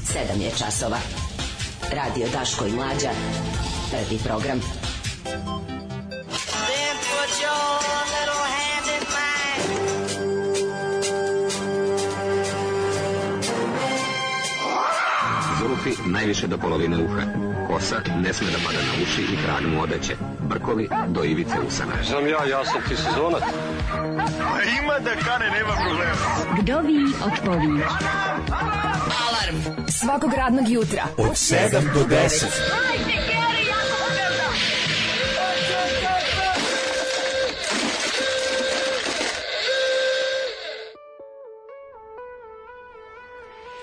7 je časova. Radio Daško i Mlađa. Prvi program. Zulufi najviše do polovine uha. Kosa ne sme da pada na uši i krag mu odeće. Brkovi do ivice usana. Znam ja sam ti sezonac. Ima da kane, nema problema. Vdovi otpovi. Alarm svakog radnog jutra od 7 do 10.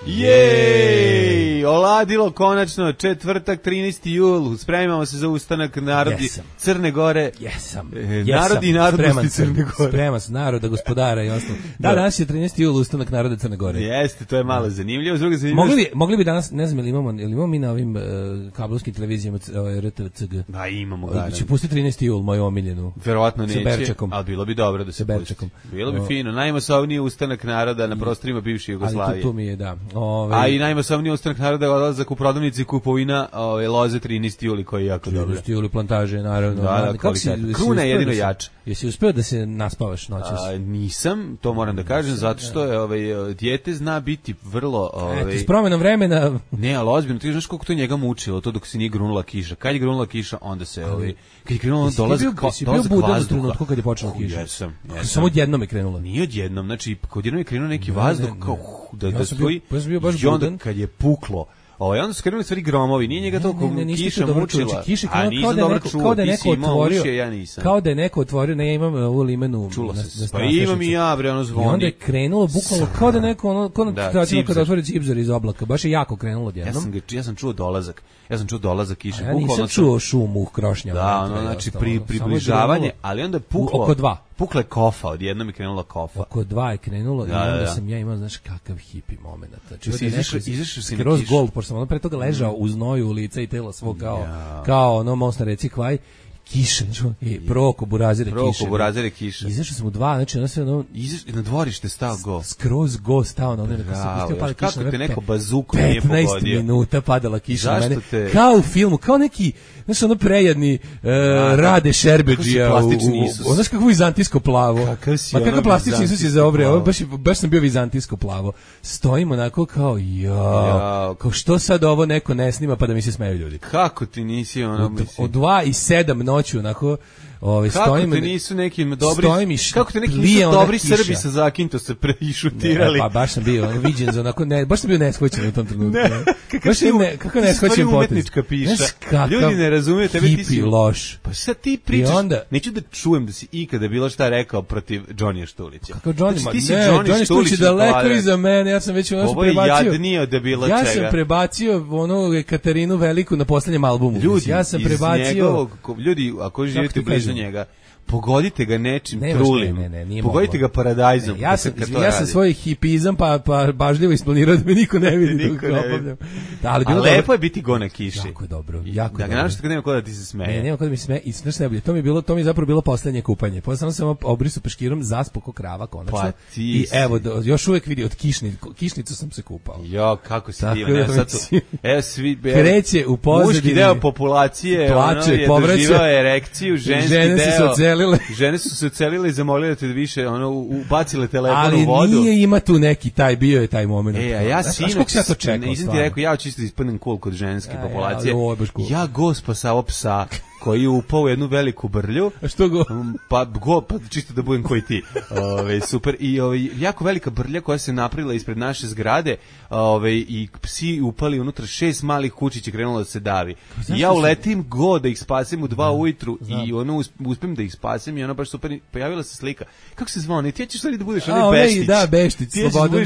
Jej! Oladilo konačno, četvrtak, 13. jul, spremamo se za ustanak narodi Crne Gore. Jesam. Narodi i narodnosti Crne Gore. Spreman sam, naroda, gospodara i ostalo. Da, danas je 13. jul, ustanak naroda Crne Gore. Jeste, to je malo zanimljivo. Mogli bi danas, ne znam, ili imamo mi na ovim kablovskim televizijama RTCG? Da, imamo ga. Će pustiti 13. jul, moju omiljenu. Verovatno neće, ali bilo bi dobro da se pusti. Bilo bi fino. Najmasovniji ustanak naroda na prostorima bivše Jugoslavije. Ali tu mi je, da. A i najmasovniji ustanak naroda odlazak u prodavnici kupovina loze 13. juli koji je jako dobro. 13. juli plantaže, naravno. Da, Kruna je jedino jača. Jesi uspeo da se naspavaš noćas? Nisam, to moram da kažem, zato što je dijete zna biti vrlo... S promenom vremena... Ne, ali ozbiljno, ti znaš koliko to njega mučilo, to dok se nije grunula kiša. Kad je grunula kiša, onda se... Kad je krenula dolazak vazduha... Kad je počela kiša? Jesam. Samo odjednom je krenula? Nije odjednom, znači, odjednom je krenuo neki vazduh kao da stoji... Ja sam bio baš i onda kad je puklo... onda su krenuli stvari gromovi, nije njega toliko kiša mučila. A nisam dobro čuo, ti si imao uši, ja nisam. Kao da je neko otvorio, ne, ja imam ovu limenu. Čulo se, pa imam i ja, bre, ono zvoni. I onda je krenulo, bukvalno, kao da neko, kada otvori cipzor iz oblaka, baš je jako krenulo odjednom. Ja sam čuo dolazak kiše. Ja nisam čuo šum u krošnjama. Da, znači približavanje, ali onda je puklo. Oko 2. Pukla je kofa, odjednom je krenula kofa. Oko 2 je krenulo i onda sam ja imao, znaš, kakav hipi moment. Znači, izašao si kroz gol, pošto sam ono pre toga ležao u znoju lica i tela svog kao ono most na reci Kvaj. Kiša, proko burazire kiša. Izašao sam u 2, znači ono sve ono... Na dvorište stao go. Skroz go stao na ono, nekako se pustio pada kiša. Kako te neko bazuku nije pogodio? 15 minuta padala kiša na mene. Kao u filmu, kao neki, znaš ono prejedni Rade Šerbeđija. Znaš kako vizantijsko plavo. Kako plastični Isus je zaobreo, baš sam bio vizantijsko plavo. Stojimo onako kao, kao što sad ovo neko ne snima pa da mi se smeju ljudi. Kako ti nisi ono... Od 2 i 7 noću onako kako te nisu neki dobri Srbi sa Zakinto se prešutirali. Pa baš sam bio viđen za onako baš sam bio neshvaćen u tom trenutku. Kako neshvaćen umetnička piša. Ljudi ne razumiju tebe, ti si loš. Pa sad ti pričaš, neću da čujem da si ikada bilo šta rekao protiv Džonija Štulića. Kako Džoni Štulić je daleko iza mene, ja sam već ono prebacio. Ovo je jadnije od debila čega. Ja sam prebacio ono Katarinu Veliku na poslednjem albumu. Ja sam prebacio. Ljudi, ako živite blizu njega, pogodite ga nečim trulim. Pogodite ga paradajzom. Ja sam svoj hipizam pa bažljivo isplanirao da me niko ne vidi. Ali lepo je biti go na kiši. Jako je dobro. Da ga našto kad nema ko da ti se smeje. Nema ko da mi se smeje. I znaš najbolje, to mi je zapravo bilo poslednje kupanje. Posle sam obrisao peškirom, zaspo ko krava konačno. I evo, još uvek vidi, od kišnicu sam se kupao. Jo, kako si divan. Evo svi... Kreće u pozadini. Muški deo populacije je doživao erekciju, žene su se ocelile i zamolile te da više ubacile telefon u vodu. Ali nije ima tu neki bio je taj moment. A ja sinoć, nisam ti rekao, ja čisto ispadnem cool kod ženske populacije. Ja go spasao psa koji je upao u jednu veliku brlju. A što go? Pa čisto da budem koji ti. Super. I jako velika brlja koja se napravila ispred naše zgrade, i psi upali unutra, 6 malih kučića krenulo da se davi. I ja uletim go da ih spasim u 2 ujutru i uspem da ih spasim i ono baš super. Pojavila se slika. Kako se zvao? Ti ćeš stvari da budeš onaj Beštić. Da, Beštić,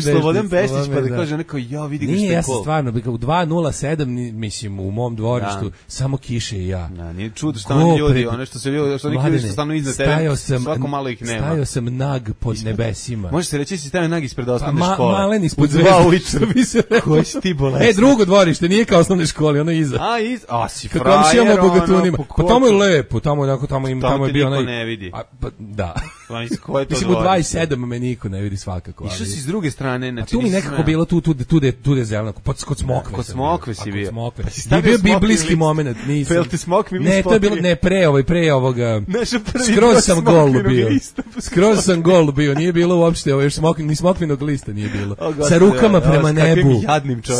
Slobodan Beštić, pa da kaže neko, ja vidi ga što je Nije, ja sam stvarno, u 2.07, mislim, u mom dvorištu, samo kiše i ja. Nije čudo što oni ljudi, ono što se ljudi, što neki ljudi što stanu iznad tebe, svako malo ih nema. Stajao sam nag pod nebesima. Može se reći si stavio nag ispred osnovne škole. Malen ispod zvezda, bi se rekao. Koji si ti bolestan? Drugo dvorište, nije kao osnovne škole, ono iza. Si frajer, ono. Pa tamo je lepo, tamo je bio onaj... ne vidi. Da. Mislim, u 2,7 me niko ne vidi svakako. Išao si s druge strane, znači... tu mi nekako bilo, tu je zeleno, kod Smokve. Kod Smokve si bio. Pa bio biblijski moment, nisam. Pel ti Smokve mi ne, to je bilo, ne, pre ovoga... Skroz sam gol bio, nije bilo uopšte, još ni Smokvinog lista nije bilo. Sa rukama prema nebu.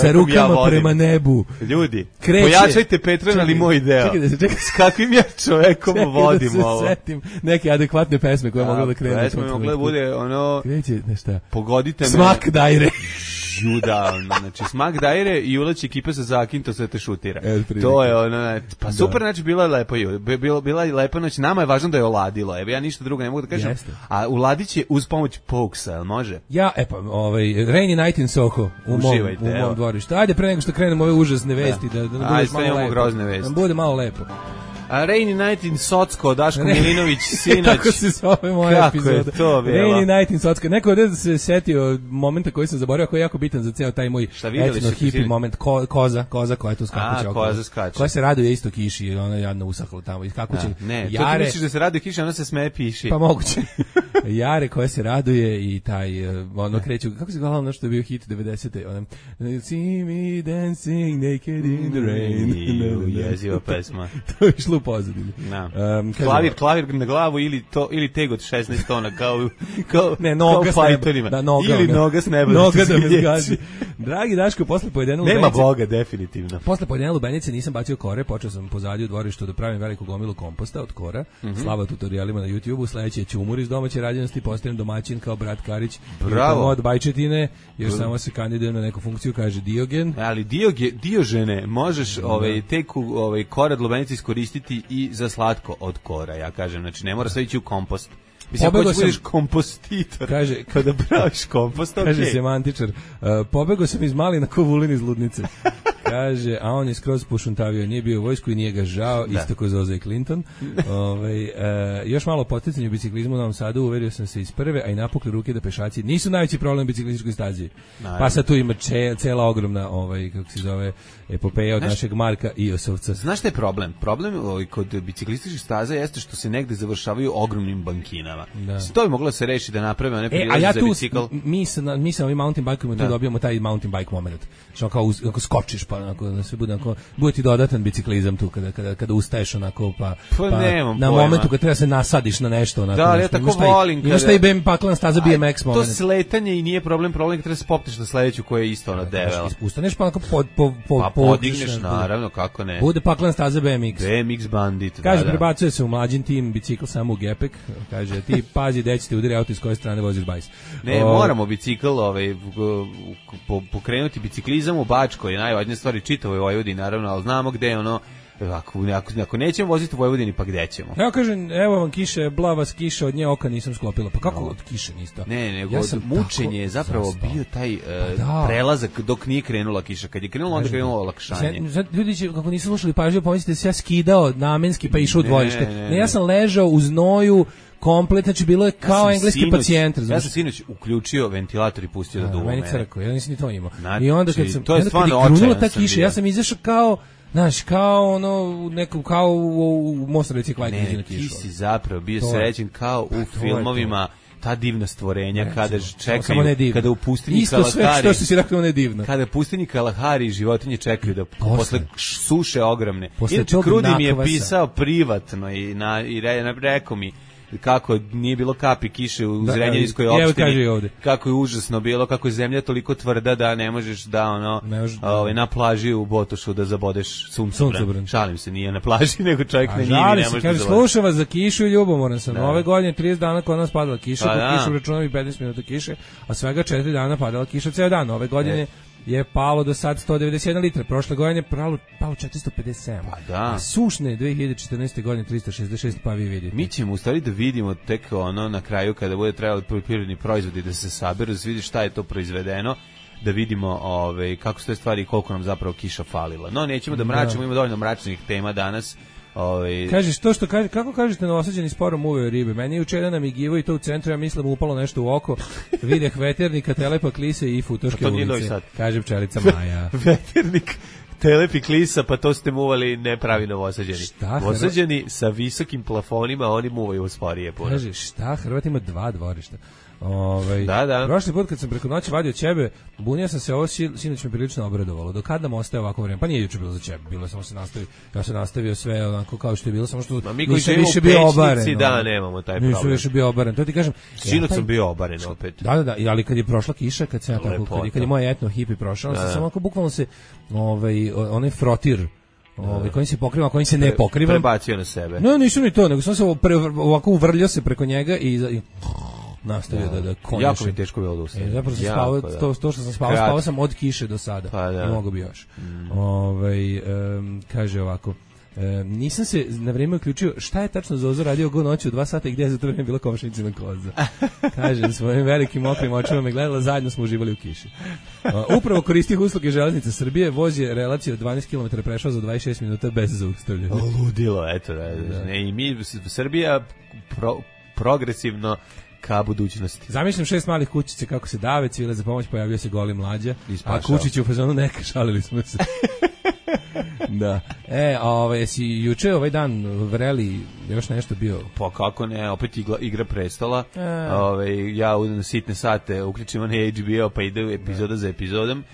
Sa rukama prema nebu. Ljudi, pojačajte Patreon, ali moj deo. S kakvim ja čovekom vodim ovo? Setim neke adekvatne pesme koje mogu da krenu. Pesme mogle bude ono... Kreće, nešta. Pogodite me... Smak dajre. Juda, znači Smak dajre i ulači ekipa sa Zakinto sve te šutira. To je ono, pa super, znači bila je lepo, bila je lepa noć, nama je važno da je oladilo, evo ja ništa drugo ne mogu da kažem, a uladit će uz pomoć Pokesa, jel može? Ja, Rainy Night in Soho, u mom dvorištu. Ajde, pre nego što krenemo ove užasne vesti, da nam bude malo lepo. Da bude malo lepo. A Rainy Night in Socko, Daško Milinović, sinoć. Tako se zove moja epizoda. Kako je to bilo? Rainy Night in Socko. Neko je se setio momenta koji sam zaboravio, koji je jako bitan za ceo taj moj etno-hippie moment. Koza koja je tu skakuća. Koza skače. Koja se raduje isto kiši, jer ona je jadno usahla tamo. I kako će... Ne, to ti misliš da se raduje kiši, ona se smeje piši. Pa moguće. Jare koja se raduje i taj, ono kreću, kako se gledalo ono što je bio hit 90-te, ono, see me dancing naked in the rain. Jeziva pesma. To je išlo u pozadini. Klavir na glavu ili teg od 16 tona kao ne, noga fajterima. Ili noga s neba. Noga da me zgazi. Dragi Daško, posle pojedene lubenice... Nema Boga, definitivno. Posle pojedene lubenice nisam bacio kore, počeo sam pozadnje u dvorištu da pravim veliku gomilu komposta od kora. Slava tutorijalima na YouTubeu, sledeći je ćumur iz domaće rađenosti, postajem domaćin kao brat Karić. Bravo. Od bajčetine, još samo se kandidujem na neku funkciju, kaže Diogen. Ali Diožene, možeš teku kora lubenice iskoristiti i za slatko od kora, ja kažem. Znači, ne mora sve ići u kompost. Mislim, ako budeš kompostitor, kaže, kada praviš kompost, ok. Kaže semantičar, pobegao sam iz Malina ko Vulin iz Ludnice. Kaže, a on je skroz pušuntavio, nije bio u vojsku i nije ga žao, isto kao Zoza i Clinton. Još malo poticanje u biciklizmu u Novom Sadu, uverio sam se iz prve, a i napukli ruke da pešaci nisu najveći problem u biciklističkoj stazi. Pa sad tu ima cela ogromna, kako se zove, epopeja od našeg Marka Iosovca. Znaš šta je problem? Problem kod biciklističkih staza jeste što se negde završavaju ogromnim bankinama. To bi moglo da se reši da naprave one prilaze za bicikl. Mi sa ovim mountain bikeom tu dobijamo taj mountain bike moment. Što kao skočiš pa onako da sve bude ti dodatan biciklizam tu kada ustaješ onako pa na momentu kad treba se nasadiš na nešto onako. Da, ja tako volim kada šta i BM paklan staza BMX moment. To sletanje i nije problem kad treba se popneš na sledeću koja je isto ona debela. Ustaneš pa onako podigneš, naravno, kako ne. Bude paklan staza BMX. BMX bandit. Kaže, prebacuje se u mlađin tim bicikl samo u gepek. Kaže, ti pazi gde će ti udari auto iz koje strane voziš bajs. Ne, moramo bicikl pokrenuti biciklizam u Bačkoj, je najvažnija stvar i čitavoj Vojvodini, naravno, ali znamo gde je ono. Ako nećemo voziti u Vojvodini, pa gde ćemo? Ja kažem, evo vam kiše, blavas kiša, od nje oka nisam sklopila. Pa kako od kiše niste? Ne, nego mučenje je zapravo bio taj prelazak dok nije krenula kiša. Kad je krenula, onda je krenulo olakšanje. Ljudi će, kako nisu slušali pažljivo, pomislite se ja skidao namenski pa išao u dvorište. Ne, ja sam ležao u znoju, komplet, znači bilo je kao engleski pacijent. Ja sam sinoć uključio ventilator i pustio da duva mene. Meni crko, ja nisam ni to imao. I onda kad sam, to je stvarno očajan ta kiša, ja sam izašao kao, znaš, kao ono, nekom, kao u Mostareći kvajke na kišu. Ti si zapravo bio srećen kao u filmovima ta divna stvorenja kada čekaju, kada u pustinji Kalahari, isto sve što si rekao ne divno, kada u pustinji Kalahari životinje čekaju da posle suše ogromne. Inače, Krudi mi je pisao privatno i rekao mi kako nije bilo kapi kiše u Zrenjaninskoj opštini, kako je užasno bilo, kako je zemlja toliko tvrda da ne možeš da na plaži u Botošu da zabodeš suncobran. Šalim se, nije na plaži, nego čovjek na njivi ne može da zabodeš. Slušam vas za kišu i ljubomoran sam. Ove godine 30 dana kod nas padala kiša, kod kišu računam i 15 minuta kiše, a svega 4 dana padala kiša ceo dan. Ove godine je palo do sad 191 litra. Prošle godine je palo 457. Pa da. A sušne 2014. godine 366, pa vi vidite. Mi ćemo u stvari da vidimo tek na kraju kada bude trebalo poljoprivredni proizvodi da se saberu, da se vidi šta je to proizvedeno, da vidimo kako su te stvari i koliko nam zapravo kiša falila. No, nećemo da mračimo, ima dovoljno mračnih tema danas. Kažeš to što kaže, kako kažete Novosađani sporom uveo ribe? Meni je jučer namigivo i to u centru, ja mislim upalo nešto u oko. Videh veternika, telepa klise i futoške ulice. Kaže pčelica Maja. Veternik, Telep i klisa, pa to ste muvali nepravi Novosađeni. Novosađeni sa visokim plafonima, oni muvaju sporije. Kaže, šta, Hrvat ima 2 dvorišta. Da. Prošli put kad sam preko noći vadio ćebe, bunio sam se, ovo sinoć me prilično obradovalo. Do kada nam ostaje ovako vreme? Pa nije juče bilo za ćebe, bilo samo se nastavio. Ja sam nastavio sve onako kao što je bilo, samo što nisam više bio obaren. Da, nemamo taj problem. Nisam više bio obaren. To ti kažem. Sinoć sam bio obaren opet. Da, ali kad je prošla kiša, kad se kad je moje etno hipi prošao, sam samo onako bukvalno se onaj frotir kojim se pokriva, kojim se ne pokriva. Prebacio na sebe. No, nisam ni to, nego sam se ovako uvrljao se preko njega i nastavio da konjušem. Jako mi teško bilo da ustane. Zapravo sam spavao, to što sam spavao sam od kiše do sada. Pa da. I mogu bi još. Kaže ovako, nisam se na vrijeme uključio šta je tačno Zozo radio go noći u 2 sata i gdje je za to vrijeme bila komšinicina koza. Kaže, svojim velikim mokrim očima me gledala, zajedno smo uživali u kiši. Upravo koristih usluge Železnice Srbije, voz je relaciju od 12 km prešao za 26 minuta bez zaustavljanja. Ludilo, eto. I mi, Srbija, progresivno ka budućnosti. Zamišljam 6 malih kućice kako se dave, cvile za pomoć, pojavio se goli mlađa, a kućić u fazonu neka, šalili smo se. Da. Jesi juče ovaj dan vreli još nešto bio? Pa kako ne, opet Igra prestola. Ja u sitne sate uključim onaj HBO pa ide epizoda za epizodom.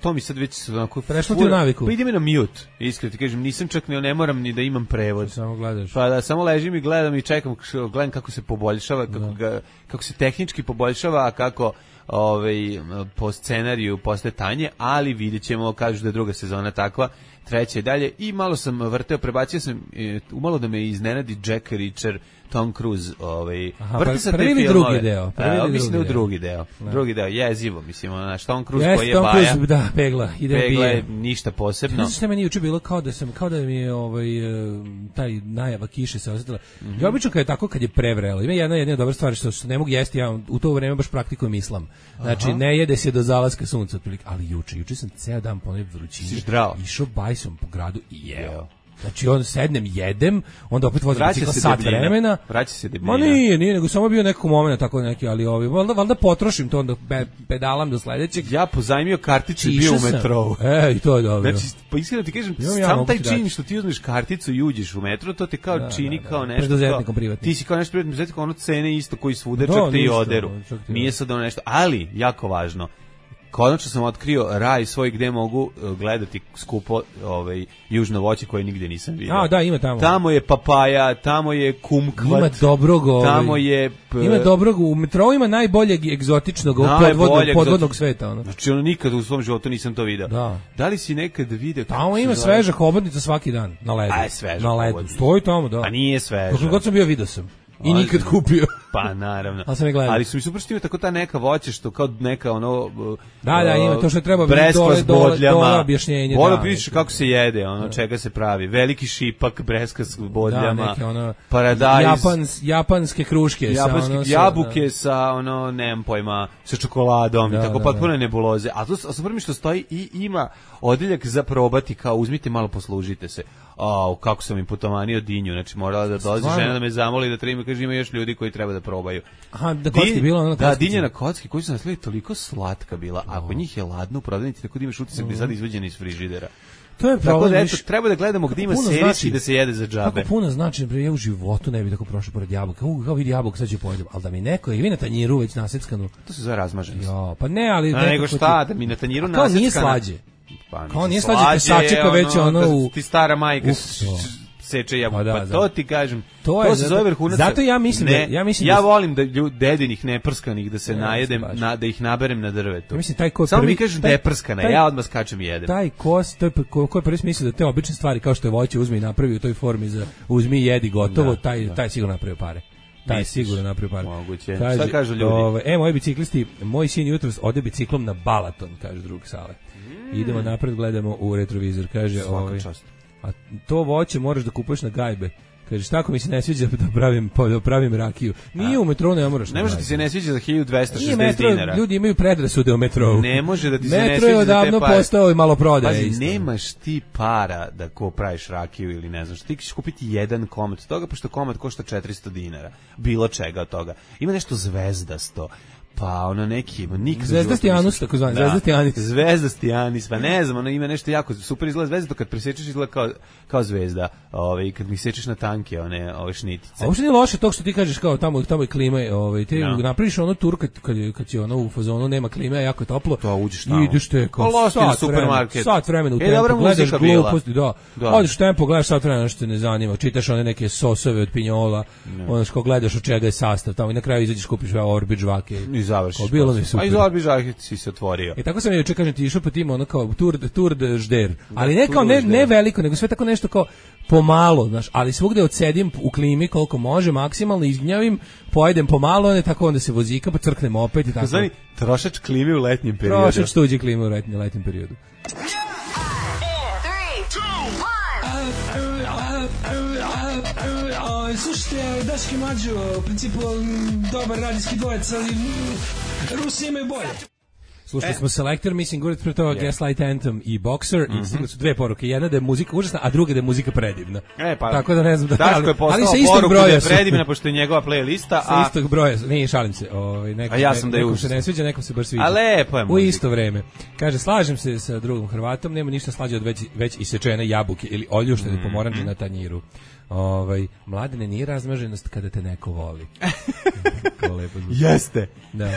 To mi sad već onako prešlo ti u naviku. Pa ide mi na mute. Iskreno ti kažem, nisam čak ne moram ni da imam prevod. Samo gledaš. Pa da, samo ležim i gledam i čekam, gledam kako se poboljšava, kako se tehnički poboljšava, a kako po scenariju postaje tanje, ali vidjet ćemo, kažu da je druga sezona takva, treća i dalje, i malo sam vrteo, prebacio sam umalo da me iznenadi Jack Reacher, Tom Cruise, vrti sa prvi ili drugi deo? Mislim da je drugi deo. Drugi deo, jezivo, mislim, Tom Cruise koji je Tom baja. Cruise, da, pegla je ništa posebno. Znaš što meni juče bilo kao da mi je taj najava kiše se osjetila. Ja obično kad je prevrelo, ima jedna dobra stvar što ne mogu jesti, ja u to vreme baš praktikujem islam. Znači, ne jede se do zalaska sunca, otprilike, ali juče sam ceo dan po onoj vrućini išao bajsom po gradu i jeo. Znači, sednem, jedem, onda opet vozim bicikla sat vremena. Vraća se debljina. Ma nije, nego samo bio nekako moment, tako neki, ali valjda potrošim to, onda pedalam do sledećeg. Ja pozajmio karticu i bio u metrou. I to je dobro. Znači, pa iskreno ti kažem, sam taj čin što ti uzmeš karticu i uđeš u metro, to te kao čini kao nešto. Preduzetnikom privatnim. Ti si kao nešto preduzetnikom, ono cene isto koji svuda, čak te i oderu. Nije sad ono nešto, ali, jako važno, konačno sam otkrio raj svoj gde mogu gledati skupo južno voće koje nigde nisam vidio. Da, ima tamo. Tamo je papaja, tamo je kumkvat. Ima dobrog, tamo je ima dobrog, u metrou ima najboljeg egzotičnog podvodnog sveta, Znači nikad u svom životu nisam to video. Da li si nekad video? Tamo ima sveža hobotnica svaki dan na ledu. Sveža. Na ledu. Stoji tamo, da. A nije sveža. Kako god sam bio video sam. I nikad kupio. Pa naravno. Ali su mi super što ima tako ta neka voće što kao neka Da, ima to što treba dole objašnjenje. Voda piše kako se jede, čega se pravi. Veliki šipak, breska s bodljama, paradajz. Japanske kruške. Jabuke sa, nemam pojma, sa čokoladom i tako potpuno nebuloze. A to sam prvi što stoji i ima odeljak za probati, kao uzmite malo, poslužite se. Kako sam im putomanio dinju, znači morala da dolazi žena da me zamoli da treba, kaže ima još ljudi koji treba da probaju. Aha, da kocki bila ona kocki. Da, dinja na kocki koji su nasledili toliko slatka bila, a kod njih je ladno u prodavnici, tako da imaš utisak da je sad izvađena iz frižidera. To je problem. Tako da treba da gledamo gdje ima serisi i da se jede za džabe. Kako puno znači, ja u životu ne bih tako prošao pored jabuka. Kao vidi jabuka, sad ću pojedem. Ali da mi neko, i vi na tanjiru već naseckanu. To se zove razmaženost. Pa ne, ali... nego šta, da mi na tanjiru naseckana... Kao nije slađe. Kao nije slađe, kad sačeka već ti stara majka seče jabuku, pa to ti kažem, to se zove vrhunac. Zato ja mislim ja volim da dedinih neprskanih da se najedem, da ih naberem na drvetu. Samo mi kažem da je prskana, ja odmah skačem i jedem. Taj kos, to je ko je prvi smisao da te obične stvari kao što je voće uzmi i napravi u toj formi za uzmi i jedi gotovo, taj sigurno napravio pare. Taj sigurno napravio pare. Moguće. Šta kažu ljudi? Moji biciklisti, moj sin jutros ode biciklom na Balaton, kaže drug Sale. Idemo napred, gledamo u retrovizor, kaže a to voće moraš da kupuješ na gajbe. Kaže, šta ako mi se ne sviđa da pravim rakiju? Nije u metrou, ne moraš. Ne može ti se ne sviđa za 1260 dinara. Ljudi imaju predrasude o metrou. Ne može da ti se ne sviđa. Metro je odavno postao i malo prodaje. Pazi, nemaš ti para da praviš rakiju ili ne znam što. Ti ćeš kupiti jedan komad toga, pošto komad košta 400 dinara. Bilo čega od toga. Ima nešto zvezdasto. Pa ono neki, nikad Zvezda Stijanus, tako zvani, Zvezda Stijanis. Zvezda Stijanis, pa ne znam, ono ima nešto jako super izgleda zvezda, kad presečeš izgleda kao zvezda, kad mi sečeš na tanke, ove šnitice. A uopšte nije loše to što ti kažeš kao tamo je klima, ti napraviš ono tur kad će ono u fazonu nema klime, a jako je toplo. To uđeš tamo. Ideš te kao sat vremena u tempu, gledaš gluposti, odeš u tempu, gledaš sat vremena što te ne zanima, čitaš one neke sosove od pinjola, ono što gledaš od čega je sastav tamo i na kraju izađeš kupiš Orbit žvake. Završiš. Bilo mi super. A iz Orbiža si se otvorio. I tako sam juče kažem ti išao po tim ono kao Tour de Žder, ali ne kao ne veliko, nego sve tako nešto kao pomalo, znaš, ali svugde odsedim u klimi koliko može, maksimalno izgnjavim, pojedem pomalo, ne tako onda se vozika, pa crknem opet i tako. Znači, trošač klime u letnjem periodu. Trošač tuđe klime u letnjem periodu. Slušajte, Daški Mađo, u principu dobar radijski dvojec, ali Rusi imaju bolje. Slušali smo Selector, Missing Words, pre toga Gaslight Anthem i Boxer, i stigle su dve poruke. Jedna da je muzika užasna, a druga da je muzika predivna. Pa, tako da ne znam da... Daško je poslao poruku da je predivna, pošto je njegova playlista, sa istog broja, ne, šalim se. A ja sam da je nekom se ne sviđa, nekom se baš sviđa. A lepo je muzika. U isto vreme. Kaže, slažem se sa drugom Hrvatom, nema ništa slađe od već isečene jabuke ili oljuštene pomoranđe na tanjiru. Mladene, nije razmaženost kada te neko voli. Jeste. Da.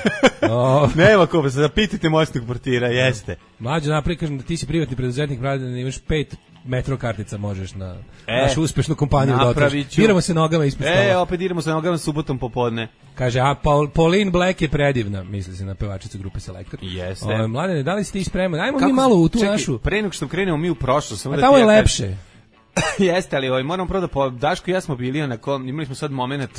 Nema ko, se zapitajte moćnog portira, jeste. Mlađe naprijed, kažem da ti si privatni preduzetnik, Mladene, imaš 5 metro kartica možeš na našu uspešnu kompaniju da otiš. Diramo se nogama ispred stola. Opet diramo se nogama subotom popodne. Kaže, a Pauline Black je predivna, misli se na pevačicu grupe Selector. Jeste. Mladene, da li ste ti spremani? Ajmo mi malo u tu našu... Pre nego što krenemo mi u prošlost. A tamo je lepše. Jeste, ali moram prvo da Daško i ja smo bili imali smo sad moment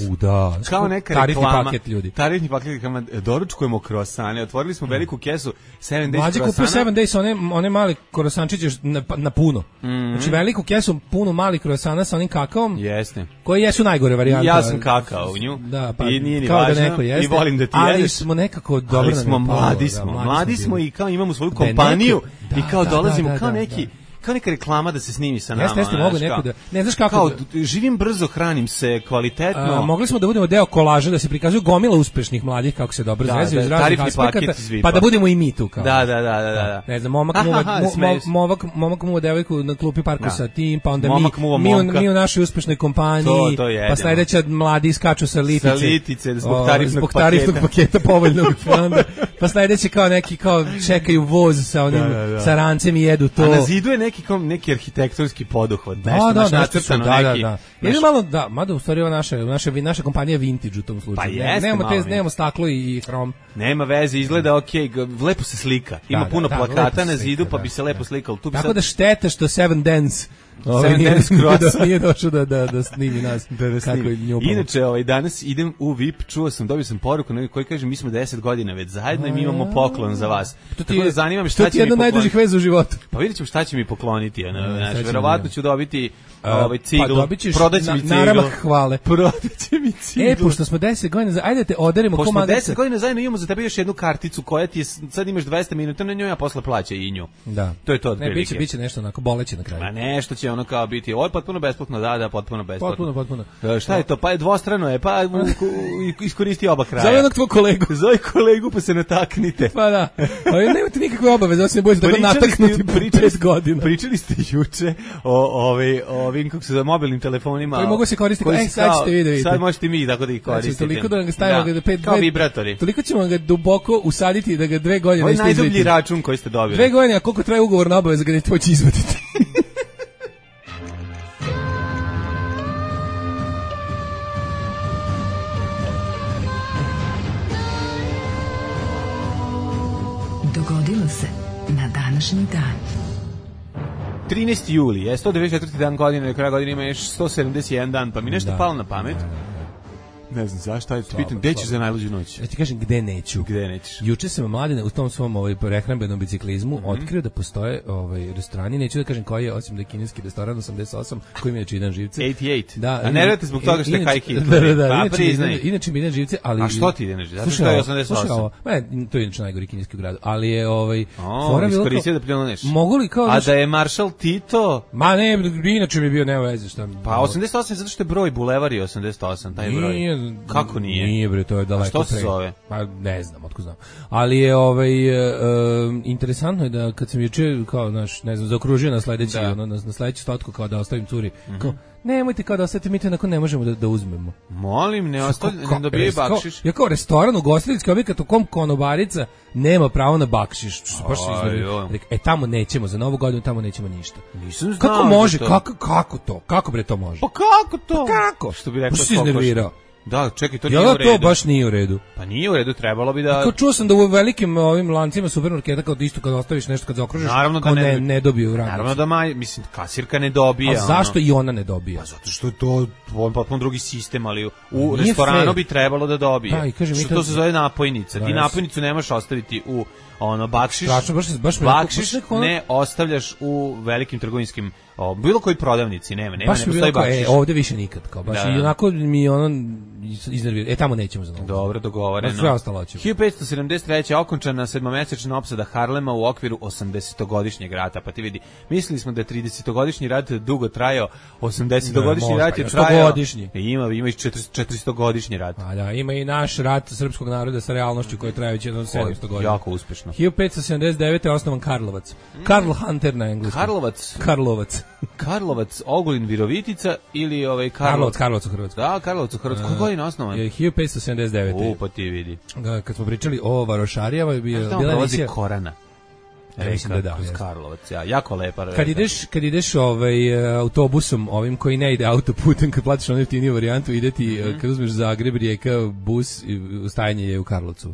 kao neka tarifni reklama, paket ljudi. Tarifni paket, doručkujemo krosane, otvorili smo veliku kesu 7 days Mlađe kupio 7 days, one mali krosančiće na puno. Znači veliku kesu, puno malih krosana sa onim kakaom. Jeste. Koji jesu najgore varijante. Ja sam kakao u nju. Da, pa i nije ni kao važno, da neko jeste. I volim da ti ali jedeš. Smo nekako dobro. Ali smo mladi smo i kao imamo svoju kompaniju i kao dolazimo kao neki kao neka reklama da se snimi sa nama. Jeste, mogu neko da... Ne znaš kako... Kao, živim brzo, hranim se kvalitetno. Mogli smo da budemo deo kolaža, da se prikazuju gomila uspešnih mladih, kako se dobro zvezaju iz raznih aspekata, pa da budemo i mi tu. Kao. Da. Ne znam, momak muva devojku na klupi parku sa tim, pa onda mi u našoj uspešnoj kompaniji, pa sledeća mladi iskaču sa litice zbog tarifnog paketa povoljnog, pa sledeći kao neki čekaju voz sa onim sarancem i jedu to. A na zidu je neki arhitektonski poduhvat, nešto nacrtano neki. Ili malo, mada u stvari naša kompanija vintage u tom slučaju. Pa jeste, nemamo staklo i hrom. Nema veze, izgleda okej, lepo se slika. Ima puno plakata na zidu, pa bi se lepo slikalo. Tako da šteta što Seven Dance nije došao da snimi nas. Kako je njubalo. Inače, danas idem u VIP, dobio sam poruku koji kaže mi smo 10 godina već zajedno i mi imamo poklon za vas. Tako da zanima me šta će mi pokloniti. To ti je jedna najdužih veza u životu. Pa vidjet ćemo šta će mi pokloniti. Verovatno ću dobiti ciglu. Prodaće mi ciglu. Naramak hvale. Prodaće mi ciglu. Pošto smo 10 godina, ajde te oderimo ko magaca. Pošto smo 10 godina zajedno imamo za tebe još jednu karticu koja ti je, sad imaš 200 minuta na njoj, a posle plaća i nju. Da. To je to otprilike. Ne, biće nešto onako boleće na kraju. Ma nešto će ono kao biti, ovo je potpuno besplatno, da, potpuno besplatno. Potpuno. Šta je to? Pa je dvostrano je, pa iskoristi oba kraja. Zove onog tvoj kolegu. Zove kolegu pa se nataknite. Pa da. Ali nemate nikakve obaveze, osim bojite da ga nataknuti 5 godina. Pričali ste juče o ovim, kako se zove, mobilnim telefonima. Koji mogu se koristiti, sad ćete vidjeti. Sad možete mi tako da ih koristite. Toliko da ga stavimo kao vibratori. Toliko ćemo ga duboko usaditi da ga 2 godine niste izvediti. Ovo je najdublji račun koji ste dobili. 2 godine, a koliko traje ugovorna obaveza ga nećete moći izvaditi. Dogodilo se na današnji dan. 13. juli je 194. dan godine, do kraja godine ima još 171 dan, pa mi nešto palo na pamet. Ne znam zašto, ajde ti pitam, gde ćeš za najluđu noć? Ja ti kažem gde neću. Gde nećeš? Juče sam Mladene u tom svom prehrambenom biciklizmu otkrio da postoje restorani, neću da kažem koji je, osim da je kineski restoran 88, koji ima Čidan živce. 88. Da, a ne radite zbog toga što je high hit. Da, inače mi idem živce, ali... A što ti idem živce? Zato što je 88. To je inače najgori kineski u gradu, ali je iskoristio da pljuneš. Mogu li kao... A da je Maršal Tito... Ma ne, inače mi je bio nema veze šta... Pa 88 zato što je broj, bulevar je 88, taj broj. nije. Kako nije? Nije bre, to je daleko. A što se zove? Pa ne znam, otko znam. Ali je interesantno je da kad sam juče kao ne znam, zaokružio na sledeći na sledeću statku kao da ostavim curi. Kao nemojte kao da ostavite, mi to onako ne možemo da uzmemo. Molim, ne dobije bakšiš. Ja kao restoran, ugostiteljski objekat u kom konobarica nema pravo na bakšiš. Baš se iznervio. Tamo nećemo, za Novu godinu tamo nećemo ništa. Nisam znao. Kako može? Kako to? Kako bre to može? Pa kako to? Pa kako? Što bi rekao, se iznervirao. Da, čekaj, to nije u redu. Ja, to baš nije u redu. Pa nije u redu, trebalo bi da... Kao čuo sam da u velikim ovim lancima supermarketa kao isto kad ostaviš nešto, kad zaokružiš, kao ne dobiju radnici. Naravno da mislim, kasirka ne dobija. A zašto i ona ne dobija? Pa zato što je to potpuno drugi sistem, ali u restoranu bi trebalo da dobije. Da, i kažem, što to se zove napojnica. Ti napojnicu ne možeš ostaviti u bakšiš. Baš bakšiš ne ostavljaš u velikim trgovinskim bilo koji prodavnici, ne postoji bakšiš. Ovde više nikad, kao baš i onako mi iznervira. Tamo nećemo za Novu. Dobro, dogovoreno. Sve ostalo ćemo. 1573. okončana 7-mesečna opsada Harlema u okviru 80-godišnjeg rata. Pa ti vidi, mislili smo da je 30-godišnji rat dugo trajao, 80-godišnji rat je trajao. Ima i 400-godišnji rat. A da, ima i naš rat srpskog naroda sa realnošću koji traje već 700 godina. Jako uspešno. 1579. je osnovan Karlovac. Karl Hunter na engleskom. Karlovac, Ogulin, Virovitica ili Karlovac u Hrvatskoj. Da, Karlovac u Hrvatskoj. Koji godina osnovan? 1579. Pa ti vidi. Kad smo pričali o varošarijama, bila emisija Korana. Mislim da Karlovac, jako lepa. Kad ideš autobusom, ovim koji ne ide autoputem, kad platiš onu jeftiniju varijantu, ide ti, kad uzmeš Zagreb, Rijeka, bus, ustajanje je u Karlovcu.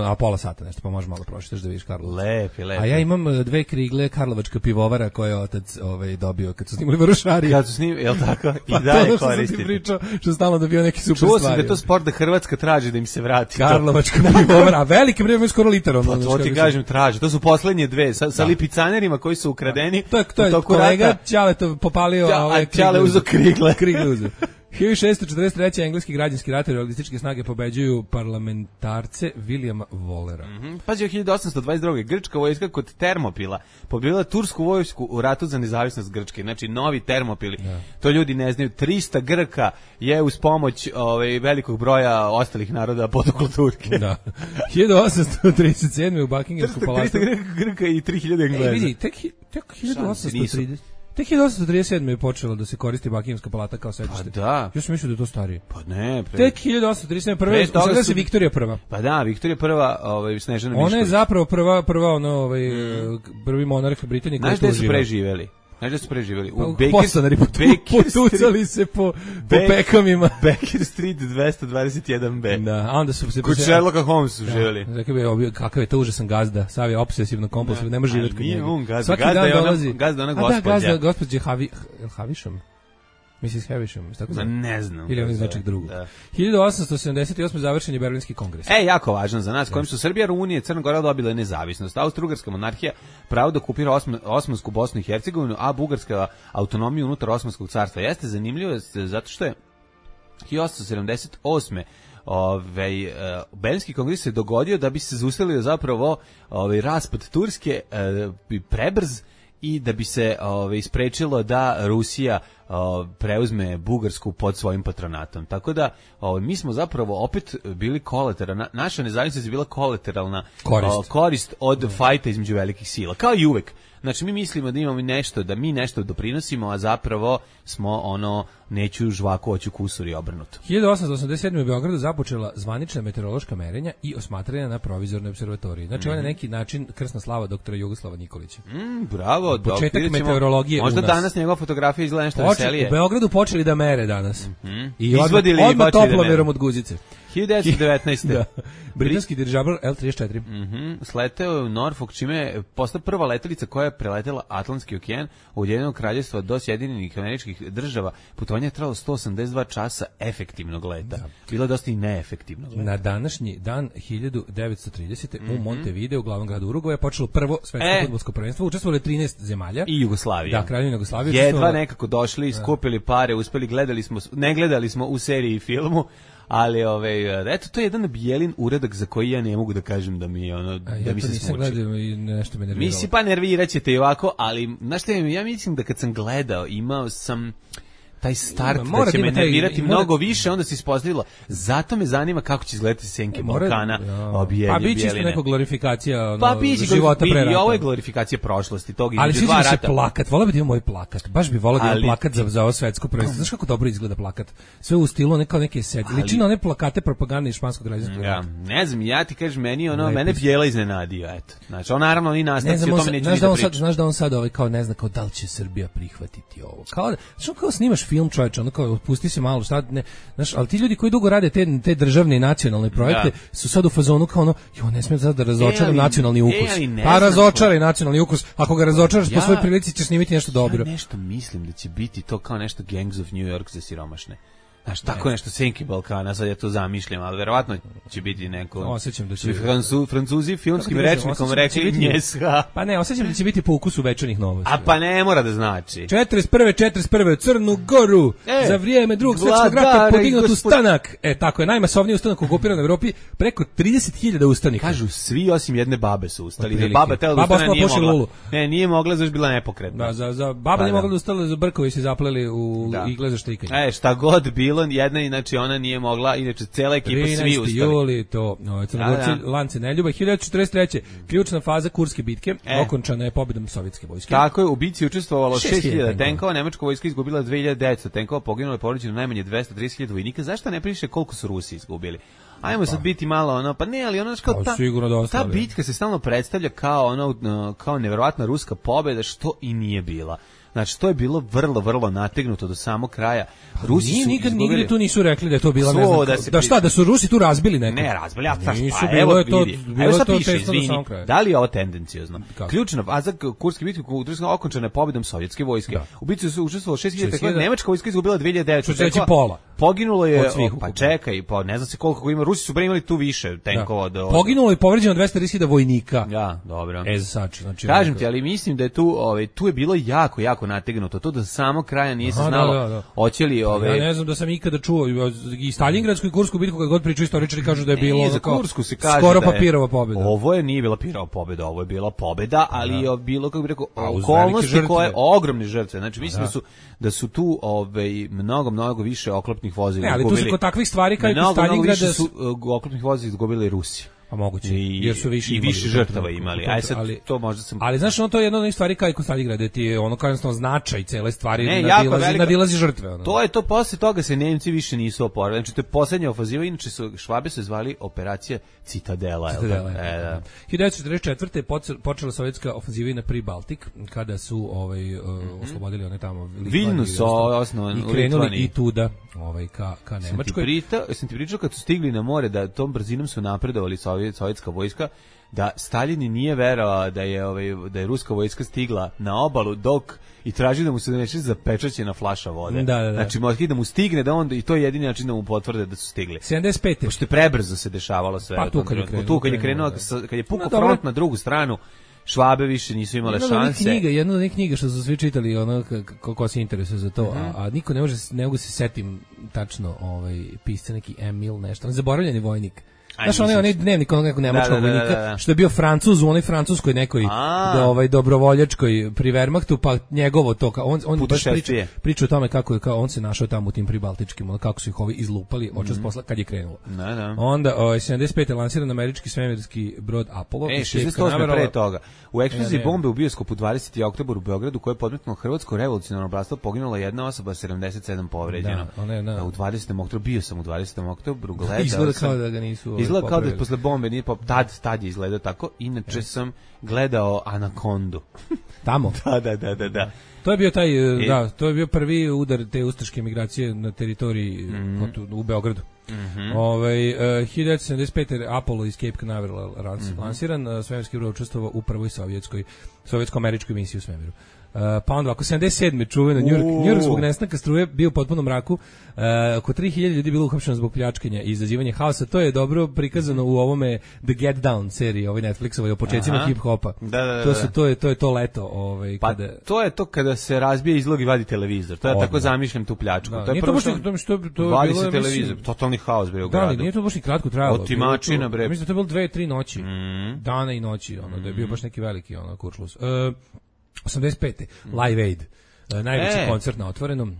A pola sata nešto, pa možeš malo prošitaš da vidiš Karlovac. Lepi. A ja imam 2 krigle Karlovačka pivovara koje je otac dobio kad su snimali Varošarije. Kad su snimali, jel tako? I dalje koristite. Što sam ti pričao, što stalno dobio neki super stvari. Čuo sam da je to sport da Hrvatska traži da im se vrati. Karlovačka pivovara, a velike vreme skoro liter. Pa to ti kažem, traži. To su poslednje dve, sa lipicanerima koji su ukradeni. To je kolega Ćale to popalio. Ćale uzo krigle. 1643. engleski građanski rat i realističke snage pobeđuju parlamentarce Williama Wallera. Pazi, 1822. Grčka vojska kod Termopila pobjedila tursku vojsku u ratu za nezavisnost Grčke. Znači, novi Termopili. To ljudi ne znaju. 300 Grka je uz pomoć velikog broja ostalih naroda potuklo Turke. Da. 1837. u Buckinghamsku palatu. 300 Grka i 3000 Engleza. Vidi, tek 1830. Tek 1837. je počelo da se koristi Buckinghamska palata kao sedište. Pa da. Ja sam mislio da je to starije. Pa ne. Tek 1837. Prve toga se Viktorija prva. Pa da, Viktorija prva, Snežana Mišković. Ona je zapravo prva prvi monarh Britanije koji je tu živeo. Znaš da su preživjeli? U Postanari potucali se po pekamima. Baker Street 221B. Da, a onda su se... Kod Sherlocka Holmes su živjeli. Kakav je to užasan gazda. Sav je obsesivno kompulsivno, ne može živjeti kod njega. Nije on gazda. Gazda je ona gospođa. Gazda gospođe Havišom. Mrs. Havisham, tako zove? Ne znam. Ili on iz nečeg drugog. 1878. završen je Berlinski kongres. Jako važan za nas, kojim su Srbija, Rumunija i Crna Gora dobile nezavisnost. Austro-Ugarska monarhija pravo da okupira Osmansku Bosnu i Hercegovinu, a Bugarska autonomiju unutar Osmanskog carstva. Jeste zanimljivo zato što je 1878. Berlinski kongres se dogodio da bi se zaustavio zapravo raspad Turske prebrz i da bi se isprečilo da Rusija preuzme Bugarsku pod svojim patronatom. Tako da mi smo zapravo opet bili kolateralna, naša nezavisnost je bila kolateralna korist od fajta između velikih sila, kao i uvek. Znači mi mislimo da imamo nešto, da mi nešto doprinosimo, a zapravo smo neću žvaku, hoću kusur i obrnuto. 1887. u Beogradu započela zvanična meteorološka merenja i osmatranja na provizornoj observatoriji. Znači on je neki način krsna slava doktora Jugoslava Nikolića. Bravo, početak meteorologije možda u nas. Danas njegova fotografija izgleda nešto veselije. U Beogradu počeli da mere danas. I odmah toplomerom od guzice. 1919. Da. Britanski dirižabl L-34. Sleteo je u Norfolk, čime je postala prva letelica koja je preletela Atlantski okean od Ujedinjenog kraljevstva do Sjedinjenih Američkih Država. Putovanje je trajalo 182 časa efektivnog leta. Bilo je dosta i neefektivnog leta. Na današnji dan 1930. u Montevideo, u glavnom gradu Urugvaja, počelo prvo svetsko fudbalsko prvenstvo. Učestvovalo je 13 zemalja. I Jugoslavija. Da, Kraljevina Jugoslavija. Jedva nekako došli, skupili pare, uspeli, ne gledali smo u seriji i filmu. Ali eto, to je jedan Bijelin uradak za koji ja ne mogu da kažem da mi da mi se smuči. Ja to nisam gledao i nešto me nerviralo. Misli, pa nerviraćete i ovako, ali znaš šta, ja mislim da kad sam gledao, imao sam taj start da će me nervirati mnogo više, onda se ispostavilo. Zato me zanima kako će izgledati senke Balkana. Pa biće isto neka glorifikacija života pre rata. I ovo je glorifikacija prošlosti, tog ali sviđa mi se plakat, voleo bi da imam moj plakat, baš bi voleo da imam plakat za ovo svetsko prvenstvo. Znaš kako dobro izgleda plakat? Sve u stilu neke sedi. Liči na one plakate propagandne iz španskog građanskog rata. Ne znam, ja ti kažeš mene Bjela iznenadio, eto. Znači, on naravno ni nastavci o tome neće ni da priča. Znaš da on sad kao ne zna kao da li će Srbija prihvatiti ovo. Kao snimaš film, čoveče, ono kao pusti se malo, šta ne, znaš, ali ti ljudi koji dugo rade te državne i nacionalne projekte su sad u fazonu kao ne smijem sad da razočaram nacionalni ukus. Pa razočaraj nacionalni ukus, ako ga razočaraš po svojoj prilici ćeš snimiti nešto dobro. Ja nešto mislim da će biti to kao nešto Gangs of New York za siromašne. Znaš, tako nešto senke Balkana, sad ja to zamišljam, ali verovatno će biti neko... Osjećam da će... Francuzi filmskim rečnikom rekli njesha. Pa ne, osjećam da će biti po ukusu Večernjih novosti. A pa ne mora da znači. 41. Crnu Goru, za vrijeme Drugog svjetskog rata podignutu stanak. Tako je, najmasovniji ustanak u okupiranoj Evropi, preko 30.000 ustanika. Kažu, svi osim jedne babe su ustali. Da baba tela da ustane nije mogla. Ne, nije mogla, zašto bila nepokretna. Da, za baba nije mogla da ustala, za brkovi se zapleli u igle za štrikanje. Šta god bilo, jedna, inače ona nije mogla, inače cela ekipa svi ustali. 13. juli, to, Crnogorci, lance neljuba. 1943. ključna faza Kurske bitke, okončana je pobjedom sovjetske vojske. Tako je, u bici učestvovalo 6.000 tenkova, nemačka vojska izgubila 2.900 tenkova, poginulo je povređeno najmanje 230.000 vojnika. Zašto ne piše koliko su Rusi izgubili? Ajmo sad biti malo pa ne, ali ono kao ta bitka se stalno predstavlja kao neverovatna ruska pobjeda, što i nije bila. Znači, to je bilo vrlo nategnuto do samog kraja. Rusi su nigde tu nisu rekli da je to bila, ne znam, da su Rusi tu razbili neko. Ne, razbili, evo sad piše, izvini, da li je ovo tendencijozno? Ključna faza Kurske bitke okončana je pobjedom sovjetske vojske. U bitci su učestvovalo 6.000 tenkova, nemačka vojska izgubila 2.900 tenkova. Pola. Poginulo je, pa čekaj, ne znam se koliko ima, Rusi su imali tu više tenkova. Poginulo je povređeno 230.000 vojnika. Ja, dobro. Znači, kažem ti, ali mislim da je tu je bilo jako nategnuto, to do samog kraja nije se znalo. Hoće li Ja ne znam da sam ikada čuo i Stalingradsku i Kursku bitku, kad god pričaju istoričari kažu da je bilo skoro papirova pobjeda. Ovo nije bila papirova pobjeda, ovo je bila pobjeda, ali je bilo, kako bih rekao, okolnosti koje ogromne žrtve. Znači mislim da su tu mnogo više oklopnih vozila izgubili. Ali tu su kod takvih stvari kao i kod Stalingrada su oklopnih vozila izgubili Rusi. Pa moguće, jer su više žrtava imali. Aj sad to možda sam... Ali znaš, to je jedna od onih stvari kao i kod Stalingrada, ti je kao jednostavno značaj cele stvari nadilazi žrtve. To posle toga se Nemci više nisu oporavili. Znači, to je poslednja ofaziva, inače Švabe se zvali operacija Citadela. 1944. je počela sovjetska ofanziva na Pribaltik, kada su oslobodili one tamo Vilnius osnovan i krenuli i tuda ka Nemačkoj. Sam ti pričao kad su stigli na more da tom brzinom su napredovali sovjetska vojska, da Stalin nije verovao da je ruska vojska stigla na obalu dok i traži da mu se donese zapečaćena flaša vode. Da. Znači možda da mu stigne da onda i to je jedini način da mu potvrde da su stigli. 75. Pošto je prebrzo se dešavalo sve. Pa kad je krenuo, kad je pukao front na drugu stranu, Švabe više nisu imale šanse. Jedna od knjiga što su svi čitali, ko se interesuje za to, a niko ne mogu se setim tačno pisca neki Emil nešto, zaboravljeni vojnik. Znaš, onaj dnevnik nekog nemačkog vojnika, što je bio Francuz u onoj francuskoj nekoj dobrovoljačkoj pri Wehrmachtu, pa njegovo to, on baš priča o tome kako on se našao tamo u tim pribaltičkim, kako su ih ovi izlupali očas posla kad je krenulo. Onda 75. je lansiran američki svemirski brod Apollo. 68. pre toga. U eksploziji bombe u bioskopu 20. oktobar u Beogradu, koje je podmetnulo Hrvatsko revolucionarno bratstvo, poginula jedna osoba, 77 povređeno. U 20. oktobru, bio sam u 20. oktobru, gledao sam. Izgleda kao da ga nisu izgleda kao da posle bombe nije tad je izgledao tako. Inače sam gledao Anakondu. Tamo? Da. To je bio to je bio prvi udar te ustaške migracije na teritoriji u Beogradu. 1975. Apollo iz Cape Canaveral lansiran, svemirski brod učestvovao u prvoj sovjetsko-američkoj misiji u svemiru. Pa onda ako 77. čuveno Njujork zbog nestanka struje bio u potpunom mraku, oko 3000 ljudi bilo uhapšeno zbog pljačkanja i izazivanja haosa. To je dobro prikazano u ovome The Get Down seriji, Netflixovoj o početcima hip-hopa. To je to leto. Pa to je to kada se razbije izlog i vadi televizor. To ja tako zamišljam tu pljačku. To je prvo što vadi se televizor. Totalni haos bre u gradu. Da, nije to baš ni kratko trajalo. Otimačina bre. Mislim da to je bilo 2-3 noći. Dana i noći, da je bio baš neki veliki kuršlus. 85. Live Aid, najveći koncert na otvorenom.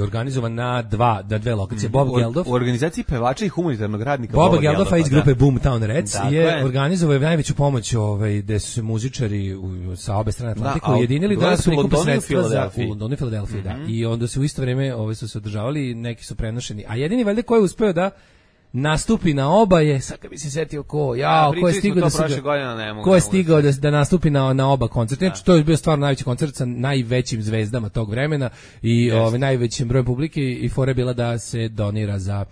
organizovan na dve lokacije. Bob Geldof u organizaciji pevača i humanitarnog radnika Boba Geldofa iz grupe Boomtown Reds je organizovao najveću pomoć gde su se muzičari sa obe strane Atlantika ujedinili da su prikupe sredstva za Londonu i Filadelfiji, da. I onda se u isto vreme su se održavali, neki su prenošeni. A jedini valjda ko je uspeo da nastupi na oba je, sad kad bi se setio ko je stigao da nastupi na oba koncerta. Znači, to je bio stvarno najveći koncert sa najvećim zvezdama tog vremena i najvećim brojem publike i fora je bila da se donira za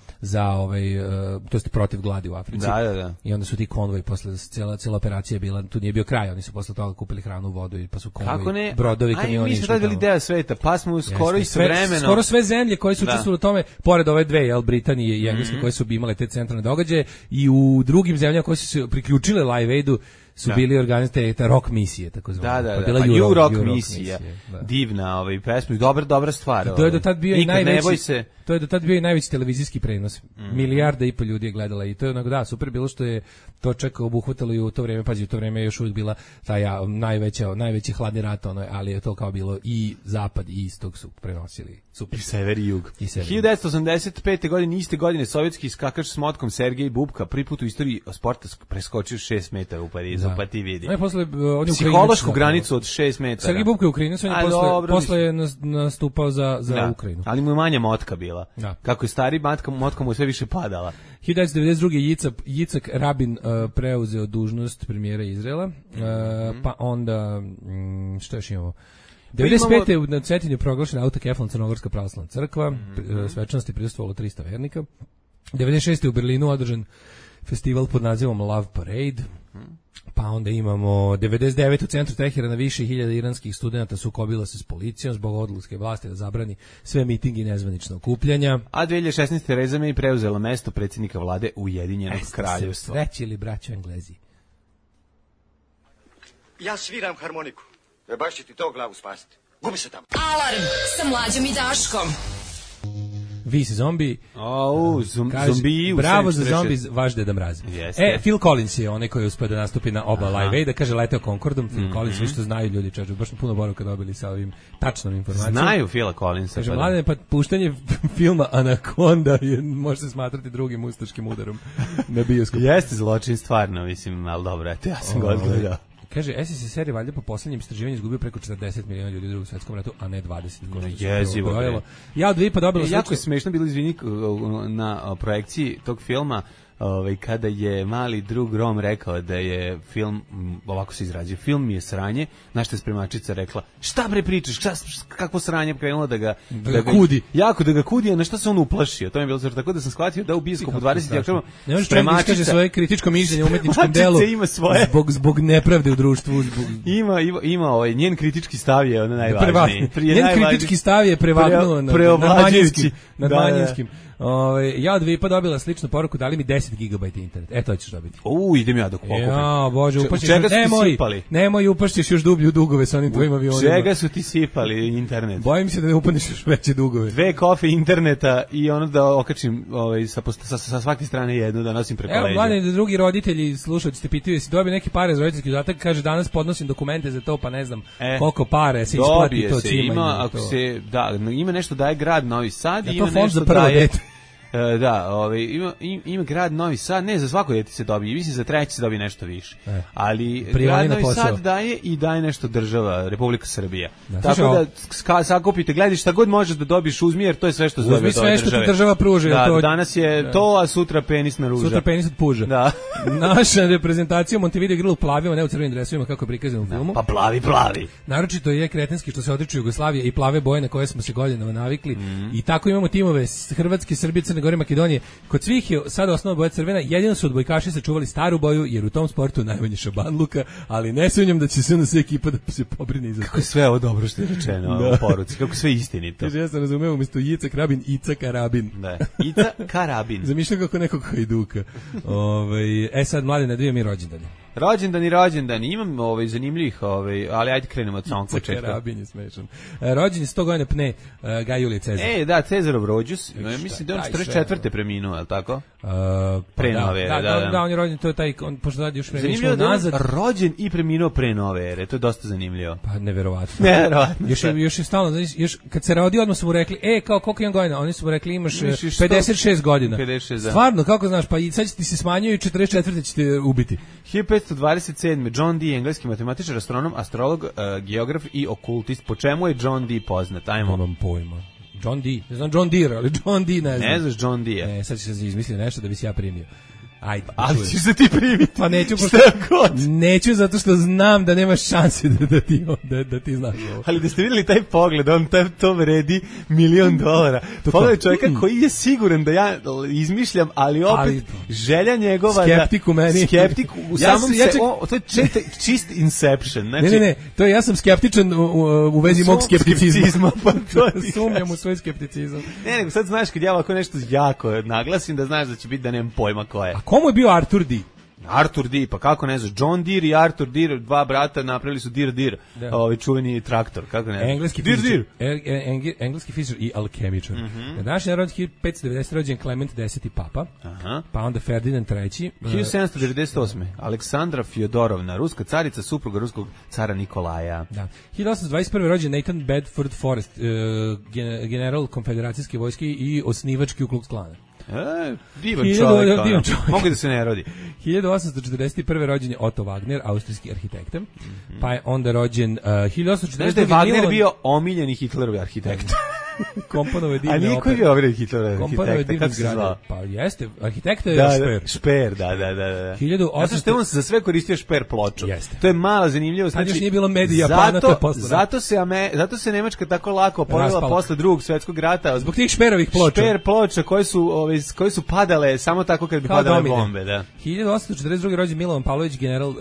to jest protiv gladi u Africi. Da. I onda su ti konvoji, posle cijela operacija je bila, tu nije bio kraj, oni su posle toga kupili hranu, vodu i pa su konvoji, brodovi, kamioni. Mi smo tada bili deo sveta, pa smo skoro istovremeno. Skoro sve zemlje koje su učestvovale u tome, pored ove dve, Britanije i Engleske, koje su imale te centralne događaje, i u drugim zemljama koje su se priključile Live Aidu su bili organizovane te rock misije, tako zvano. Da. Pa Euro rock misija. Divna pesma, dobra stvar. To je do tad bio i najveći. To je do tad bio i najveći televizijski prenos. Milijarda i po ljudi je gledala i to je onako, super bilo što je to čak obuhvatalo i u to vreme, pazi, u to vreme je još uvijek bila taj najveći hladni rat, ali je to kao bilo i zapad i istok su prenosili. Super. I sever i jug. 1985. godine, iste godine, sovjetski skakač s motkom Sergej Bubka prvi put u istoriji sporta preskočio 6 metara u Parizu, pa ti vidi. Psihološku granicu od 6 metara. Sergej Bubka je Ukrajinac, on je posle je nastupao za Ukrajinu. Ali mu je manja motka bila. Da. Kako je stari, motka mu je sve više padala. 1992. Jicak Rabin preuzeo dužnost premijera Izraela, pa onda, što još imamo? 95. na Cetinju proglašena autokefalna Crnogorska pravoslavna crkva, svečanosti prisustvovalo 300 vernika. 96. u Berlinu održan festival pod nazivom Love Parade. Pa onda imamo 99. u centru Teherana više hiljada iranskih studenta sukobilo se s policijom zbog odluke vlasti da zabrani sve mitingi i nezvanična okupljanja. A 2016. Tereza May preuzela mesto predsjednika vlade Ujedinjenog kraljevstva. Sreći ili braćo Englezi? Ja sviram harmoniku. Baš će ti to glavu spasiti. Gubi se tamo. Alarm sa Mlađom i Daškom. Vi si zombi. Zombi. Bravo za zombi, vaš Deda Mraz. Phil Collins je onaj koji je uspio da nastupi na oba Live Aida, kaže leteo Concordom. Phil Collins, svi što znaju ljudi, čađu, baš puno boravka dobili sa ovim tačnom informacijom. Znaju Phila Collinsa. Kaže, mladene, pa puštanje filma Anaconda može se smatrati drugim ustaškim udarom na bioskopu. Jeste zločin, stvarno, mislim, ali dobro, eto, ja sam ga odgledao. Kaže, SSSR je valjda po posljednjim istraživanju izgubio preko 40 miliona ljudi u Drugom svjetskom ratu, a ne 20. Jezivo. Ja od dvije pa dobila jako je smiješno bilo, izvini, na projekciji tog filma, kada je mali drug Rom rekao da je film, ovako se izrazio, film mi je sranje, na što je spremačica rekla, šta bre pričaš, kakvo sranje, krenula da ga kudi. Jako da ga kudi, a na što se on uplašio, to mi je bilo tako da sam shvatio da u bioskopu 20. oktobra spremačica kaže svoje kritičko mišljenje o umetničkom delu zbog nepravde u društvu. Ima njen kritički stav je ono najvažniji. Njen kritički stav je prevagnuo nad manjinskim. Ja od Vipa dobila sličnu poruku, dali mi 10 GB internet. To ćeš dobiti. Idem ja dok pokupim. Ja, bože, upašćeš. Čega su ti sipali? Nemoj, upašćeš još dublju dugove sa onim tvojim avionima. Čega su ti sipali internet? Bojim se da ne upadneš još veće dugove. 2 kofe interneta i ono da okačim sa svake strane jednu, da nosim preko leđa. Evo, mladeni, da drugi roditelji slušalci te pitaju, jesi dobio neke pare za roditeljski dodatak, kaže danas podnosim dokumente za to, pa ne znam koliko pare se isplati to cima. Ima nešto daje grad Novi Sad i ima nešto daje... ima grad Novi Sad, ne, za svako dete se dobije, mislim za treći se dobije nešto više. Ali grad Novi Sad daje i daje nešto država, Republika Srbija. Tako da sakupite, gledaj šta god možeš da dobiješ, uzmi, jer to je sve što se dobije od države. Uzmi sve što ti država pruži. Danas je to, a sutra penis na ruža. Sutra penis od puža. Da. Naša reprezentacija u Montevideo igrala u plavima, ne u crvenim dresovima kako je prikazano u filmu. Pa plavi. Naročito je kretenski što se odriču Jugoslavije i plave boje na koje smo se godinama navikli. I tako imamo timove Hrvatske, Srbije, Crne Gore, Makedonije. Kod svih je sad osnovna boja crvena, jedino su odbojkaši sačuvali staru boju, jer u tom sportu najmanje šabanluka, ali ne sumnjam da će se sve ekipa da se pobrini za to. Kako je sve ovo dobro što je rečeno u poruci, kako sve istinito. Ja sam razumeo, umjesto Jicak Rabin, Icak Karabin. Da, Icak Karabin. Zamišljam kako nekog hajduka. Sad, mlade, nadvije mi rođendane. Rođendan, imam zanimljivih, ali ajde krenemo od samog početka. Karabin je smešan. Rođen je 100 godina pne Gaj Julije Cezar. Da, Cezarov rođus, mislim da on 44. preminuo, je li tako? Pre nove ere, da, on je rođen, to je taj, pošto radi još zanimljivo da nazad. Rođen i preminuo pre nove ere, to je dosta zanimljivo. Pa neverovatno. Još je stalno, još kad se rodio, odmah su mu rekli, kao koliko imam godina? Oni su mu rekli, imaš 56 godina. 56, da. Stvarno, kako znaš, pa i sad ti se smanjuju, 44. ćete ubiti. 1527. John Dee, engleski matematičar, astronom, astrolog, geograf i okultist. Po čemu je John Dee poznat? Ajmo. Nemam pojma. John Dee, ne znam John Deere, ali John Dee ne znam. Ne znaš John Dee? Sad ću se izmisliti nešto da bi se ja primio. Ajde. Ali ćeš se ti primiti. Pa neću, neću zato što znam da nemaš šanse da ti znaš ovo. Ali da ste vidjeli taj pogled, on to vredi $1.000.000. Pogledaj čovjeka koji je siguran da ja izmišljam, ali opet želja njegova skeptik u meni. Skeptik u samom to je čist inception. Znači, ne, to je, ja sam skeptičan u vezi mog skepticizma. Pa to sumnjam u svoj skepticizam. Ne, nego sad znaš kad ja ovako nešto jako naglasim da znaš da će biti da nemam pojma ko je. Komu je bio Arthur Dee? Arthur Dee, pa kako ne znaš, John Deere i Arthur Deere, dva brata napravili su Deere, čuveni traktor, kako ne znaš. Engleski fizičar i alkemičar. Na današnji narod 1590 rođen Klement X papa, pa onda Ferdinand III. 1798. Aleksandra Fjodorovna, ruska carica, supruga ruskog cara Nikolaja. Da. 1821. rođen Nathan Bedford Forrest, general konfederacijske vojske i osnivač Ku Klux Klana. Divan čovjek. Mogu da se ne rodi. 1841. rođen je Otto Wagner, austrijski arhitekta. Pa je onda rođen 1842. Znaš da je Wagner bio omiljeni Hitlerovi arhitekt. Komponovo je divne opere. A niko je bio omiljeni Hitlerovi arhitekta, kako se zvao? Pa jeste, arhitekta je Šper. Šper, da. 1800... Zato što on se za sve koristio Šper ploču. Jeste. To je mala zanimljivost. Tad još nije bilo medija, Japana, zato se Nemačka tako lako oporavila posle Drugog svjetskog rata. Zbog tih Šperovih ploča. Šper ploča koje su padale samo tako kad bi padale bombe, da. 1842. rođen Milovan Pavlović, general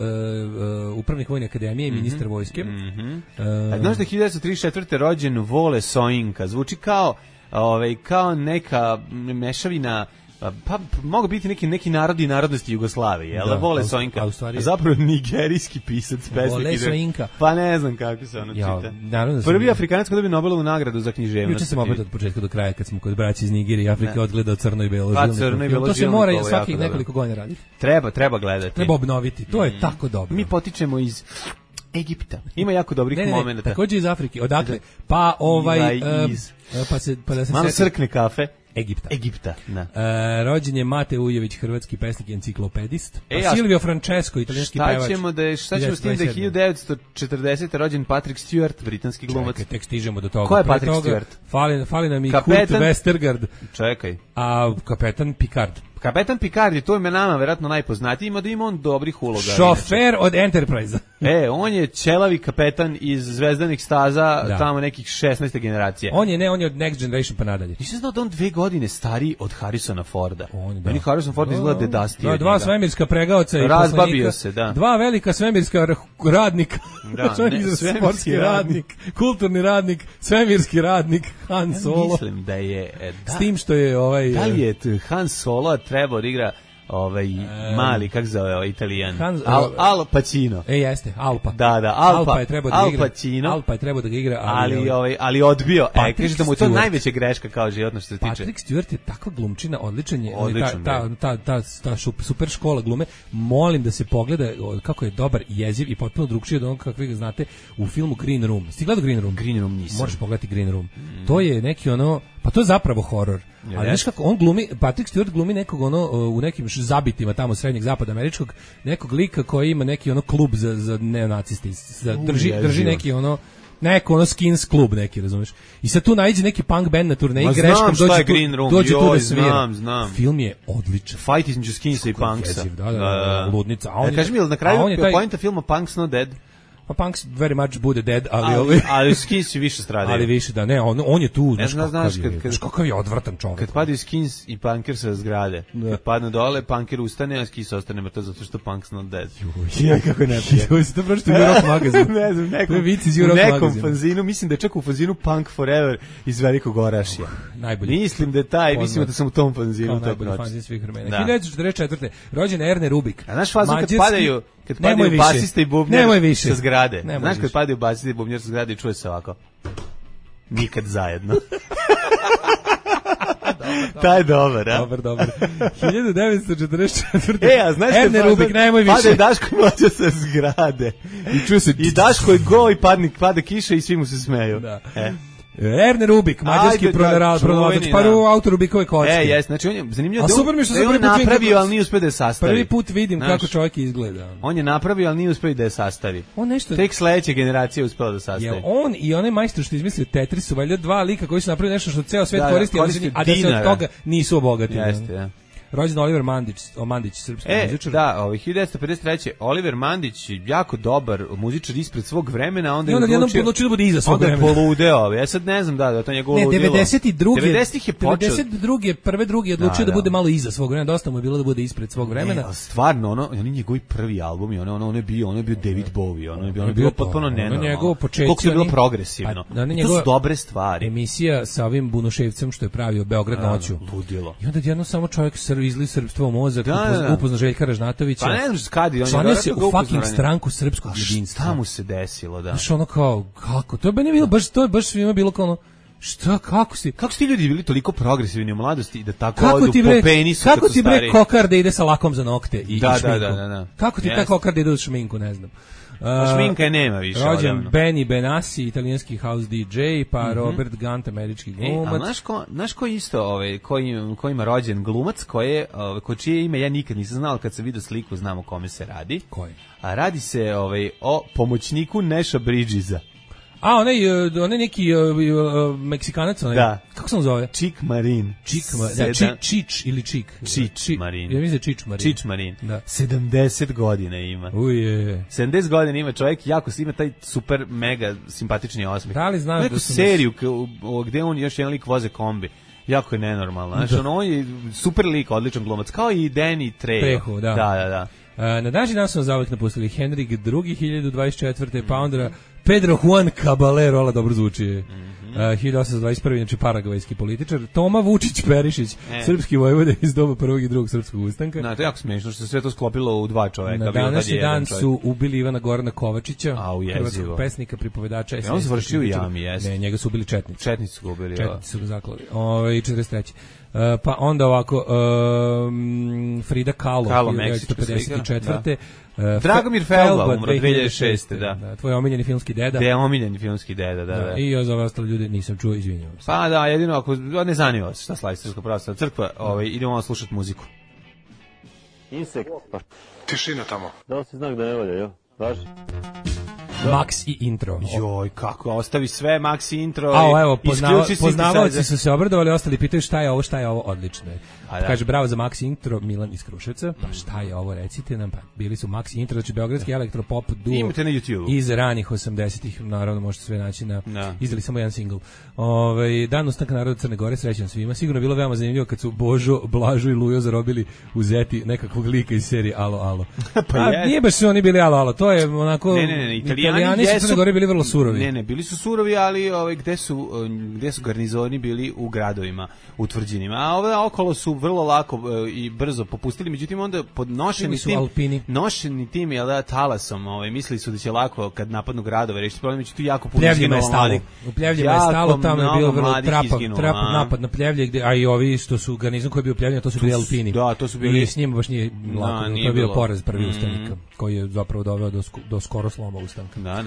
upravnik Vojne akademije i ministar vojske. Znaš da je 1934. rođen Vole Soinka, zvuči kao neka mešavina, pa mogu biti neki narodi i narodnosti Jugoslavije, jel? Vole Soinka, a zapravo nigerijski pisac, pesnik. Vole Soinka. Pa ne znam kako se ono čita. Prvi Afrikanac koji dobio Nobelovu nagradu za književnost. Juče sam opet od početka do kraja, kad smo kod braće iz Nigirije i Afrike odgledao Crno i Belo. Pa Crno i Belo. To se mora svakih nekoliko godina raditi. Treba gledati. Treba obnoviti, to je tako dobro. Mi potičemo iz Egipta. Ima jako dobrih momenata. Također iz Afrike. Odakle? Pa da se malo srkne kafe. Egipta. Da. Rođen je Mate Ujević, hrvatski pesnik i enciklopedist. Silvio Francesco, italijanski pevač. Šta ćemo s tim da je 1940. rođen Patrick Stewart, britanski glumac. Čekaj, tek stižemo do toga. Ko je Patrick Stewart? Fali nam i Kurt Westergaard. Čekaj. A kapetan Picard. Kapetan Picard je, to je nama verovatno najpoznatiji, ima on dobrih uloga. Šofer od Enterprise. On je ćelavi kapetan iz Zvezdanih staza, tamo nekih 16. generacije. On je od Next Generation pa nadalje. Nisam znao da on 2 godine stariji od Harrisona Forda. Meni Harrison Ford izgleda dedastije. Dva svemirska pregaoca i razbabio se, da. Dva velika svemirska radnika. Sportski radnik, kulturni radnik, svemirski radnik, Han Solo. Mislim da je... S tim što je Da li je Han Solo trebao da igra mali, kako zove Italijan? Al Pacino. Jeste, Alpa. Da, Alpa je trebao da igra. Pacino. Alpa je trebao da ga igra, ali odbio. Kaže da mu to najveća greška kao životno što se tiče. Patrick Stewart je takva glumčina, odličan je. Ta super škola glume. Molim da se pogleda kako je dobar, jeziv i potpuno drugčiji od onog kakvih ga znate u filmu Green Room. Ste gledali Green Room? Green Room nisam. Možeš pogledati Green Room. To je neki pa to je zapravo horor. Ali znaš kako on glumi, Patrick Stewart glumi nekog u nekim zabitima tamo srednjeg zapada američkog, nekog lika koji ima neki klub za neonaciste, drži neki neko skins klub neki, razumeš? I sad tu naiđe neki punk band na turneji, greškom dođe tu da svira. Znam. Film je odličan. Fight između skinsa i punksa. Da, ludnica. Kaži mi, na kraju pointa filma Punk's Not Dead? Pa Punks very much bude dead, ali Skins je više stradaju. Ali više da, ne, on je tu, znaš kakav je odvratan čovjek. Kad padaju Skins i Punker sa zgrade, kad padne dole, Punker ustane, a Skins ostane mrtav zato što Punk's Not Dead. Kako ne pije. To pročito u Rock magazinu. Ne znam, u nekom fanzinu, mislim da je čak u fanzinu Punk Forever iz Velikog Orašja. Najbolji. Mislim da je taj, mislim da sam u tom fanzinu. Najbolji fanzin svih vremena. 1944. rođen Erne Rubik. A znaš fazu kad padaju basista i bubnjar sa zgrade. Znaš kad padaju basista i bubnjar sa zgrade i čuje se ovako. Nikad zajedno. Taj je dobar, a? Dobar. 1944. A znaš Erne Rubik, nemoj više. Pade Daško i Mlađa sa zgrade. I Daško je go i pada kiša i svi mu se smeju. Da. Erne Rubik, mađarski pronalazač, autor Rubikove kocke. Jes, znači on je zanimljivo da on je napravio, ali nije uspio da je sastavi. Prvi put vidim kako čovjek izgleda. On je napravio, ali nije uspio da je sastavi. On nešto... Tek sledeća generacija uspela da sastavi. Je on i onaj majstor što izmislio Tetris su valjda dva lika koji su napravili nešto što ceo svet koristi, a da se od toga nisu obogatili. Jeste, ja. Rođen Oliver Mandić, srpski muzičar. Da, 1953. Oliver Mandić, jako dobar muzičar ispred svog vremena, onda je odlučio da bude iza svog vremena. Onda je poludeo, ja sad ne znam da to njegovo ludilo. 90-ih je počeo. 92. Prvi je odlučio da bude malo iza svog vremena, dosta mu je bilo da bude ispred svog vremena. Ne, stvarno, oni njegovi prvi albumi, on je bio David Bowie, on je bio potpuno nenormalno. Koliko je bilo progresivno. To su dobre stvari. Emisija sa ovim Bunuševcem što je pravio Beograd noću. Ludilo. I onda jedno samo čovjek izli srpstvo u mozak, upozna Željka Ražnatovića. Pa ne znam skadi, on je se u fucking stranku srpskog jedinstva. Šta mu se desilo, da? Znaš, ono kao, kako? To je bilo baš svima bilo kao ono, šta, kako si ti ljudi bili toliko progresivni u mladosti da tako odu po penisu kako ti bre kokar da ide sa lakom za nokte i šminku? Da. Kako ti taj kokar da ide u šminku, ne znam. Šminka je nema više. Rođen Benny Benassi, italijanski house DJ, pa Robert Gant, američki glumac. Znaš ko isto, ko ima rođen glumac, ko čije ime ja nikad nisam znao, kad sam vidio sliku znam o kome se radi. Koji? A radi se o pomoćniku Neša Bridgesa. A, onaj neki Meksikanac, onaj. Da. Kako se on zove? Čik Marin. Čič ili Čik. Čič Marin. Ja mislim Čič Marin. Čič Marin. Da. 70 godina ima. Uje. 70 godina ima čovjek, jako ima taj super mega simpatični osmeh. Da li znaš neku seriju gde on još jedan lik voze kombi. Jako je nenormalno. Znači, on je super lik, odličan glumac, kao i Danny Trejo. Da. Na današnji dan su nas zauvek napustili Henrik II. 1024. pa onda Pedro Juan Caballero, ala dobro zvuči. 1821. Znači paragvajski političar. Toma Vučić Perišić, srpski vojvoda iz doba prvog i drugog srpskog ustanka. To je jako smiješno što se sve to sklopilo u dva čoveka. Na današnji dan su ubili Ivana Gorana Kovačića, hrvatskog pesnika, pripovedača. On se vršio u jami, jeste. Ne, njega su ubili četnici. Četnici su ga ubili. Četnici su ga zaklali. 43. Pa onda ovako Frida Kahlo 1954. Dragomir Felba umro 2006. Da. Tvoj omiljeni filmski deda. Da. I ja za ove ostale ljude nisam čuo, izvinjavam se. Pa da, jedino ako ne zanima vas šta slavi Srpska pravoslavna crkva, idemo slušati muziku. Insekt. Tišina tamo. Da se znak da ne valja, jo? Važi? Max i intro. Joj, kako, ostavi sve, Max i intro. Evo, poznavaoci su se obradovali, ostali pitaju šta je ovo, odlično je. Kaže, bravo za Max intro, Milan iz Kruševca. Pa šta je ovo, recite nam, pa bili su Max intro, znači beogradski elektropop duo. Imate na YouTube. Iz ranih 80-ih, naravno možete sve naći izdali samo jedan singl. Dan ustanka naroda Crne Gore, srećan svima. Sigurno je bilo veoma zanimljivo kad su Božo, Blažo i Lujo zarobili u Zeti nekakvog lika iz serije Alo, alo. Nije baš su oni bili Alo, alo, to je onako... Italijani su Crne Gore bili vrlo surovi. Ne, bili su surovi, ali gde su garnizoni bili u gradovima, u tvrđinima. A ove okolo su vrlo lako i brzo popustili, međutim onda pod nošeni tim talasom, mislili su da će lako kad napadnu gradove rešiti problem, međutim tu jako puno izginulo mladih. U Pljevljima je stalo, tamo je bilo vrlo trap napad na Pljevlje, a i ovi što su garnizon koji je bio Pljevljena, to su bili Alpini. Da, to su bili. I s njima baš nije lako, to je bio poraz prvi ustanika, koji je zapravo doveo do skoro sloma ustanka. Da.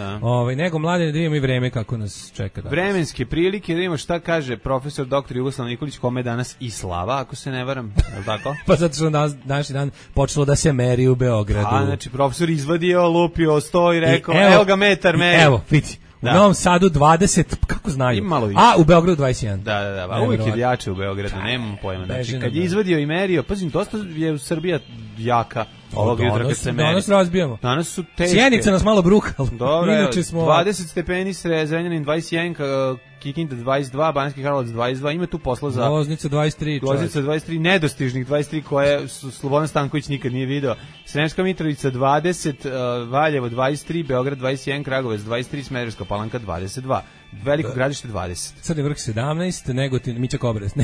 Nego mlade da vidimo i vreme kako nas čeka danas. Vremenske prilike, da vidimo šta kaže profesor dr. Jugoslav Nikolić, kome je danas i slava, ako se ne varam, je li tako? Pa zato što današnji dan počelo da se meri u Beogradu. Znači profesor izvadio, lupio, sto i rekao, evo ga metar meri. Evo, vidi. U Novom Sadu 20, kako znaju? A u Beogradu 21. Da, uvijek je jače u Beogradu, nemam pojma. Znači, kad je izvadio i merio, pazim, dosta je Srbija jaka. Ovog jutra kad se meri. Danas razbijamo. Danas su teške. Sjenica nas malo brukala. Dobro, 20 stepeni, Zrenjanin 21, Kikinda 22, Banjski Karlovac 22, ima tu posla za... Loznica 23, nedostižnih 23 koje Slobodan Stanković nikad nije video. Sremska Mitrovica 20, Valjevo 23, Beograd 21, Kragujevac 23, Smederevska Palanka 22. Veliko Gradište 20. Crni Vrh 17, Negotin, Mića Kobres,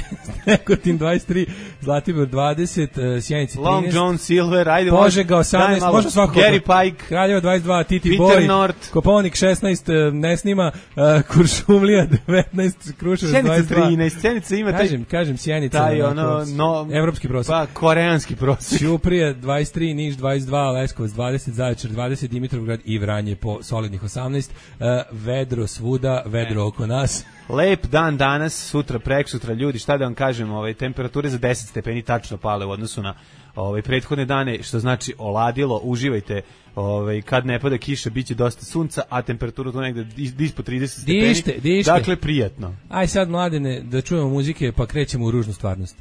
Negotin 23, Zlatibor 20, Sjenica 13. Long John Silver, ajde. Požega 18, može svako. Gary Pike. Kraljevo 22, Titi Peter Boy. North. Koponik 16, ne snima. Kuršumlija 19, Kruševac 22. Sjenica 13, Sjenica ima taj... Kažem, Sjenica. Taj evropski prosjek. Pa, koreanski prosjek. Ćuprija 23, Niš 22, Leskovac 20, Zaječar 20, Dimitrovgrad i Vranje po solidnih 18. Vedro svuda, vedro oko nas. Lep dan danas, sutra, preksutra, ljudi, šta da vam kažem, temperature za 10 stepeni tačno pale u odnosu na prethodne dane, što znači oladilo, uživajte, kad ne pada kiša, biće dosta sunca, a temperatura tu negde ispod 30 stepeni, dište. Dakle, prijatno. Aj sad, mladene, da čujemo muzike, pa krećemo u ružnu stvarnost.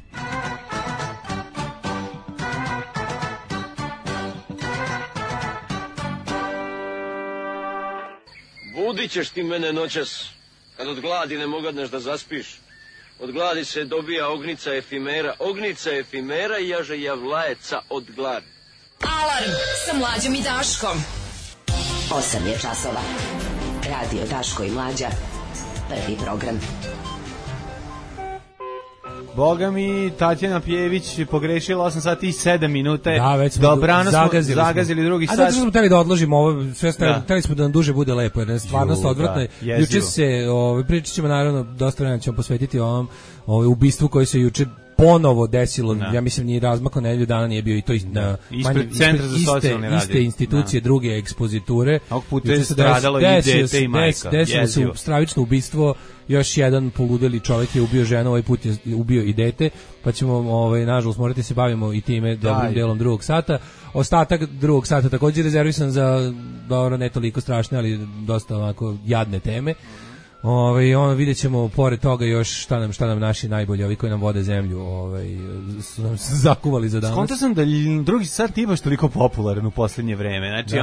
Budit ćeš ti mene noćas, kad od gladi ne mogadneš da zaspiš. Od gladi se dobija ognica efimera i jaže javlajeca od gladi. Alarm sa Mlađom i Daškom. 8 je časova. Radio Daško i Mlađa. Prvi program. Boga mi, Tatjana Pjević pogrešila 8 sati i 7 minuta. Da, već smo zagazili drugi sat. A zato što smo hteli da odložimo ovo, sve hteli smo da nam duže bude lepo, jer je stvarnost odvratna. Juče se, pričat ćemo naravno, dosta vremena ćemo posvetiti ovom ubistvu koji se juče ponovo desilo, ja mislim ni razmako nedelju dana nije bio i to ispred Centra za socijalni rad. Iste institucije, druge ekspoziture. Ovog puta je stradalo i dete i majka. Desilo se stravično ubistvo, još jedan poludeli čovjek je ubio ženu, ovaj put je ubio i dete, pa ćemo, nažalost, morati se bavimo i time dobrim delom drugog sata. Ostatak drugog sata također rezervisan za, dobro, ne toliko strašne, ali dosta onako jadne teme. Vidjet ćemo pored toga još šta nam naši najbolji, ovi koji nam vode zemlju, su nam zakuvali za danas. Skonto sam da drugi sat nije baš toliko popularan u posljednje vreme. Znači,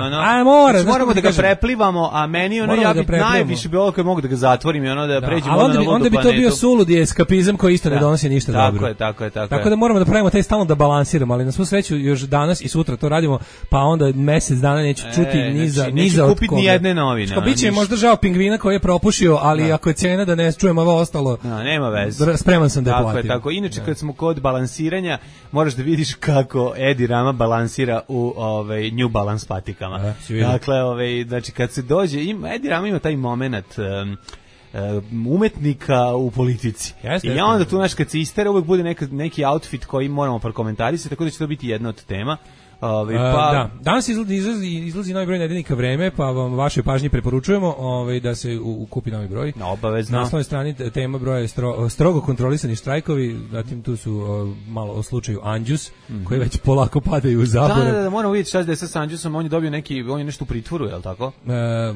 moramo da ga preplivamo, a meni ja bi najviše bilo koji mogu da ga zatvorim i da pređemo na ludu planetu. Onda bi to bio suludi eskapizam koji isto ne donosi ništa dobro. Tako da moramo da pravimo taj stalno da balansiramo, ali na svu sreću još danas i sutra to radimo, pa onda mjesec dana neću čuti niza od koga. Ni jedne novine. Biće možda žao pingvina koji je propušio, ali ako je cena da ne čujem ovo ostalo, nema veze. Spreman sam da je platim. Tako. Inače, kad smo kod balansiranja, moraš da vidiš kako Edi Rama balansira u New Balance patikama. Dakle, znači, kad se dođe, Edi Rama ima taj moment umetnika u politici. I onda tu, kad se istera, uvek bude neki outfit koji moramo prokomentarisati, tako da će to biti jedna od tema. Danas izlazi novi broj Nedeljnika Vreme, pa vam vašoj pažnji preporučujemo da se kupi novi broj. Obavezno. Na naslovnoj strani tema broja je strogo kontrolisani štrajkovi, zatim tu su malo o slučaju Anđus, koji već polako padaju u zaborav. Da, moramo vidjeti šta je sa Anđusom, on je dobio on je nešto u pritvoru, je li tako?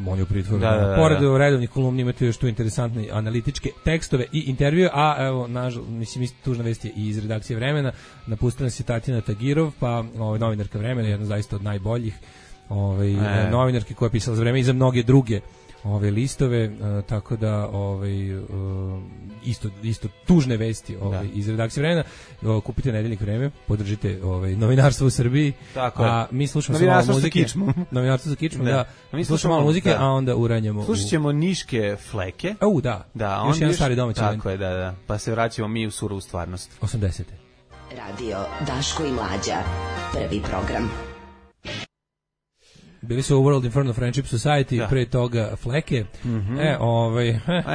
On je u pritvoru. Pored redovnih kolumni imate još tu interesantne analitičke tekstove i intervjue, a evo, mislim, tužna vest je i iz redakcije Vremena, napustila nas je Tatjana Tagirov, pa novinarka Vremena, jedna zaista od najboljih novinarki koja je pisala za Vreme i za mnoge druge listove, tako da isto tužne vesti iz redakcije Vremena. Kupite Nedeljnik Vreme, podržite novinarstvo u Srbiji, a mi slušamo malo muzike. Novinarstvo sa kičmom, da. Mi slušamo malo muzike, a onda uranjamo. Slušat ćemo Niške fleke. Da, još jedan stari domaći. Tako je, da. Pa se vraćamo mi u surovu stvarnost. 80. Radio Daško i Mlađa, prvi program. Bili su u World Inferno Friendship Society, pre toga Fleke.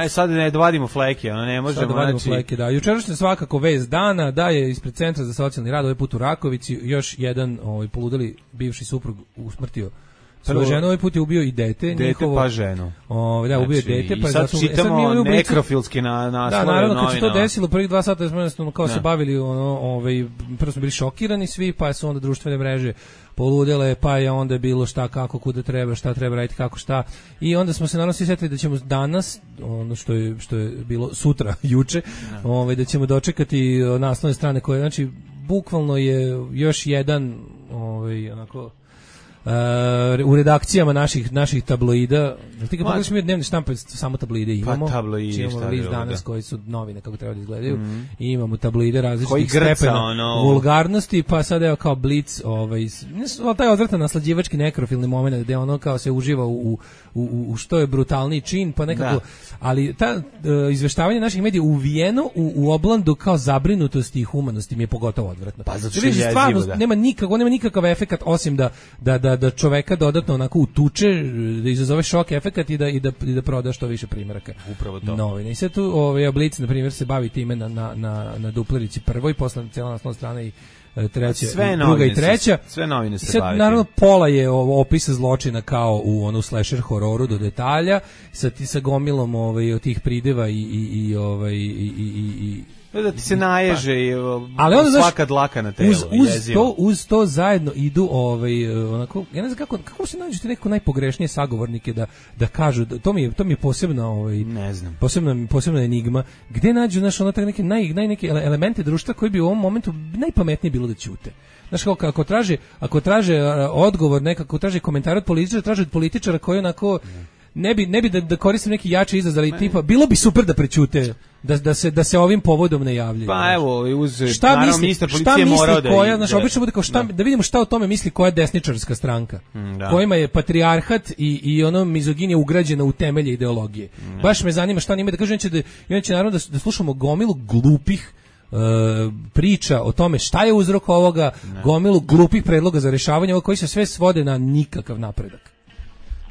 Sad ne dovadimo Fleke, ne možemo. Sad dovadimo Fleke, da. Jučerašnja svakako vez dana, da je ispred Centra za socijalni rad, ovaj put u Rakovici, još jedan poludeli bivši suprug usmrtio svoju ženu, ovaj put je ubio i dete. Pa ženu. Ubio je dete. I sad čitamo nekrofilski naslove. Da, naravno, kad se to desilo, prvih 2 sata smo kao se bavili, prvo smo bili šokirani svi, pa su onda društvene mreže poludele, pa je onda bilo šta, kako, kuda treba, šta treba raditi, kako, šta. I onda smo se naravno svi setili da ćemo danas, ono što je bilo sutra, juče, da ćemo dočekati naslovne strane koje, znači, bukvalno je još jedan, onako, u redakcijama naših tabloida. Ti kad pogledaš mi dnevne štampe, samo tabloide imamo. Pa tabloidi, imamo list danas koji su novine kako treba da izgledaju. I imamo tabloide različitih stepena vulgarnosti, pa sad evo kao Blic, taj odvratan naslađivački nekrofilni moment gde ono kao se uživa u što je brutalniji čin, pa nekako, ali ta izveštavanje naših medija uvijeno u oblandu kao zabrinutosti i humanosti mi je pogotovo odvratno. Pa zato što je jezivo, da. Nema nikakav efekat osim da čoveka dodatno onako utuče, da izazove šok efekat i da proda što više primjeraka. Upravo to. Novine. I sad tu Blic, na primjer, se bavi time na duplerici prvoj, posle cijela naslovna strana i treća, druga i treća. Sve novine se sad, bavi. Naravno, pola je opisa zločina kao u onu slasher hororu do detalja, sa gomilom od tih prideva i da ti se naježe svaka dlaka na telu. Uz to zajedno idu onako, ja ne znam kako se nađete neko najpogrešnije sagovornike da kažu, to mi je posebno ne znam. Posebna enigma, gde nađu neke elemente društva koji bi u ovom momentu najpametnije bilo da ćute. Znaš, ako traže odgovor, nekako traže komentar od političara, traže od političara koji onako ne bi da koristim neki jači izraz, ali tipa bilo bi super da prećute, da se ovim povodom ne javljaju. Pa evo, naravno ministar policije morao da obično bude kao da vidimo šta o tome misli koja desničarska stranka, kojima je patrijarhat i ono mizoginija ugrađena u temelje ideologije. Baš me zanima šta njima da kažu, inače naravno da slušamo gomilu glupih priča o tome šta je uzrok ovoga, gomilu glupih predloga za rešavanje ovoga koji se sve svode na nikakav napredak.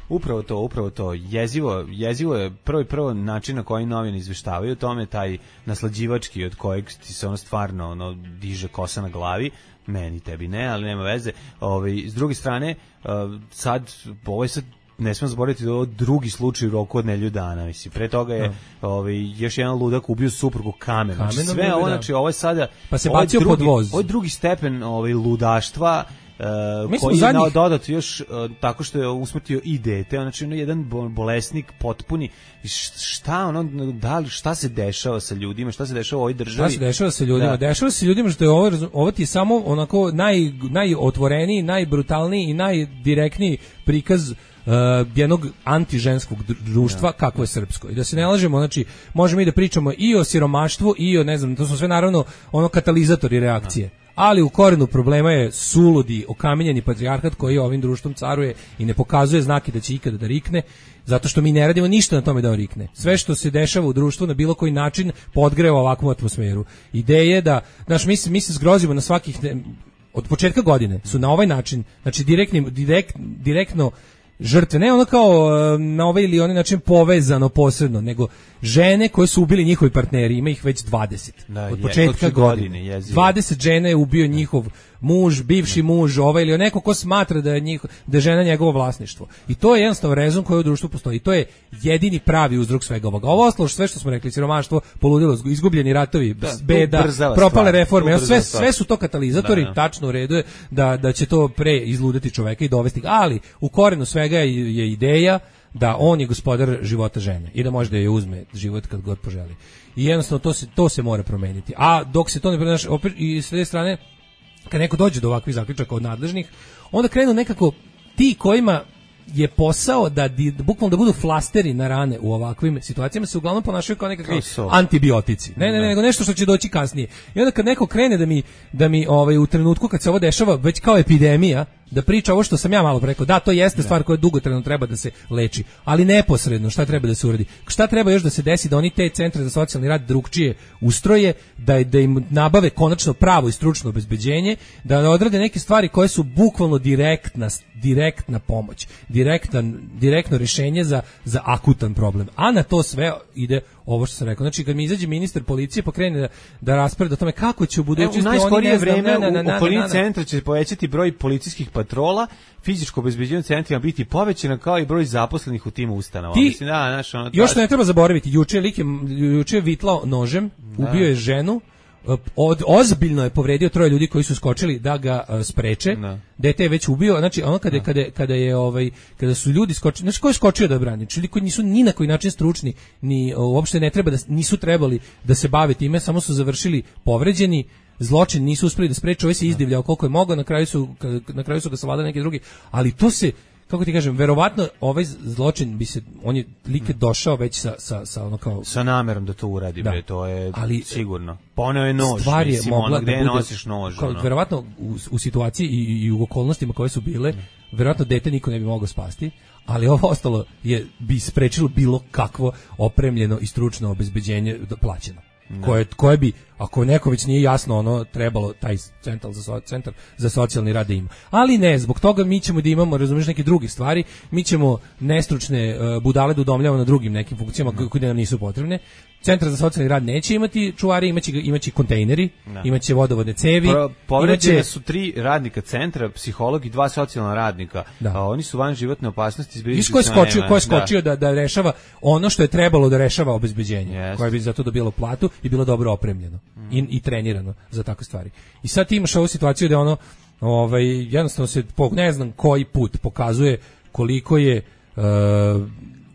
Upravo to. Jezivo je prvo način na koji novine izveštavaju o tome, taj naslađivački od kojeg ti se ono stvarno diže kosa na glavi, meni, tebi ne, ali nema veze. S druge strane, sad ne smemo zaboraviti da je ovo drugi slučaj u roku od nedelju dana. Mislim, pre toga je još jedan ludak ubio suprugu kamenom. Sve ovo, znači, ovo je sada... Pa se bacio pod voz. Ovo je drugi stepen ludaštva, koji je dodat još tako što je usmrtio i dete, znači jedan bolesnik potpuni. Šta se dešava sa ljudima, šta se dešava u ovoj državi? Šta se dešava sa ljudima? Dešava se ljudima što je ovo ti samo onako najotvoreniji, najbrutalniji i najdirektniji prikaz jednog antiženskog društva kakvo je srpsko. I da se ne lažemo, znači možemo i da pričamo i o siromaštvu i o, ne znam, to su sve naravno katalizatori reakcije. Ali u korenu problema je suludi, okamenjeni patrijarhat koji ovim društvom caruje i ne pokazuje znake da će ikada da rikne, zato što mi ne radimo ništa na tome da on rikne. Sve što se dešava u društvu na bilo koji način podgreva ovakvu atmosferu. Ideje da, znaš, mi se zgrozimo na svakih, od početka godine su na ovaj način, znači direktno žrtve, ne ono kao na ovaj ili onaj način povezano posredno, nego žene koje su ubili njihovi partneri, ima ih već 20. Od početka godine. 20 žene je ubio njihov muž, bivši muž, ili neko ko smatra da je žena njegovo vlasništvo. I to je jednostavno rezon koji u društvu postoji. I to je jedini pravi uzrok svega ovoga. Ovo ostalo sve što smo rekli, siromaštvo, poludilo, izgubljeni ratovi, beda, propale reforme, sve su to katalizatori, tačno u redu je da će to pre izludeti čoveka i dovesti. Ali u korenu svega je ideja da on je gospodar života žene i da može da je uzme život kad god poželi. I jednostavno to se mora promeniti. A dok se to ne promeni, opet i s jedne strane, kad neko dođe do ovakvih zaključaka od nadležnih, onda krenu nekako ti kojima je posao da bukvalno da budu flasteri na rane u ovakvim situacijama, se uglavnom ponašaju kao nekakvi antibiotici. Nego nešto što će doći kasnije. I onda kad neko krene da mi u trenutku kad se ovo dešava već kao epidemija, da priča ovo što sam ja malo rekao, da, to jeste stvar koja dugotrajno treba da se leči, ali neposredno šta treba da se uradi? Šta treba još da se desi da oni te centre za socijalni rad drugčije ustroje, da im nabave konačno pravo i stručno obezbeđenje, da odrade neke stvari koje su bukvalno direktna pomoć, direktno rješenje za akutan problem. A na to sve ide ovo što sam rekao. Znači, kad mi izađe ministar policije pa krene da raspravlja o tome kako će u budućnosti u najskorije vreme u okolini centra će povećati broj policijskih patrola, fizičko obezbeđenje centrima biti povećano kao i broj zaposlenih u tim ustanovama. Još ne treba zaboraviti, juče je vitlao nožem, ubio je ženu, ozbiljno je povredio 3 ljudi koji su skočili da ga spreče. Dete je već ubio, znači ono kada su ljudi skočili, znači ko je skočio da brani? Ljudi koji nisu ni na koji način stručni, ni uopšte nisu trebali da se bave time, samo su završili povređeni, zločin nisu uspeli da spreče, ovaj se izdivljao koliko je mogao, na kraju su ga savladali neki drugi, ali to se, kako ti kažem, verovatno ovaj zločin on je like došao već sa ono kao sa namerom da to uradi, bre, to je sigurno. Poneo je nož, stvar je mogla gde da bude, nosiš nož, kao, verovatno u situaciji i u okolnostima koje su bile, verovatno dete niko ne bi mogao spasti, ali ovo ostalo bi sprečilo bilo kakvo opremljeno i stručno obezbeđenje plaćeno. Koje bi, ako neko već nije jasno, ono trebalo taj centar za socijalni rad da ima. Ali ne, zbog toga mi ćemo da imamo, razumiješ, neke druge stvari, mi ćemo nestručne budale da udomljavamo na drugim nekim funkcijama koje nam nisu potrebne. Centar za socijalni rad neće imati čuvari, imaće kontejneri, imaće vodovodne cevi. Povređene su 3 radnika centra, psiholog i 2 socijalna radnika. Oni su van životne opasnosti. Ko je skočio da rešava ono što je trebalo da rešava obezbeđenje, koje bi za to dobilo platu i bilo dobro opremljeno i trenirano za takve stvari. I sad ti imaš ovu situaciju da jednostavno se ne znam koji put pokazuje koliko je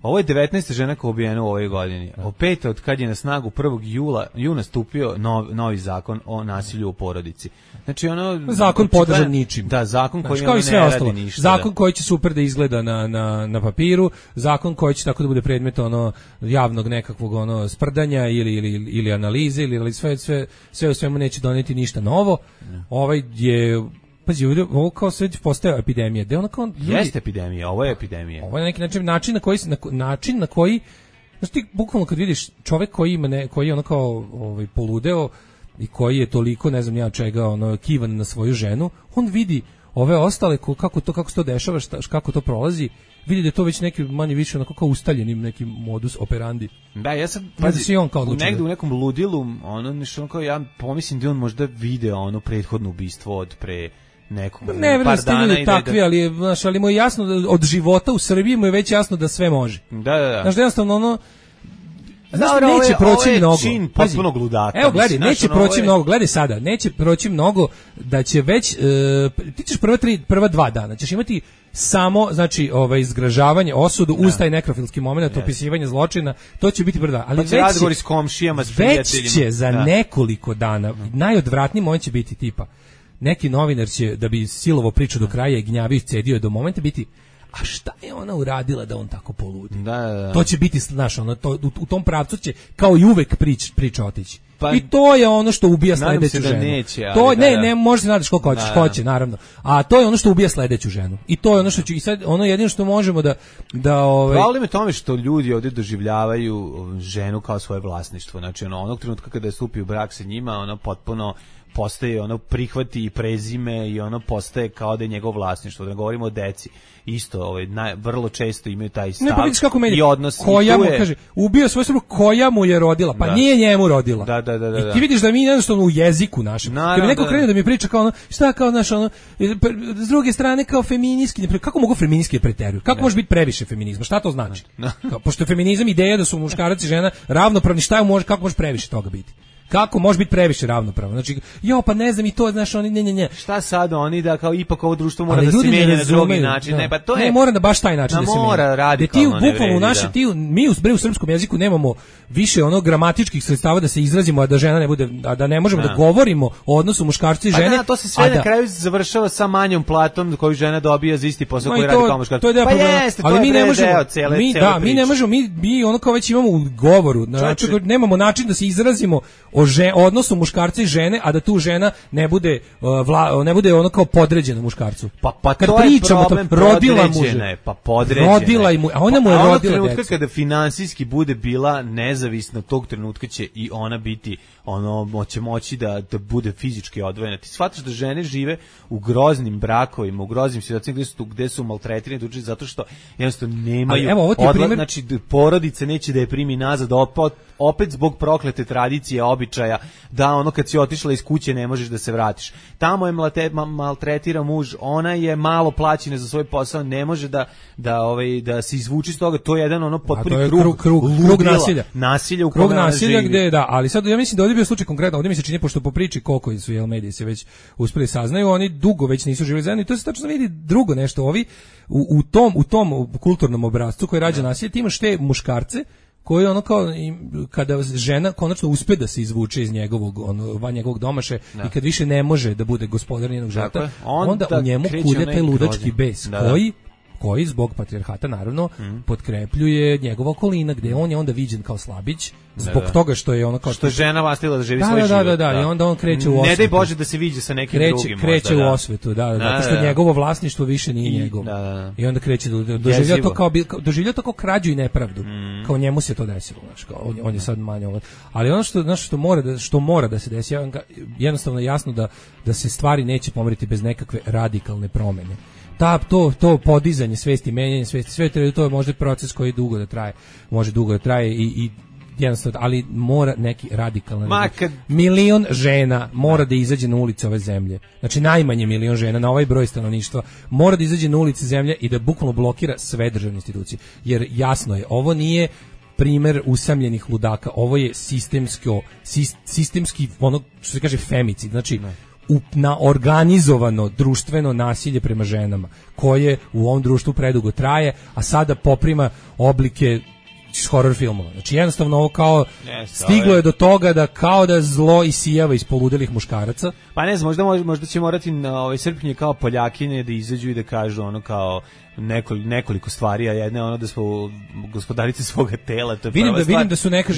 ovo je 19. žena koja je ubijena u ovoj godini. Opet od kad je na snagu 1. juna stupio novi zakon o nasilju u porodici. Znači zakon podržan ničim. Da, zakon koji ne radi ništa. Zakon koji će super da izgleda na papiru, zakon koji će tako da bude predmet javnog nekakvog sprdanja ili analize ili sve u svemu neće doneti ništa novo. Ovaj je pazi, ovo kao sve postaje epidemija. Jeste epidemija, ovo je epidemija. Ovo je neki način na koji znači ti bukvalno kad vidiš čovjek koji je kao poludeo i koji je toliko ne znam ja čega kivan na svoju ženu, on vidi ove ostale kako se to dešava, kako to prolazi, vidi da je to već neki manje više onako kao ustaljenim nekim modus operandi. Da, ja sad negde u nekom ludilu, nešto kao ja pomislim da on možda video prethodno ubistvo od pre nekog par dana i takvi, ali mu je jasno da od života u Srbiji mu je već jasno da sve može. Da. Znaš da jednostavno neće proći mnogo. Čin potpunog ludaka. Evo gledaj, neće proći mnogo. Gledaj sada, neće proći mnogo da će već ti ćeš prva 2 dana ćeš imati samo znači zgražavanje, osudu uz taj nekrofilski momenat, opisivanje zločina, to će biti prva, ali razgovori s komšijama, s prijateljima. Već će za nekoliko dana najodvratniji moment će biti tipa neki novinar će da bi silovo priču do kraja i gnjavio i cedio do momenta biti a šta je ona uradila da on tako poludi? Da. To će biti, znaš, u tom pravcu će kao i uvek priča otići. I to je ono što ubija sledeću ženu. Neće, to ne može se nadaš koliko hoćeš, hoće naravno. A to je ono što ubija sledeću ženu. I to je ono što će i sad jedino što možemo da Problem je tome što ljudi ovdje doživljavaju ženu kao svoje vlasništvo. Znači onog trenutka kada stupi u brak sa njima, ona potpuno postaje prihvati i prezime i postaje kao da je njegov vlasništvo. Da ne govorimo o deci. Isto, vrlo često imaju taj stav i odnos. Koja mu kaže, ubio svoju suprugu, koja mu je rodila, pa nije njemu rodila. Da. I ti vidiš da mi jednostavno u jeziku našem. Kad mi neko krene da mi priča kao šta kao s druge strane kao feministki, kako mogu feministki preteruju? Kako može biti previše feminizma? Šta to znači? Pošto je feminizam ideja da su muškarac i žena ravnopravni, kako može previše toga biti? Kako može biti previše ravnopravno? Znači, pa ne znam i to, znaš, oni ne. Šta sad oni da kao ipak ovo društvo mora da se mijenja na drugi način? Ne, pa to je. Ne, mora da baš taj način da se mijenja. Mora radikalno. Ti bukvalno mi u srpskom jeziku nemamo više gramatičkih sredstava da se izrazimo, a da žena ne bude, da ne možemo da govorimo o odnosu muškarca i žene. Pa to se sve na kraju završava sa manjom platom koju žena dobija za isti posao koji radi kao muškarac. Pa jeste, ali mi ne možemo. Mi ne možemo, mi kao već imamo u govoru, znači nemamo način da se izrazimo o odnosu muškarca i žene, a da tu žena ne bude kao podređena muškarcu. Pa kad to je problem, rodila mu žene, pa podređena. Rodila mu, a ona mu je rodila trenutka decu. Kada finansijski bude bila nezavisna, tog trenutka će i ona biti će moći da bude fizički odvojena. Ti shvataš da žene žive u groznim brakovima, u groznim situacijama gde su maltretirane zato što jednostavno nemaju znači porodica neće da je primi nazad opet zbog proklete tradicije, običaja, da kad si otišla iz kuće ne možeš da se vratiš. Tamo je maltretira muž, ona je malo plaćena za svoj posao, ne može da se izvuči iz toga, to je jedan potpuni krug nasilja. Nasilja u krug nasilja gde ali sad ja mislim da ovdje bio slučaj konkretno, ovdje mi se čini pošto po priči koliko su mediji se već uspeli saznaju, oni dugo već nisu živjeli zajedno i to se tačno vidi drugo nešto, ovi u tom kulturnom obrascu koji rađa nasilje, ti imaš te muškarce koji ono kao kada žena konačno uspe da se izvuče iz njegovog domaše i kad više ne može da bude gospodar njenog života, onda u njemu kulje taj ludački bes koji zbog patrijarhata naravno potkrepljuje njegova okolina, gde on je onda viđen kao slabić zbog toga što je ono kao što je žena vastila da živi svoj život. I onda on kreće u osvetu. Ne daj Bože da se viđe sa nekim drugim. Kreće u osvetu, zato što njegovo vlasništvo više nije njegovo. I onda kreće doživlja to kao krađu i nepravdu. Kao njemu se to desilo, znači kao on je sad manje ovo. Ali ono što mora da se desi, jednostavno je jasno da se stvari neće pomeriti bez nekakve radikalne promene. To podizanje svesti, menjanje svesti, sve to je možda proces koji može dugo da traje i jednostavno, ali mora neki radikalan. Milion žena mora da izađe na ulice ove zemlje. Znači najmanje milion žena na ovaj broj stanovništva mora da izađe na ulice zemlje i da bukvalno blokira sve državne institucije. Jer jasno je, ovo nije primer usamljenih ludaka, ovo je sistemski ono što se kaže femicid, znači na organizovano društveno nasilje prema ženama, koje u ovom društvu predugo traje, a sada poprima oblike horror filmova. Znači jednostavno ovo kao stiglo je do toga da kao da zlo isijava iz poludelih muškaraca. Pa ne znam, možda će morati na srpnje kao Poljakinje da izađu i da kažu ono kao nekoliko stvari, a jedna je ono da smo gospodarice svoga tela, to je vidim da su neka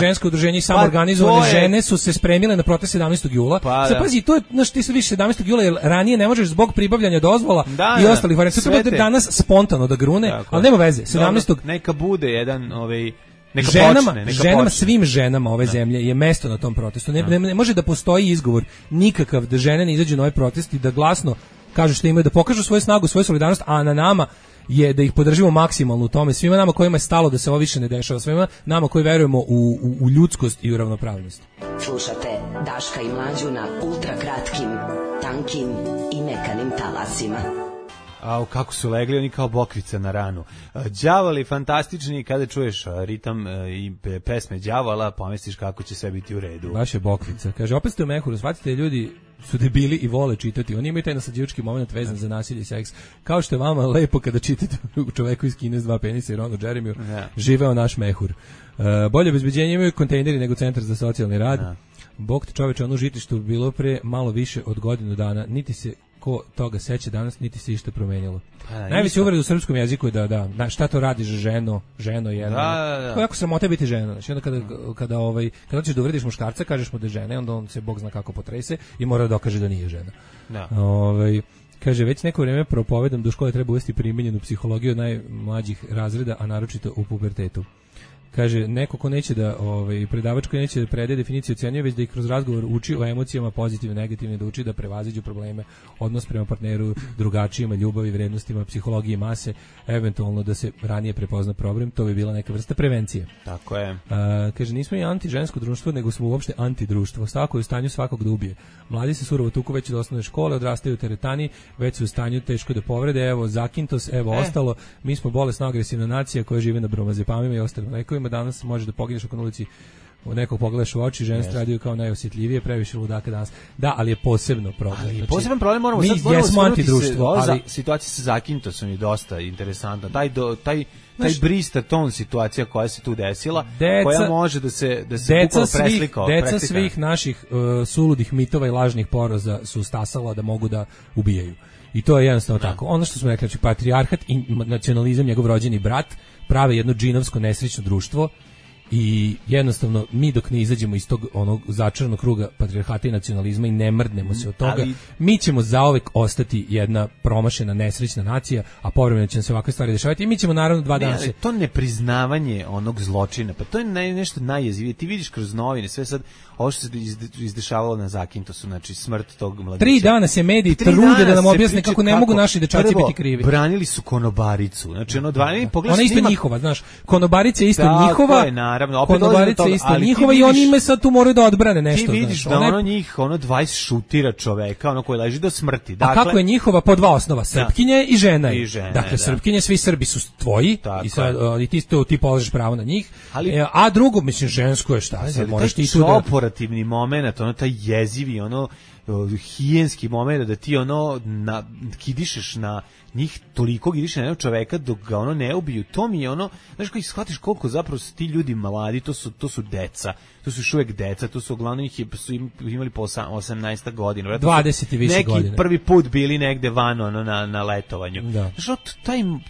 ženska udruženja i samoorganizovane žene su se spremile na protest 17. jula. Sad pazi, to je ti se više 17. jula, jer ranije ne možeš zbog pribavljanja dozvola i ostalih varijanti. To treba danas spontano da grune, ali nema veze. 17. Neka bude jedan ženama, svim ženama ove zemlje je mesto na tom protestu. Ne može da postoji izgovor nikakav da žene ne izađu na ovaj protest i da glasno kažu što imaju, da pokažu svoju snagu, svoju solidarnost, a na nama je da ih podržimo maksimalno u tome. Svima nama kojima je stalo da se ovo više ne dešava, svima nama koji verujemo u ljudskost i u ravnopravnost. Slušate Daška i Mlađu na ultrakratkim, tankim i mekanim talasima. Kako su legli oni kao bokvica na ranu. Đavoli fantastični, kada čuješ ritam i pesme đavola, pomisliš kako će sve biti u redu. Baš je bokvica. Kaže, opet ste u mehuru, shvatite, ljudi su debili i vole čitati. Oni imaju taj nasađivački moment vezan za nasilje i seks. Kao što je vama lepo kada čitate u Čoveku iz Kine s 2 penisa i Ronu Jeremiju, živeo naš mehur. Bolje obezbeđenje imaju kontejneri nego centar za socijalni rad. Bog te čoveče, ono žitište bilo pre malo više od godinu dana, niti se ko toga seća danas, niti se išta promenilo. Najveći uvreda u srpskom jeziku je da šta to radiš ženo jedno. To je jako sramota biti žena. Znači onda kada ćeš da uvrediš muškarca, kažeš mu da je žena, onda on se Bog zna kako potrese i mora da dokaže da nije žena. Kaže, već neko vrijeme propovedam da u škole treba uvesti primenjenu psihologiju od najmlađih razreda, a naročito u pubertetu. Kaže, neko ko neće da, predavač koji neće da predaje definiciju ocenjuje, već da ih kroz razgovor uči o emocijama pozitivne, negativne, da uči da prevaziđu probleme, odnos prema partneru, drugačijima, ljubavi, vrednostima, psihologiji mase, eventualno da se ranije prepozna problem, to bi bila neka vrsta prevencije. Tako je. Kaže, nismo i antižensko društvo, nego smo uopšte antidruštvo. Svako je u stanju svakog da ubije. Mladi se surovo tuku već od osnovne škole, odrastaju u teretani, već su u stanju teško da povrede, evo zakintos, evo ostalo. Mi smo bolesna agresivna nacija koja žive na bromazepamima i ostalim lekovima. Danas može da pogineš oko na ulici, nekog pogledaš u oči, žene stradaju kao najosjetljivije, previše ludaka danas. Da, ali je posebno problem. Znači, poseban problem moramo mi jesmo antidruštvo, ali situacija sa zakintosom je dosta interesantna. Taj brister ton situacija koja se tu desila, koja može da se deca svih naših suludih mitova i lažnih poroza su stasala da mogu da ubijaju. I to je jednostavno tako. Ono što smo rekli, znači patrijarhat i nacionalizam, njegov rođeni brat, prave jedno džinovsko nesrećno društvo i jednostavno mi dok ne izađemo iz tog onog začaranog kruga patrijarhata i nacionalizma i ne mrdnemo se od toga, mi ćemo zauvek ostati jedna promašena nesrećna nacija, a povremeno će nam se ovakve stvari dešavati i mi ćemo naravno 2 dana se... To nepriznavanje onog zločina, pa to je nešto najjezivije. Ti vidiš kroz novine, sve sad ovo što se izdešavalo na Zakintosu, znači smrt tog mladića. 3 dana se mediji trude da nam objasne kako ne mogu naši dečaci biti krivi. Branili su konobaricu, znači ono 2 ona je isto njihova, znaš, konobarica je isto njihova. Naravno, konobarica je isto njihova i oni ime sad tu moraju da odbrane nešto. Ti vidiš da ono njih, 20 šutira čoveka, ono koji leži do smrti. Dakle, a kako je njihova po 2 osnova, srpkinje i žena je. Dakle, srpkinje, svi Srbi su tvoji i sad ti polažeš pravo na njih, a drugo, mislim, žensko je šta, sad moraš ti tu da... operativni moment, ono taj jezivi, ono hijenski moment da ti ono kidišeš na njih, toliko kidiše na jednog čoveka dok ga ono ne ubiju. To mi je ono, znaš, koji shvatiš koliko zapravo su ti ljudi mladi, to su deca, to su još uvijek deca, to su uglavnom su imali po 18 godina, 20 i više neki godina. Prvi put bili negde van ono na letovanju. Da. Znaš,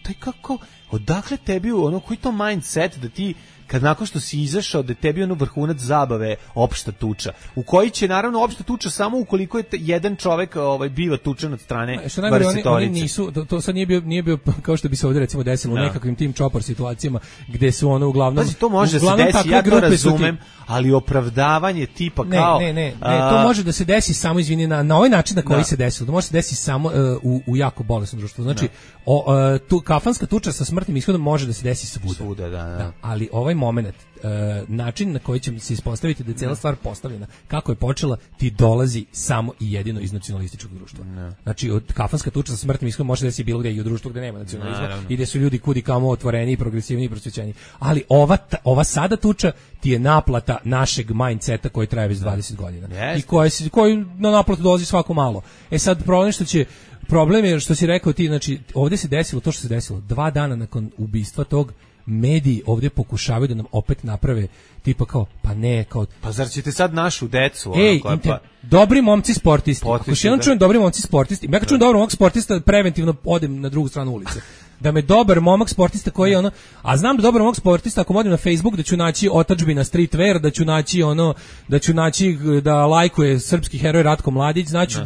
taj kako, odakle tebi ono, koji to mindset da ti kad nakon što si izašao da tebi ono vrhunac zabave opšta tuča, u koji će naravno opšta tuča samo ukoliko je jedan čovek biva tučen od strane barsetorice. Oni nisu, to sad nije bio kao što bi se ovdje recimo desilo u nekakvim tim čopor situacijama gde su ono uglavnom... Pazi, to može da se desi, ja to razumem, ali opravdavanje tipa kao... Ne, to može da se desi samo, izvini, na ovaj način na koji se desilo, to može se desiti samo u jako bolesnom društvu. Znači, tu kafanska tuča sa smrtnim ishodom može da se desi svuda. Da. Ali ovaj moment, način na koji će se ispostaviti da je cijela stvar postavljena, kako je počela, ti dolazi samo i jedino iz nacionalističkog društva. Znači, od kafanska tuča sa smrtnim ishodom može da se bilo gde i u društvu gde nema nacionalizma i gde su ljudi kudi kamo otvoreni, progresivni i prosvećeni. Ali ova sada tuča ti je naplata našeg mindseta koji traje već 20 godina. I koji na naplatu dolazi svako malo. Sad, problem je što si rekao ti, znači, ovdje se desilo to što se desilo. 2 dana nakon ubistva tog, mediji ovdje pokušavaju da nam opet naprave tipa kao, pa zar ćete sad našu decu? Dobri momci sportisti. Ako još jednom čujem dobri momci sportisti, ja kad čujem dobar momak sportista, preventivno odem na drugu stranu ulice. Da me dobar momak sportista koji je ono, a znam da dobar momak sportista ako odem na Facebook da ću naći otadžbina streetwear, da ću naći da lajkuje srpski heroj Ratko Mladić, znači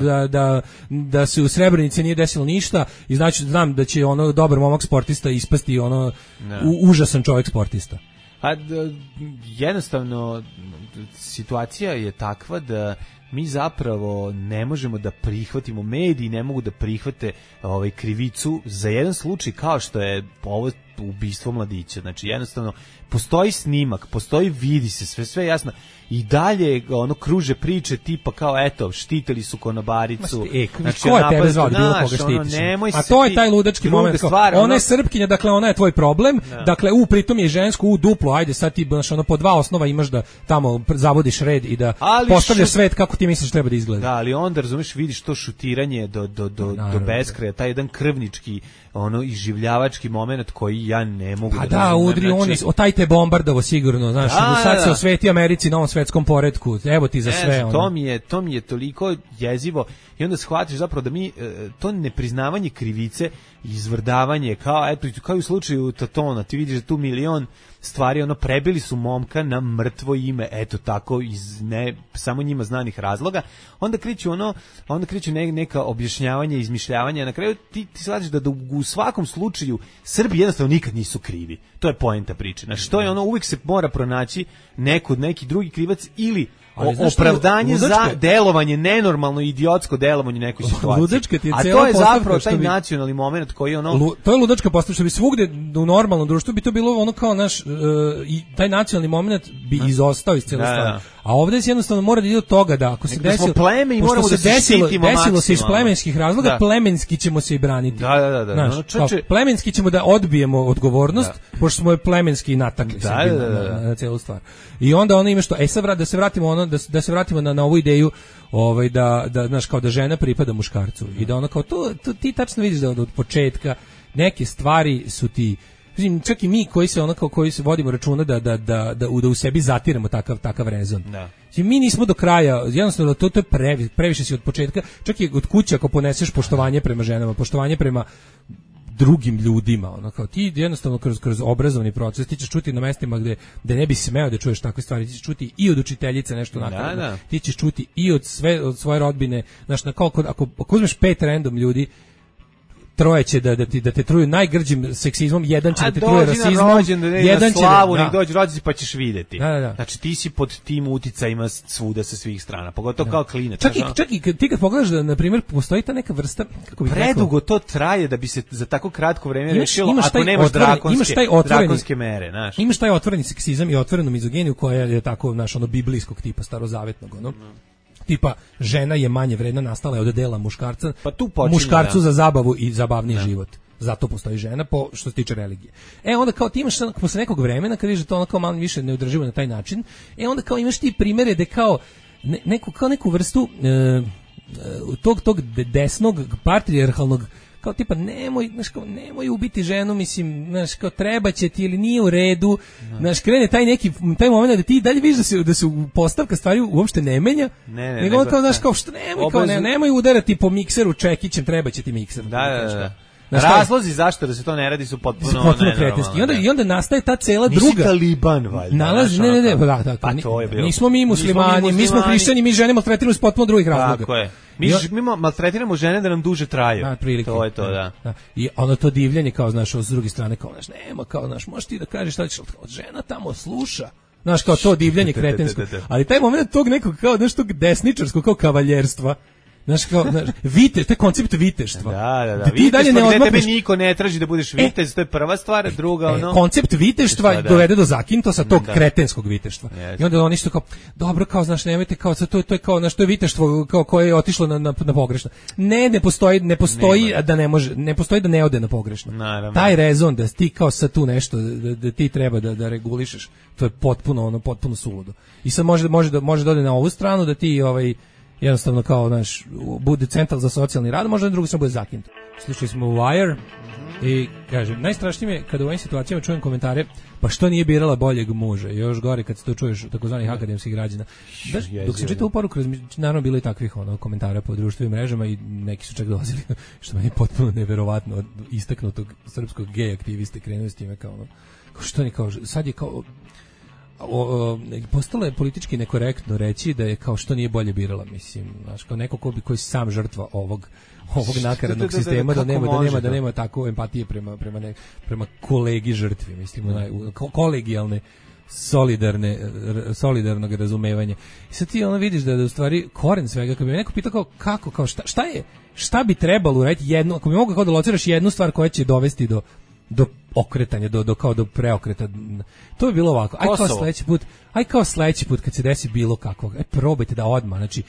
da se u Srebrenici nije desilo ništa i znači znam da će ono dobar momak sportista ispasti ono užasan čovjek sportista. A jednostavno situacija je takva da mi zapravo ne možemo da prihvatimo, mediji ne mogu da prihvate krivicu za jedan slučaj kao što je ovo ubistvo mladića. Znači jednostavno postoji snimak, vidi se sve jasno i dalje kruže priče tipa kao eto štitili su konobaricu. Znači ko je tebe zvao bilo koga štitiš? A to je taj ludački moment. Ona je Srpkinja, dakle ona je tvoj problem. Dakle pritom je žensko duplo. Ajde sad ti po 2 osnova imaš da tamo zavodiš red i da postavljaš svet kako ti misliš treba da izgleda. Da, ali onda razumeš, vidiš to šutiranje do beskraja, taj jedan krvnički iživljavački moment koji ja ne mogu da razumem. Pa da, udri on, taj te bombardavo sigurno, znaš, sad se osveti Americi na ovom svetskom poretku, evo ti za sve. To mi je toliko jezivo i onda shvatiš zapravo da mi to nepriznavanje krivice, izvrdavanje, kao u slučaju Tatona, ti vidiš da tu milion stvari, prebili su momka na mrtvo ime, eto tako, iz samo njima znanih razloga, onda kreću neka objašnjavanja, izmišljavanja, na kraju ti shvatiš da u svakom slučaju Srbi jednostavno nikad nisu krivi. To je poenta priče. Znači, što je uvijek se mora pronaći neki drugi krivac ili opravdanje za delovanje, nenormalno idiotsko delovanje u nekoj situaciji. A to je zapravo taj nacionalni moment koji to je ludačka postavka, što bi svugde u normalnom društvu bi to bilo kao naš i taj nacionalni moment bi izostao iz cijele stvari. A ovdje se jednostavno mora da ide od toga da ako se desilo, pošto se desilo se iz plemenskih razloga, plemenski ćemo se i braniti. Plemenski ćemo da odbijemo odgovornost, pošto smo je plemenski natakli na cijelu stvar. I onda ima što, sad da se vratimo na ovu ideju da znaš, kao da žena pripada muškarcu i da ono kao to ti tačno vidiš da od početka neke stvari su ti, čak i mi koji se vodimo računa da u sebi zatiramo takav rezon. Mi nismo do kraja, jednostavno to je previše si od početka, čak i od kuće ako poneseš poštovanje prema ženama, poštovanje prema drugim ljudima, kao ti jednostavno kroz obrazovni proces ti ćeš čuti na mestima gde ne bi smeo da čuješ takve stvari, ti ćeš čuti i od učiteljice nešto nakon, ti ćeš čuti i od svoje rodbine, znaš, ako uzmeš 5 random ljudi, 3 će da te truju najgrđim seksizmom, 1 će da te truje rasizmom, 1 će nek dođi rođendan pa ćeš vidjeti. Znači ti si pod tim uticajima svuda sa svih strana, pogotovo kao klinac. Čak i ti kad pogledaš da na primjer postoji ta neka vrsta, kako bih rekao, predugo to traje da bi se za tako kratko vreme rešilo, ako nemaš drakonske mere, znaš. Imaš taj otvoreni seksizam i otvorenu mizoginiju koja je tako biblijskog tipa, starozavetnog, tipa žena je manje vredna, nastala je od dela muškarca, muškarcu za zabavu i zabavniji život. Zato postoji žena što se tiče religije. Onda kao ti imaš posle nekog vremena kad vidiš da to kao malo više neodrživo na taj način, onda kao imaš ti primere da kao neku vrstu tog desnog patrijarhalnog kao tipa nemoj ubiti ženu, mislim, znaš, kao treba će ti ili nije u redu, znaš, krene taj moment da ti dalje vidiš da se postavka stvari uopšte ne menja, nego kao, znaš, kao što nemoj udarati po mikseru čekićem, treba će ti mikser. Da. Razlozi zašto da se to ne radi su potpuno kretenski. I onda nastaje ta cela druga. Nisi Taliban, valjda. Ne, pa to je bilo. Nismo mi muslimani, mi smo hrišćani, mi žene maltretiramo iz potpuno drugih razloga. Tako je. Mi maltretiramo žene da nam duže traju. To je to, da. I ono to divljanje kao, znaš, s druge strane kao, znaš, nema kao, znaš, možeš ti da kažeš šta ćeš, žena tamo sluša. Znaš, kao to divljanje kretensko. Ali taj moment tog nekog kao, znaš, tog desničarskog kao kavaljerstva. Znaš, kao, viteš, to je koncept viteštva. Da. Ti dalje ne odmakneš. Tebe niko ne traži da budeš vitez, to je prva stvar, druga ono. Koncept viteštva dovede do zakintosa tog kretenskog viteštva. I onda oni što kao, dobro, kao, znaš, nemojte, kao, to je kao, znaš, to je viteštvo kao koje je otišlo na pogrešno. Ne postoji da ne može, ne postoji da ne ode na pogrešno. Naravno. Taj rezon da ti kao sad tu nešto, da ti treba da regulišeš, to je potpuno suludo. I sad može da ode na ovu stranu, da ti, jednostavno kao, znaš, bude centar za socijalni rad, možda na drugu stranu bude zakinut. Slušali smo Wire i kažem, najstrašnije je kada u ovim situacijama čujem komentare, pa što nije birala boljeg muža, još gore kad se to čuješ takozvanih akademskih građana. Dok se čita u poruku, naravno bilo i takvih komentara po društvenim mrežama i neki su čak dolazili, što meni je potpuno neverovatno, od istaknutog srpskog gej aktiviste krenuo s time kao, što ni kao, sad je kao, postalo je politički nekorektno reći da je kao što nije bolje birala, mislim, znaš, kao neko koji sam žrtva ovog nakaradnog sistema, da nema tako empatije prema kolegi žrtvi, mislim, kolegijalne solidarnog razumevanja. I sad ti vidiš da u stvari koren svega, kad bi me neko pitao kako, šta bi trebalo uraditi jednu, ako bi mogu kao da lociraš jednu stvar koja će dovesti do okretanja, do preokreta. To bi bilo ovako. Aj kao sledeći put kad se desi bilo kakvog, probajte da odmah, znači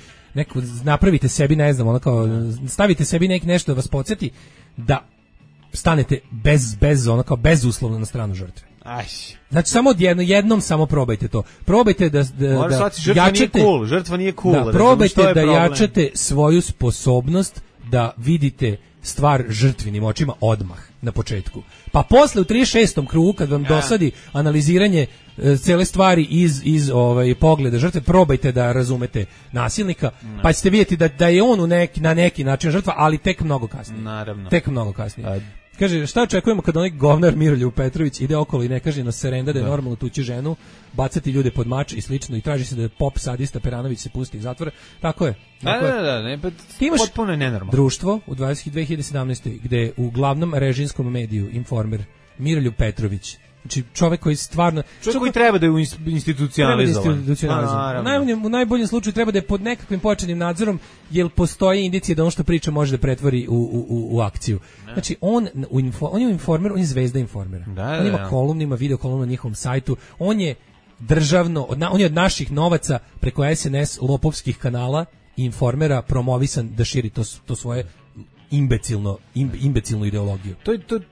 napravite sebi, ne znam, stavite sebi nešto da vas podsjeti da stanete bezuslovno na stranu žrtve. Znači samo jednom samo probajte to. Probajte da jačate, žrtva nije cool. Probajte da jačate svoju sposobnost da vidite stvar žrtvinim očima odmah na početku. Pa posle u 36. krugu kad vam dosadi analiziranje cele stvari iz pogleda žrtve, probajte da razumete nasilnika, pa ćete vidjeti da je on na neki način žrtva, ali tek mnogo kasnije. Naravno. Tek mnogo kasnije. Kaže, šta očekujemo kad onaj govnar Miroljub Petrović ide okolo i ne kaže na serenda da je normalno tući ženu, bacati ljude pod mač i slično i traži se da pop sadista Peranović se pusti iz zatvora. Tako je. Ti imaš potpuno nenormalno društvo u 2017. gde u glavnom režimskom mediju Informer Miroljub Petrović, znači čovjek koji stvarno... Čovjek koji treba da je institucionalizovan. U najboljem slučaju treba da je pod nekakvim pojačanim nadzorom, jer postoji indicije da ono što priča može da pretvori u akciju. Znači, on je Informer, on je zvezda Informera. On ima kolumnu, ima video kolumnu na njihovom sajtu, on je državno, on je od naših novaca preko SNS lopovskih kanala i Informera promovisan da širi to svoje imbecilnu ideologiju.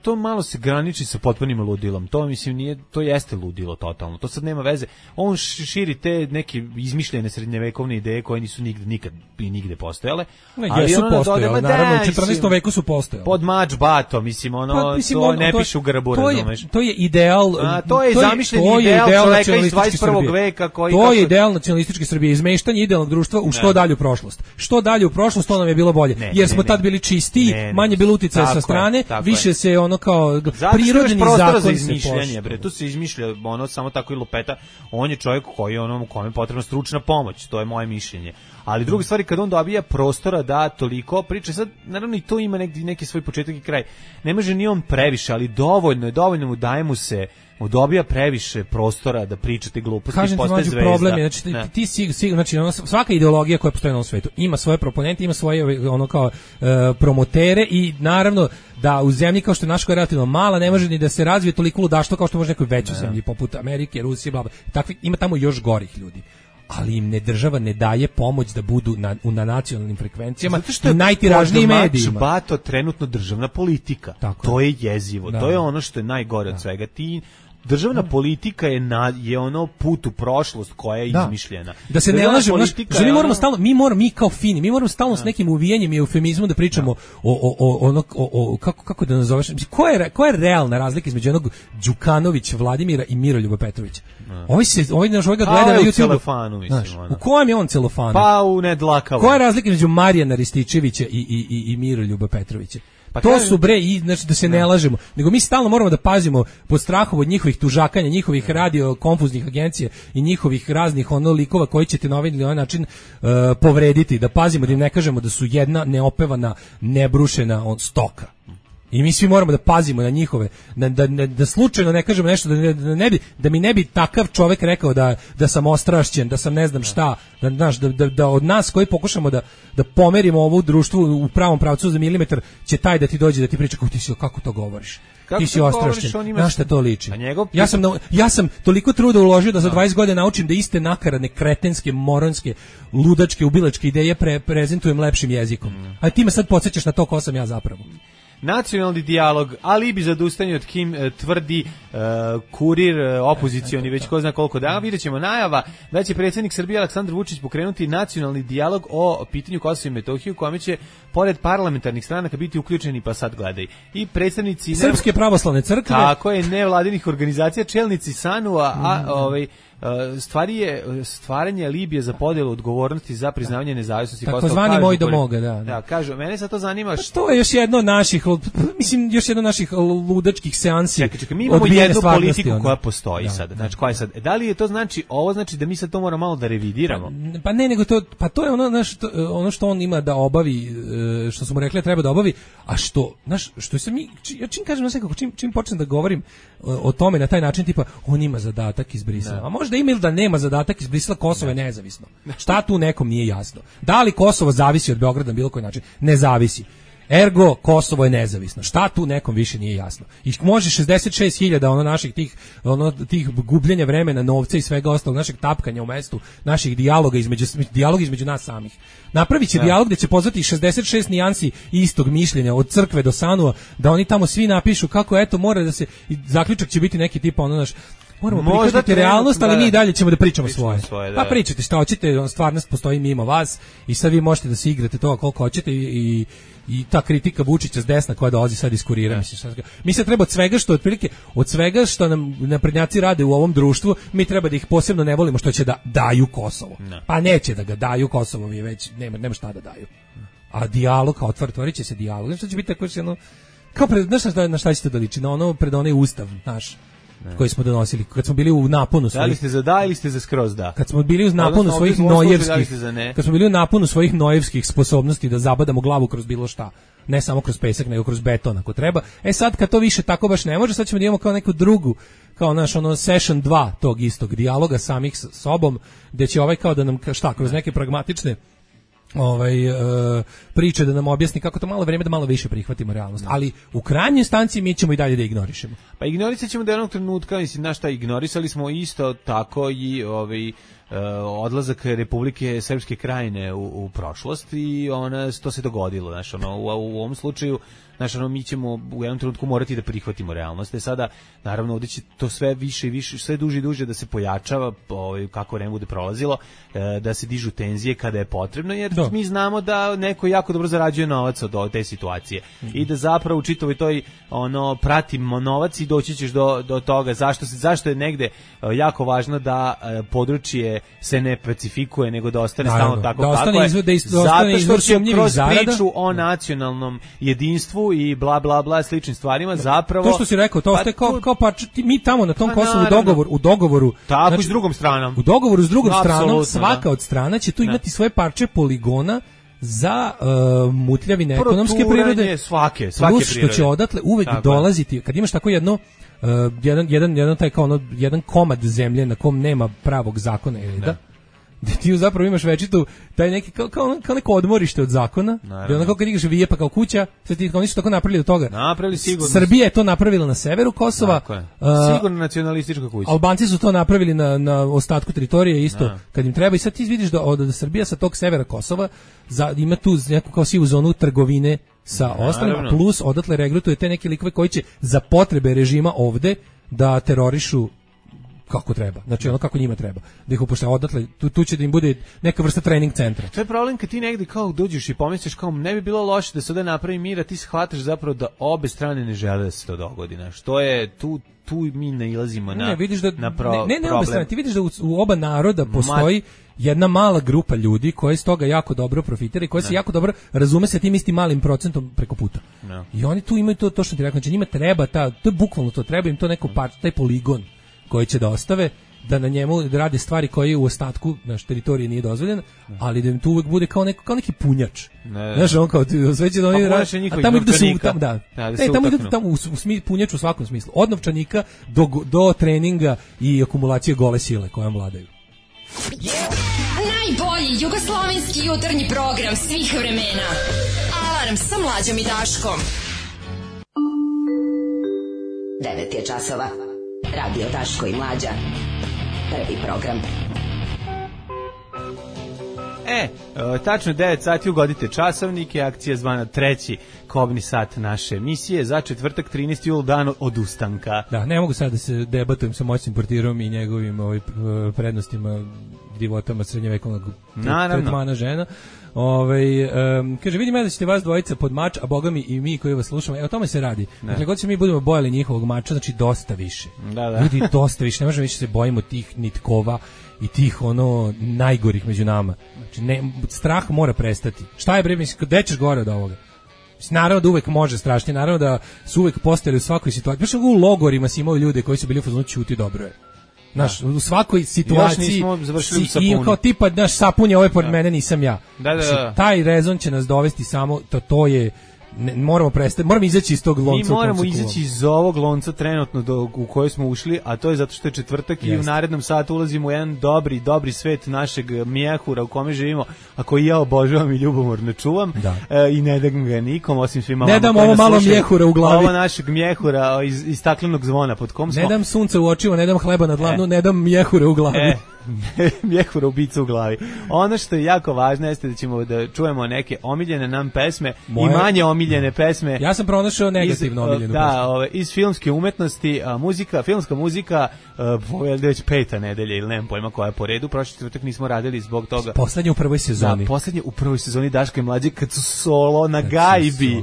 To malo se graniči sa potpunim ludilom. To mislim to jeste ludilo totalno. To sad nema veze. On širi te neke izmišljene srednjevekovne ideje koje nisu nikad i nigde postojale. Ali jesu postojale, naravno u 14. veku su postojale. Pod mač bato, mislim, to ne piše u grbu, razumeš. To je ideal. To je zamišljeni ideal čoveka iz 21. veka koji... To je ideal nacionalističke Srbije, izmeštanje idealnog društva u što dalju prošlost. Što dalje u prošlost, to nam je bilo bolje. Jer smo tad bili čisti, manje bilo uticaja sa strane, više se kao prirodni zakon za izmišljanje, bre, tu se izmišlja samo tako i lupeta. On je čovjek koji kome je potrebna stručna pomoć, to je moje mišljenje. Ali druga stvar, kad on dobija prostora da toliko priča, sad naravno i to ima neki svoj početak i kraj. Ne može ni on previše, ali dovoljno mu daje mu se, dobija previše prostora da pričate gluposti i postaje zvezda. Problem je, znači ti sigurno, znači svaka ideologija koja postoji na ovom svetu ima svoje proponente, ima svoje promotere i naravno da u zemlji kao što je naša koja je relativno mala ne može ni da se razvije toliko ludaštvo kao što može nekoj većoj zemlji poput Amerike, Rusije, bla bla. Takvi ima tamo još gorih ljudi. Ali im država ne daje pomoć da budu na nacionalnim frekvencijama u najtiražnijim medijima. Zato što je bato trenutno državna politika. To je jezivo. To je ono što je najgore od svega. državna politika je ono put u prošlost koja je izmišljena. Da se ne lažemo, mi moramo stalno, mi kao fini, mi moramo stalno s nekim uvijenjem i eufemizmom da pričamo o kako da nazoveš, koja je realna razlika između onog Đukanović Vladimira i Miroljuba Petrovića? Ovaj ga gleda na YouTube. U kojem je on celofanu? Pa u nedlakavom. Koja je razlika između Marijana Rističevića i Miroljuba Petrovića? Pa to su znači da se ne lažemo, nego mi stalno moramo da pazimo pod strahom od njihovih tužakanja, njihovih radio konfuznih agencija i njihovih raznih likova koji ćete na ovaj ili onaj način povrediti, da pazimo da im ne kažemo da su jedna neopevana, nebrušena stoka. I mi svi moramo da pazimo na njihove, da slučajno ne kažemo nešto, da mi ne bi takav čovjek rekao da sam ostrašćen, da sam ne znam šta, da od nas koji pokušamo da pomerimo ovo društvo u pravom pravcu za milimetar, će taj da ti dođe da ti priča kako to govoriš. Ti si ostrašćen, na šta to liči? Ja sam toliko truda uložio da za 20 godina naučim da iste nakaradne, kretenske, moronske, ludačke, ubilačke ideje prezentujem lepšim jezikom. A ti me sad podsjećaš na to ko sam ja zapravo. Nacionalni dijalog, alibi za odustajanje od Kim tvrdi Kurir, opozicioni, već ko zna koliko dana. Vidjet ćemo najava da će predsjednik Srbije Aleksandar Vučić pokrenuti nacionalni dijalog o pitanju Kosova i Metohije, u kome će pored parlamentarnih stranaka biti uključeni, pa sad gledaj, i predstavnici Srpske pravoslavne crkve, tako je, nevladinih organizacija, čelnici SANU-a, stvaranje Libije za podjelu odgovornosti za priznavanje nezavisnosti Kosova. Takozvani moj do moga, da. Kažu, mene sad to zanima. To je još jedno od naših ludačkih seansi. Čekaj, mi imamo jednu politiku koja postoji sad. Znači, koja je sad? Da li je to ovo znači da mi sad to moramo malo da revidiramo? Pa ne, nego to je ono što on ima da obavi, što su mu rekli treba da obavi, a što se ja čim kažem čim počnem da govorim o tome na taj način, tipa on ima zadatak iz Brisela. A možda ima ili da nema zadatak iz Brisela, Kosovo je nezavisno. Šta tu nekom nije jasno? Da li Kosovo zavisi od Beograda na bilo koji način? Ne zavisi. Ergo, Kosovo je nezavisno. Šta tu nekom više nije jasno? I može 66.000 naših tih gubljenja vremena, novca i svega ostalog, našeg tapkanja u mestu, naših dijaloga između nas samih. Napravit će dijalog gdje će pozvati 66 nijansi istog mišljenja, od crkve do SANU-a, da oni tamo svi napišu kako mora da se, zaključak će biti neki tipa moramo prihvatiti realnost, ali mi i dalje ćemo da pričamo svoje. Pa pričate šta hoćete, stvarnost postoji mimo vas i sad vi možete da se igrate toga koliko hoćete i ta kritika Vučića s desna koja dolazi sad iz Kurira. Mi se treba od svega što nam naprednjaci rade u ovom društvu, mi treba da ih posebno ne volimo što će da daju Kosovo. Pa neće da ga daju Kosovo, mi već nema šta da daju. A dijalog, otvorit će se dijalog. Što će biti tako na šta ćete da liči? Na pred onaj ustav naš koji smo donosili, kad smo bili u naponu svojih... Da li ste za da ili ste za skroz da? Kad smo bili u naponu svojih nojevskih sposobnosti da zabadamo glavu kroz bilo šta, ne samo kroz pesak, nego kroz beton ako treba. Sad kad to više tako baš ne može, sad ćemo da imamo kao neku drugu, kao session 2 tog istog dijaloga samih s sobom, gde će kao da nam, kroz neke pragmatične priče da nam objasni kako to malo vreme da malo više prihvatimo realnost, ali u krajnjoj instanci mi ćemo i dalje da ignorišemo. Pa ignorisat ćemo do jednog trenutka, ignorisali smo isto tako i odlazak Republike Srpske Krajine u prošlost i to se dogodilo, u ovom slučaju mi ćemo u jednom trenutku morati da prihvatimo realnost. Sada, naravno, ovdje će to sve više i više, sve duže i duže da se pojačava, kako vreme bude prolazilo, da se dižu tenzije kada je potrebno, jer mi znamo da neko jako dobro zarađuje novac od te situacije i da zapravo u čitavoj toj pratimo novac i doći ćeš do toga zašto je negde jako važno da područje se ne pacifikuje, nego da ostane stalno tako kako je. Zato što će kroz priču o nacionalnom jedinstvu i bla bla bla sličnim stvarima zapravo to što si rekao, to ostaje kao mi tamo na tom Kosovu u dogovoru tako s drugom stranom. U dogovoru s drugom stranom svaka od strana će tu imati svoje parče poligona za mutljavine ekonomske prirode, svake što će odatle uvek dolaziti kad imaš tako jedan komad zemlje na kom nema pravog zakona i reda, gde ti zapravo imaš večitu taj neki kao neko odmorište od zakona, gde onako kad igraš vije pa kao kuća, oni su tako napravili od toga. Napravili sigurno. Srbija je to napravila na severu Kosova. Sigurno nacionalistička kuća. Albanci su to napravili na ostatku teritorije isto kad im treba i sad ti vidiš da Srbija sa tog severa Kosova ima tu neku kao sivu zonu trgovine sa ostalima, plus odatle regrutuje te neke likove koji će za potrebe režima ovde da terorišu kako treba, znači ono kako njima treba, da ih upošljava odatle, tu će da im bude neka vrsta trening centra. To je problem kad ti negde kao dođeš i pomisliš kao ne bi bilo loše da se ovde napravi mir, a ti shvataš zapravo da obe strane ne žele da se to dogodi, što je tu mi nailazimo na vidiš da, na problem. Ne obe strane, ti vidiš da u oba naroda postoji jedna mala grupa ljudi koji iz toga jako dobro profitira i koji se jako dobro razume sa tim istim malim procentom preko puta. No. I oni tu imaju to što ti rekao, znači njima treba to je bukvalno to, treba im to neko taj poligon koji će da ostave, da na njemu rade stvari koje u ostatku naš teritorije nije dozvoljeno, ali da im tu uvek bude kao neki punjač. Znaš, on kao sve će da oni rade, a tamo ide su tamo, tamo ide tamo u punjač u svakom smislu. Od novčanika do treninga i akumulacije gole sile kojom vladaju. Najbolji jugoslovenski jutarnji program svih vremena. Alarm sa Mlađom i Daškom. 9 je časova. Radio Daško i Mlađa. Prvi program. Tačno 9 sati ugodite časovnike, akcija zvana treći kobni sat naše emisije za četvrtak 13. jul, dan od ustanka. Da, ne mogu sad da se debatujem sa moćnim portirom i njegovim prednostima divotama srednjevekovnog tretmana žena. Kaže, vidim ja da ćete vas dvojica pod mač, a boga mi i mi koji vas slušamo, o tome se radi. Dakle, god se mi budemo bojali njihovog mača, znači dosta više. Ljudi, dosta više, ne možemo više se bojimo tih nitkova i tih najgorih među nama. Znači, strah mora prestati. Šta je bre, mislim, gde ćeš gore od ovoga? Naravno da uvek može strašnije, naravno da su uvek postojali u svakoj situaciji. Baš u logorima si imao ljude koji su bili u fazonu ćuti, dobro je. Znaš, u svakoj situaciji i kao tipa, znaš, sapun je ovaj pored mene, nisam ja. Da. Taj rezon će nas dovesti samo, to je, moramo izaći iz tog lonca. Mi moramo izaći iz ovog lonca trenutno u koji smo ušli, a to je zato što je četvrtak i u narednom satu ulazimo u jedan dobri svet našeg mjehura u kome živimo, a koji ja obožavam i ljubomorno čuvam i ne dam ga nikom, osim svima vama. Ne dam ovo malo mjehura u glavi. Ovo našeg mjehura iz staklenog zvona pod kom smo. Ne dam sunce u očima, ne dam hleba na dlanu, ne dam mjehura u glavi. Mjehura ubica u glavi. Ono što je jako važno jeste da ćemo da čujemo neke omiljene nam pesme i manje omiljene pesme. Ja sam pronašao negativno omiljenu pesmu. Iz filmske umetnosti, filmska muzika, već 5. nedelja ili nemam pojma koja je po redu. Prošli četvrtak nismo radili zbog toga. Poslednje u prvoj sezoni. Da, poslednje u prvoj sezoni Daško i Mlađe kad su solo na gajbi.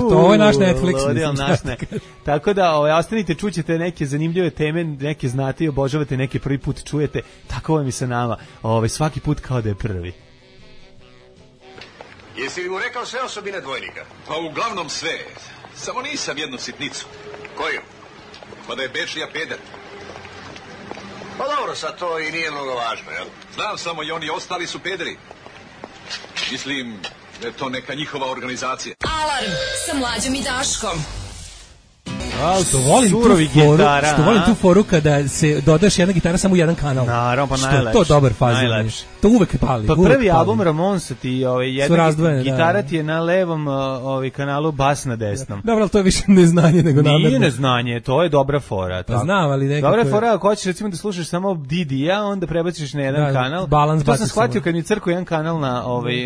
To je naš Netflix. Tako da ostanite, čućete neke zanimljive teme, neke znate i obožavate, neke prvi put čujete. Tako vam i sa nama, svaki put kao da je prvi. Jesi li mu rekao sve osobine dvojnika? Pa uglavnom sve, samo nisam jednu sitnicu. Koju? Pa da je Bečlija peder. Pa dobro, sad to i nije mnogo važno, jel? Znam, samo i oni ostali su pederi. Mislim da je to neka njihova organizacija. Alarm sa Mlađom i Daškom. Što volim tu foru kada se dodaš jedna gitara samo u jedan kanal. Naravno, pa najlepše. To dobar fazon. To uvek pali. Pa prvi album Ramonsa ti jedna gitara ti je na levom kanalu, bas na desnom. Dobro, ali to je više neznanje nego namerno. Nije neznanje, to je dobra fora. Pa znam, ali nekako... Dobra fora, ako hoćeš recimo da slušaš samo Didija, onda prebaciš na jedan kanal. Balans to sam shvatio kad mi crko jedan kanal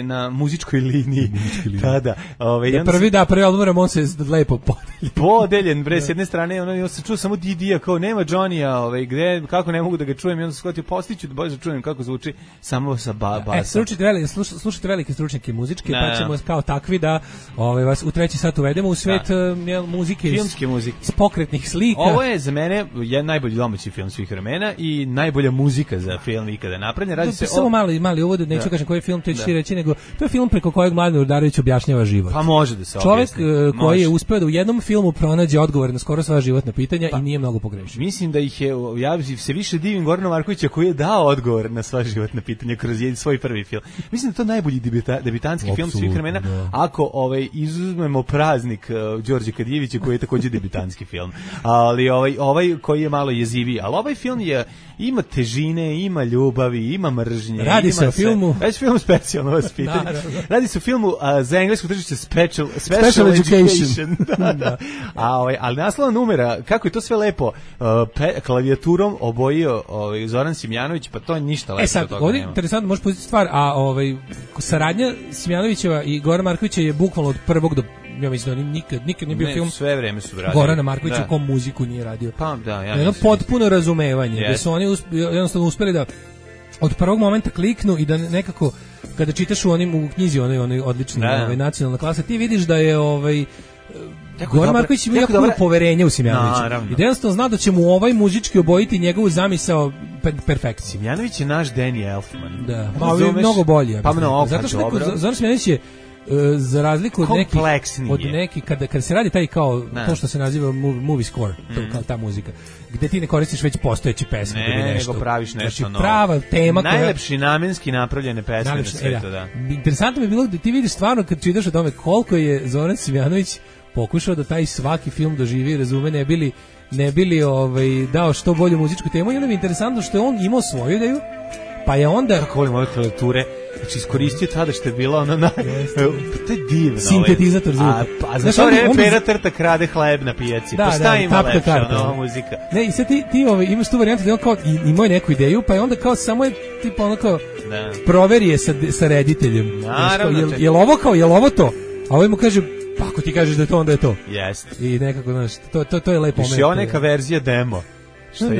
na muzičkoj liniji. Tada. Prvi album Ramonsa je lepo podeljen, bre, s jedne strane, on se čuo samo Didija, kao nema Johnny-a, gde, kako ne mogu da ga čujem, i onda se shvatio, postiću da bolje čujem kako zvuči samo sa basom. Slušajte velike stručnjake muzičke, pa ćemo kao takvi da vas u treći sat uvedemo u svet muzike, filmske muzike, iz pokretnih slika. Ovo je za mene najbolji domaći film svih vremena i najbolja muzika za film ikada napravljena. Radi se samo mali uvod, neću kažem koji je film, to ću ti reći, nego to je film preko kojeg Mladen Urdarević objašnjava život. Pa može da se objasni. Čovjek koji je uspeo da u jednom filmu pronađe odgovor na skoro sva životna pitanja i nije mnogo pogrešio. Mislim da ih je, ja se više divim Gorana Markovića koji je dao odgovor na sva životna pitanja kroz svoj prvi film. Mislim da je to najbolji debitanski film svih vremena, ako izuzmemo Praznik Đorđe Kadijevića koji je također debitanski film. Ali ovaj koji je malo jeziviji, ali ovaj film ima težine, ima ljubavi, ima mržnje. Radi se o filmu. Radi se film specijalno vas pitanje. Radi se o filmu za englesko tržište Special Education. Da. Ali naslova numera, kako je to sve lepo klavijaturom obojio Zoran Simjanović, pa to je ništa lepo. Sad, ovdje interesantno može pustiti stvar, a saradnja Simjanovićeva i Gorana Markovića je bukvalno od prvog do ja mislim da on nikad nije bio film. Sve vreme su radili. Gorana Markovića u kom muziku nije radio. Pa da, ja. Jedno potpuno razumevanje, da su oni jednostavno uspeli da od prvog momenta kliknu i da nekako kada čitaš u knjizi onaj odlični nacionalna klasa, ti vidiš da je Goran Marković ima jako poverenje u Simjanovića. I da jednostavno zna da će mu muzički obojiti njegovu zamisao perfekciju. Simjanović je naš Danny Elfman. Da, pa mnogo bolji. Pa mnogo, zato što Zoran Simjanović je za razliku od nekih kada se radi taj kao to što se naziva movie score, to kao ta muzika, gde ti ne koristiš već postojeće pesme, nego praviš nešto novo. Prava tema, najlepši namenski napravljene pesme na svetu, da. Interesantno mi je bilo da ti vidiš stvarno kad čitaš o tome koliko je Zoran Simjanović pokušao da taj svaki film doživi i razume, ne bili dao što bolju muzičku temu, i onda mi je interesantno što je on imao svoju ideju, pa je onda... Kako volim ove klavijature, znači iskoristio tada što je bila ono to je divno. Sintetizator zvuka. A za to vreme Pera Trta krade hleb na pijaci, pa šta ima lepše ono muzika. Ne, i sad ti imaš tu varijantu da on kao imao je neku ideju, pa je onda kao samo je tipa ono kao proveri je sa rediteljem. Je li ovo to? A ovaj mu kaže, pa ako ti kažeš da je to, onda je to. Jeste. I nekako, znaš, to je lepo moment. Još je neka verzija demo.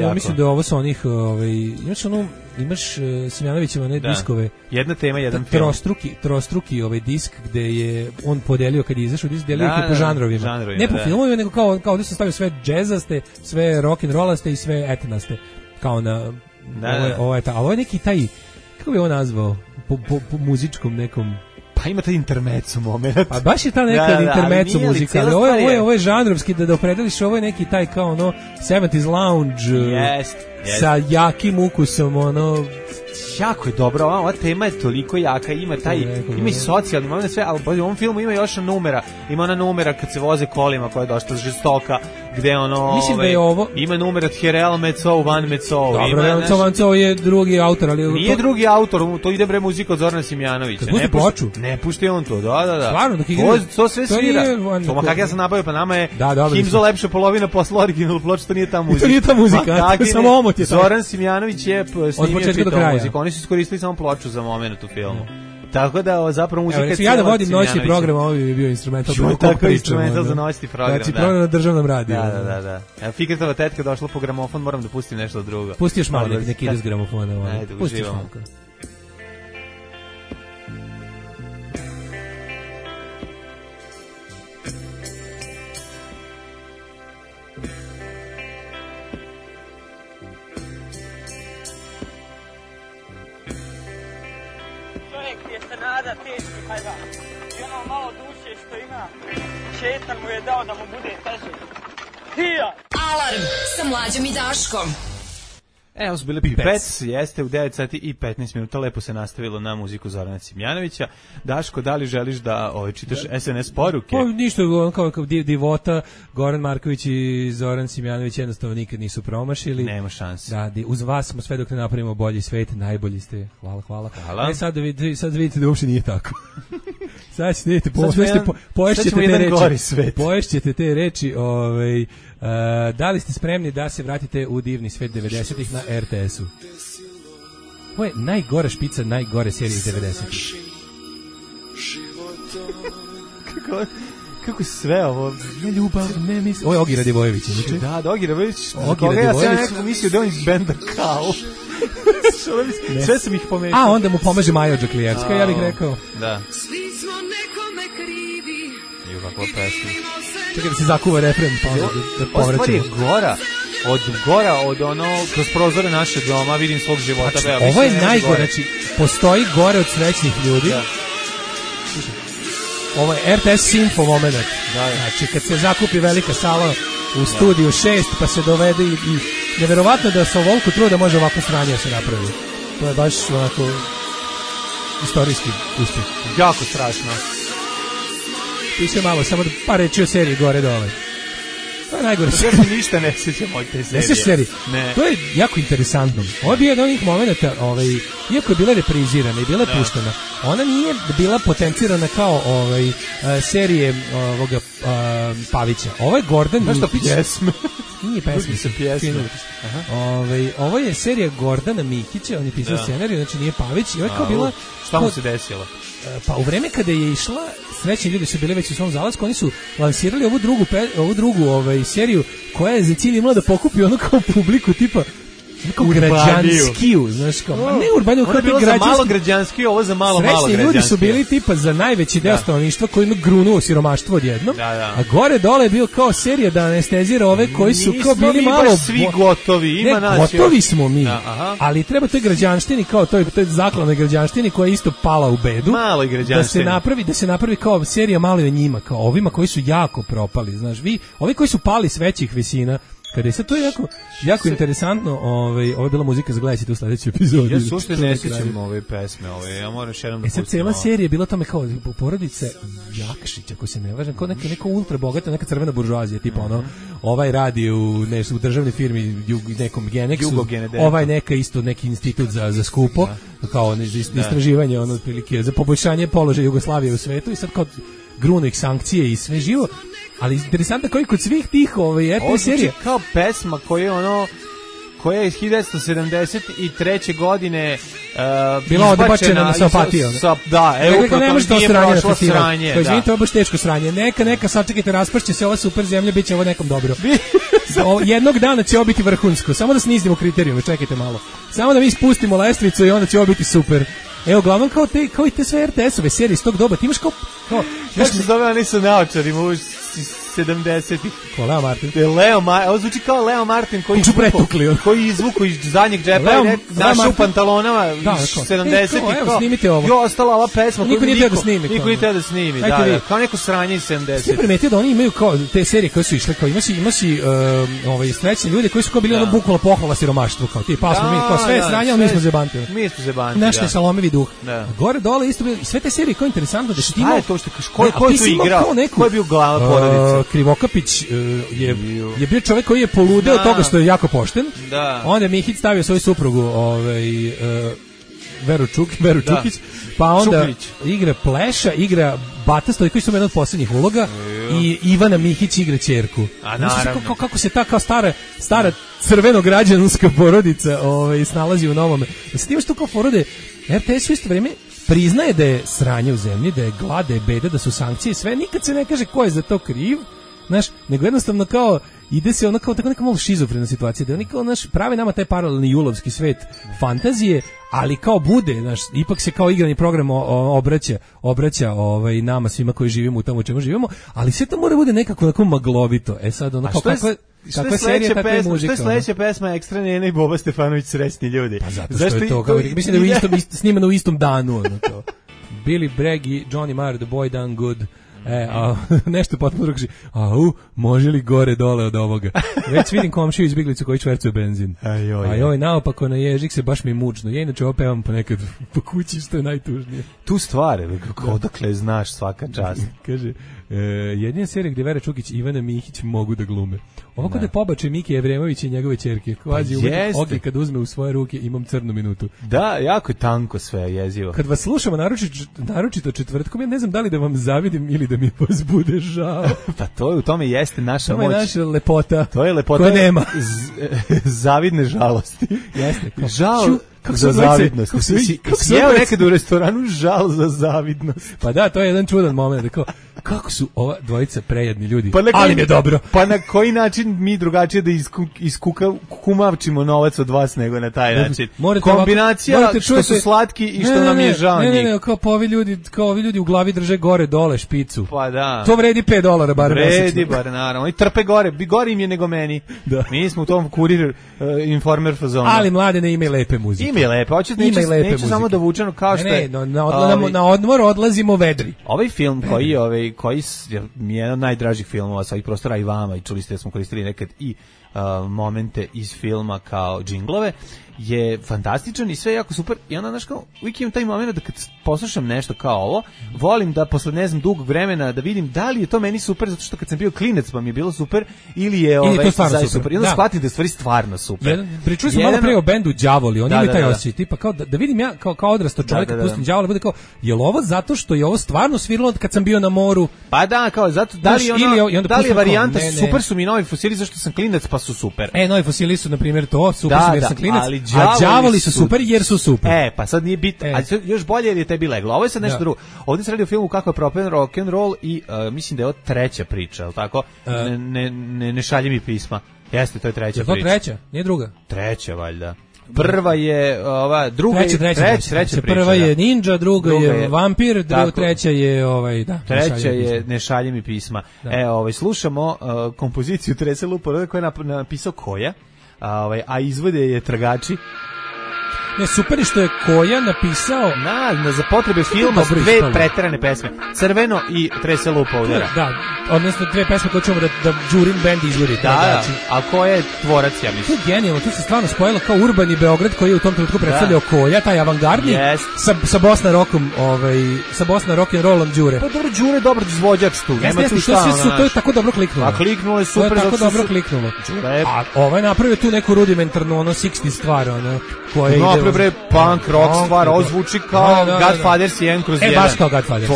Ja mislim da je ovo sa onih, imaš Simjanovićeva diskove. Jedna tema, jedan film. Trostruki disk gde je on podelio, kad je izašao disk, delio ih po žanrovima. Ne po filmovima, nego kao ovdje sam stavio sve džezaste, sve rock'n'rollaste i sve etnaste. Kao na... Ali ovo je neki taj, kako bi ovo nazvao, po muzičkom nekom... Pa ima taj intermezzo moment. Pa baš je ta neka intermezzo muzika, ali ovo je žanrovski, da opredeliš, ovo je neki taj kao 70s lounge sa jakim ukusom, jako je dobro, ova tema je toliko jaka, ima i socijalni moment, sve, ali u ovom filmu ima još ima ona numera kad se voze kolima koja je dosta žestoka, gde mislim da je ovo ima numer od Herel Mecov, Van Mecov. Dobro, Van Mecov je drugi autor, ali nije drugi autor, to ide muzika od Zorana Simjanovića. Ne ploču. Ne pušta on to, da. Stvarno, dok igra. To sve svira. To kako ja sam nabavio, pa nama je Himzo lepša polovina posla original ploča, to nije ta muzika. To nije ta muzika, samo omot je. Zoran Simjanović je snimio čitavu muziku. Oni su iskoristili samo ploču za moment u filmu. Tako da zapravo muzika je ja da vodim noćni program, ovo bi bio instrumental. Tako instrumental za noćni program. Znači program na državnom radiju. Da. Fikretova tetka došla po gramofon, moram da pustim nešto drugo. Pusti još malo neki ide s gramofona. Ajde, uživamo. Teški hajvan. I ono malo duše što ima, šetan mu je dao da mu bude teže. Hija! Alarm sa Mlađom i Daškom. Evo su bile Pipec, jeste u 9 sati i 15 minuta, lepo se nastavilo na muziku Zorana Simjanovića. Daško, da li želiš da čitaš SNS poruke? Pa ništa, kao divota, Goran Marković i Zoran Simjanović jednostavno nikad nisu promašili. Nema šanse. Da, uz vas smo sve dok ne napravimo bolji svet, najbolji ste. Hvala. Sad vidite da uopšte nije tako. Sad ćete vidjeti, poješćete te reči, da li ste spremni da se vratite u divni svet 90-ih na RTS-u? Ovo je najgora špica, najgore serije iz 90-ih. Kako sve ovo? Ne ljubav, ne mislim. Ovo je Ogi Radivojević. Da, Ogi Radivojević. Ja sam nekako mislio da on iz benda Kao. Sve sam ih pomećao. A onda mu pomaže Majo Đaklijevska, ja bih rekao. Da. Svi smo nekome krivi. I kako pesma. Čekaj da se zakuva refren, pa onda da povraćamo. Ostvar je gora od kroz prozore naše doma, vidim svog života. Znači, ovo je najgore, znači, postoji gore od srećnih ljudi. Da. Ovo je RTS Simfo moment. Znači, kad se zakupi velika sala u studiju 6, pa se dovede i neverovatno da sa ovoliko truda može ovako sranje se napravi. To je baš onako istorijski uspjeh. Jako strašno. Piše malo, samo da par reći o seriji gore dole. To je najgore. Ja se ništa ne sjećam od te serije. Ne sjećaš serije? Ne. To je jako interesantno. Ovo je bio jedan od onih momenta, iako je bila reprizirana i bila je puštena, ona nije bila potencirana kao serije Pavića. Ovo je Gordan Mikić. Pjesme. Nije pesme, se pjesme. Ovo je serija Gordana Mikića, on je pisao scenarij, znači nije Pavić. I ovo je kao bila... Šta mu se desilo? Pa u vreme kada je išla, srećni ljudi su bili već u svom zalasku, oni su lansirali ovu drugu seriju koja je za cilj imala da pokupi ono kao publiku tipa kao građanskiju, znaš kao, ne urbaniju, kao bilo za malo građanskiju, ovo za malo građanskiju. Srećni ljudi su bili tipa za najveći deo stanovništva koji ima grunuo siromaštvo odjednom, a gore dole je bio kao serija da anestezira ove koji su kao bili malo... Nismo mi baš svi gotovi, ima nas. Gotovi smo mi, ali treba toj građanštini, kao toj zakladnoj građanštini koja je isto pala u bedu, maloj građanštini. Da se napravi kao serija malo i o njima, kao ovima koji su jako propali, znaš, ovi koji su pali s većih visina. Kada je sad to jako interesantno, ovo je bila muzika za gledajte u sledećoj epizodi. Ja sušte ne sjećam ove pesme, ja moram još jednom da pustim. Sad cijela serija je bila tome kao porodice Jakšić, ako se ne važem, kao neka ultra bogata, neka crvena buržoazija, tipa ovaj radi u državnoj firmi nekom Genexu, ovaj neka isto neki institut za skupo, kao istraživanje, otprilike, za poboljšanje položaja Jugoslavije u svetu i sad kao gruno ih sankcije i sve živo. Ali interesantno kao i kod svih tih RTL serija. Kao pesma koja je iz 1973. godine bila odbačena na Sopatiju. Da, evo upravo to nije prošlo sranje. To izvinite, ovo baš teško sranje. Neka sačekajte, raspršće se ova super zemlja, bit će ovo nekom dobro. Jednog dana će ovo biti vrhunsko. Samo da snizimo kriterijume, čekajte malo. Samo da mi spustimo lestvicu i onda će ovo biti super. Evo, uglavnom kao i te sve RTS-ove serije iz tog doba, ti imaš kao kako se zove, oni su naočarima u 70-ih. Ko Leo Martin? Ovo zvuči kao Leo Martin koji izvuku iz zadnjeg džepa i našao u pantalonama 70-ih. Evo, snimite ovo. Jo, ostala ova pesma koju niko nije teo da snimi. Kao neko sranje iz 70-ih. Svi primetio da oni imaju kao te serije koje su išle, kao ima si srećni ljudi koji su kao bili bukvalno pohvala siromaštvu, kao ti, pa smo mi, kao sve sranje, ali mi smo zebanti. Naš je salomevi duh. Gore, dole, isto bilo, sve te serije kao interesantno da što imao... Ko je tu igrao? Ko je bio glava porodice? Krivokapić je bio čovjek koji je poludeo od toga što je jako pošten. Onda je Mihić stavio svoju suprugu Veru Čukić, pa onda igra Pleša, igra Bata Stojković, su jedna od posljednjih uloga, i Ivana Mihić igra ćerku. Kako se ta kao stara crveno-građanska porodica snalazi u novome. Sad imaš tu kao porode, RTS u isto vrijeme priznaje da je sranje u zemlji, da je glad, da je beda, da su sankcije i sve, nikad se ne kaže ko je za to kriv, znaš, nego jednostavno kao ide se ono kao tako neka malo šizofrena situacija, da oni kao prave nama taj paralelni julovski svet fantazije, ali kao bude, znaš, ipak se kao igrani program obraća nama svima koji živimo u tomu čemu živimo, ali sve to mora bude nekako onako maglovito. Sad kao kakva serija, takva je muzika. Što je sledeća pesma Ekstra Nena i Boba Stefanović, Srećni ljudi? Pa zato što je to, mislim da je snimano u istom danu. Billy Bragg i Johnny Marr, The Boy Done Good. Nešto potpuno drugi. Može li gore dole od ovoga? Već vidim komšiju izbjeglicu koji čvercuje benzin. Ajoj, naopako na ježik se baš mi mučno. Ja inače ovo pevam ponekad po kući, što je najtužnije. Tu stvari, odakle znaš, svaka čast. Kaže, jedina serija gdje Vera Čukić i Ivana Mihić mogu da glume. Ovako da pobače Miki Evremović i njegove ćerke. Kvazi Ogi kad uzme u svoje ruke, imam crnu minutu. Da, jako je tanko sve, jezivo. Kad vas slušamo, naročito četvrtkom, ja ne znam da li da vam zavidim ili da mi vas bude žao. Pa to je, u tome jeste naša moć. To je naša lepota. To je lepota koja nema. Zavidne žalosti. Jeste. Žal za zavidnost. Si jeo nekad u restoranu žal za zavidnost. Pa da, to je jedan čudan moment. Kako su ova dvojica prejedni ljudi, ali mi je dobro. Pa na koji način mi drugačije da kumavčimo novac od vas nego na taj način? Kombinacija što su slatki i što nam je žao njih. Ne, kao ovi ljudi u glavi drže gore dole špicu. Pa da. To vredi $5 bar mesečno. Vredi bar, naravno. Oni trpe gore im je nego meni. Mi smo u tom Kurir Informer fazonu. Ali mlade ne imaju lepe muzike. Imaju lepe, neću samo da vučeno kao što je. Na odmor odlazimo vedri. Ovaj film koji je jedan od najdražih filmova sa ovih prostora i vama, i čuli ste da smo koristili nekad i momente iz filma kao džinglove, je fantastičan i sve je jako super i onda, znaš, kao, uvijek imam taj moment da kad poslušam nešto kao ovo, volim da posle, ne znam, dugog vremena da vidim da li je to meni super, zato što kad sam bio klinac pa mi je bilo super, ili je zaista super. I onda shvatim da je stvari stvarno super. Pričali smo malo pre o bendu Đavoli, oni imaju taj osjećaj, tipa kao da vidim ja kao odrasto čovjek kad pustim Đavola, bude kao, je li ovo zato što je ovo stvarno sviralo kad sam bio na moru? Pa da, kao, zato, da li je varijanta super su mi Novi Fosili zašto sam klinac pa su super. Novi Fosili su, na primjer, to, super su jer sam klinac, a Đavoli su super jer su super. Pa sad nije bitno, a još bolje jer je tebi leglo. Ovo je sad nešto drugo. Ovdje se radi o filmu kako je propen rock and roll i mislim da je ovo treća priča, je li tako? Ne šalje mi pisma. Jeste, to je treća priča. Je to treća? Nije druga? Treća, valjda. Prva je ova, druga treća priča. Prva je Ninja, druga je Vampir, treća je treća je Ne šalje mi pisma. Slušamo kompoziciju Trese Lupo koju je napisao Koja, a izvode je Tragači. Ne, super je što je Koja napisao za potrebe filma dve preterane pesme, Crveno i Trese Lupa udara. Da, odnosno dve pesme koje ćemo da Đurin band izvodi. Da, a Koja je tvorac, ja mislim. To je genijalno, tu se stvarno spojilo kao urbani Beograd koji je u tom trenutku predstavljao Koja, taj avangardni, sa Bosna rokom, sa Bosna rock and rollom Đure. Pa dobro, Đure je dobar izvođač tu, nema tu šta. To je tako dobro kliknulo. A kliknulo je super. To je tako dobro kliknulo. A ovaj napravio tu neku rudimentarnu, 60 stvar, koja ide punk, rock stvar, ovo zvuči kao Godfathers 1/1. Baš kao Godfathers.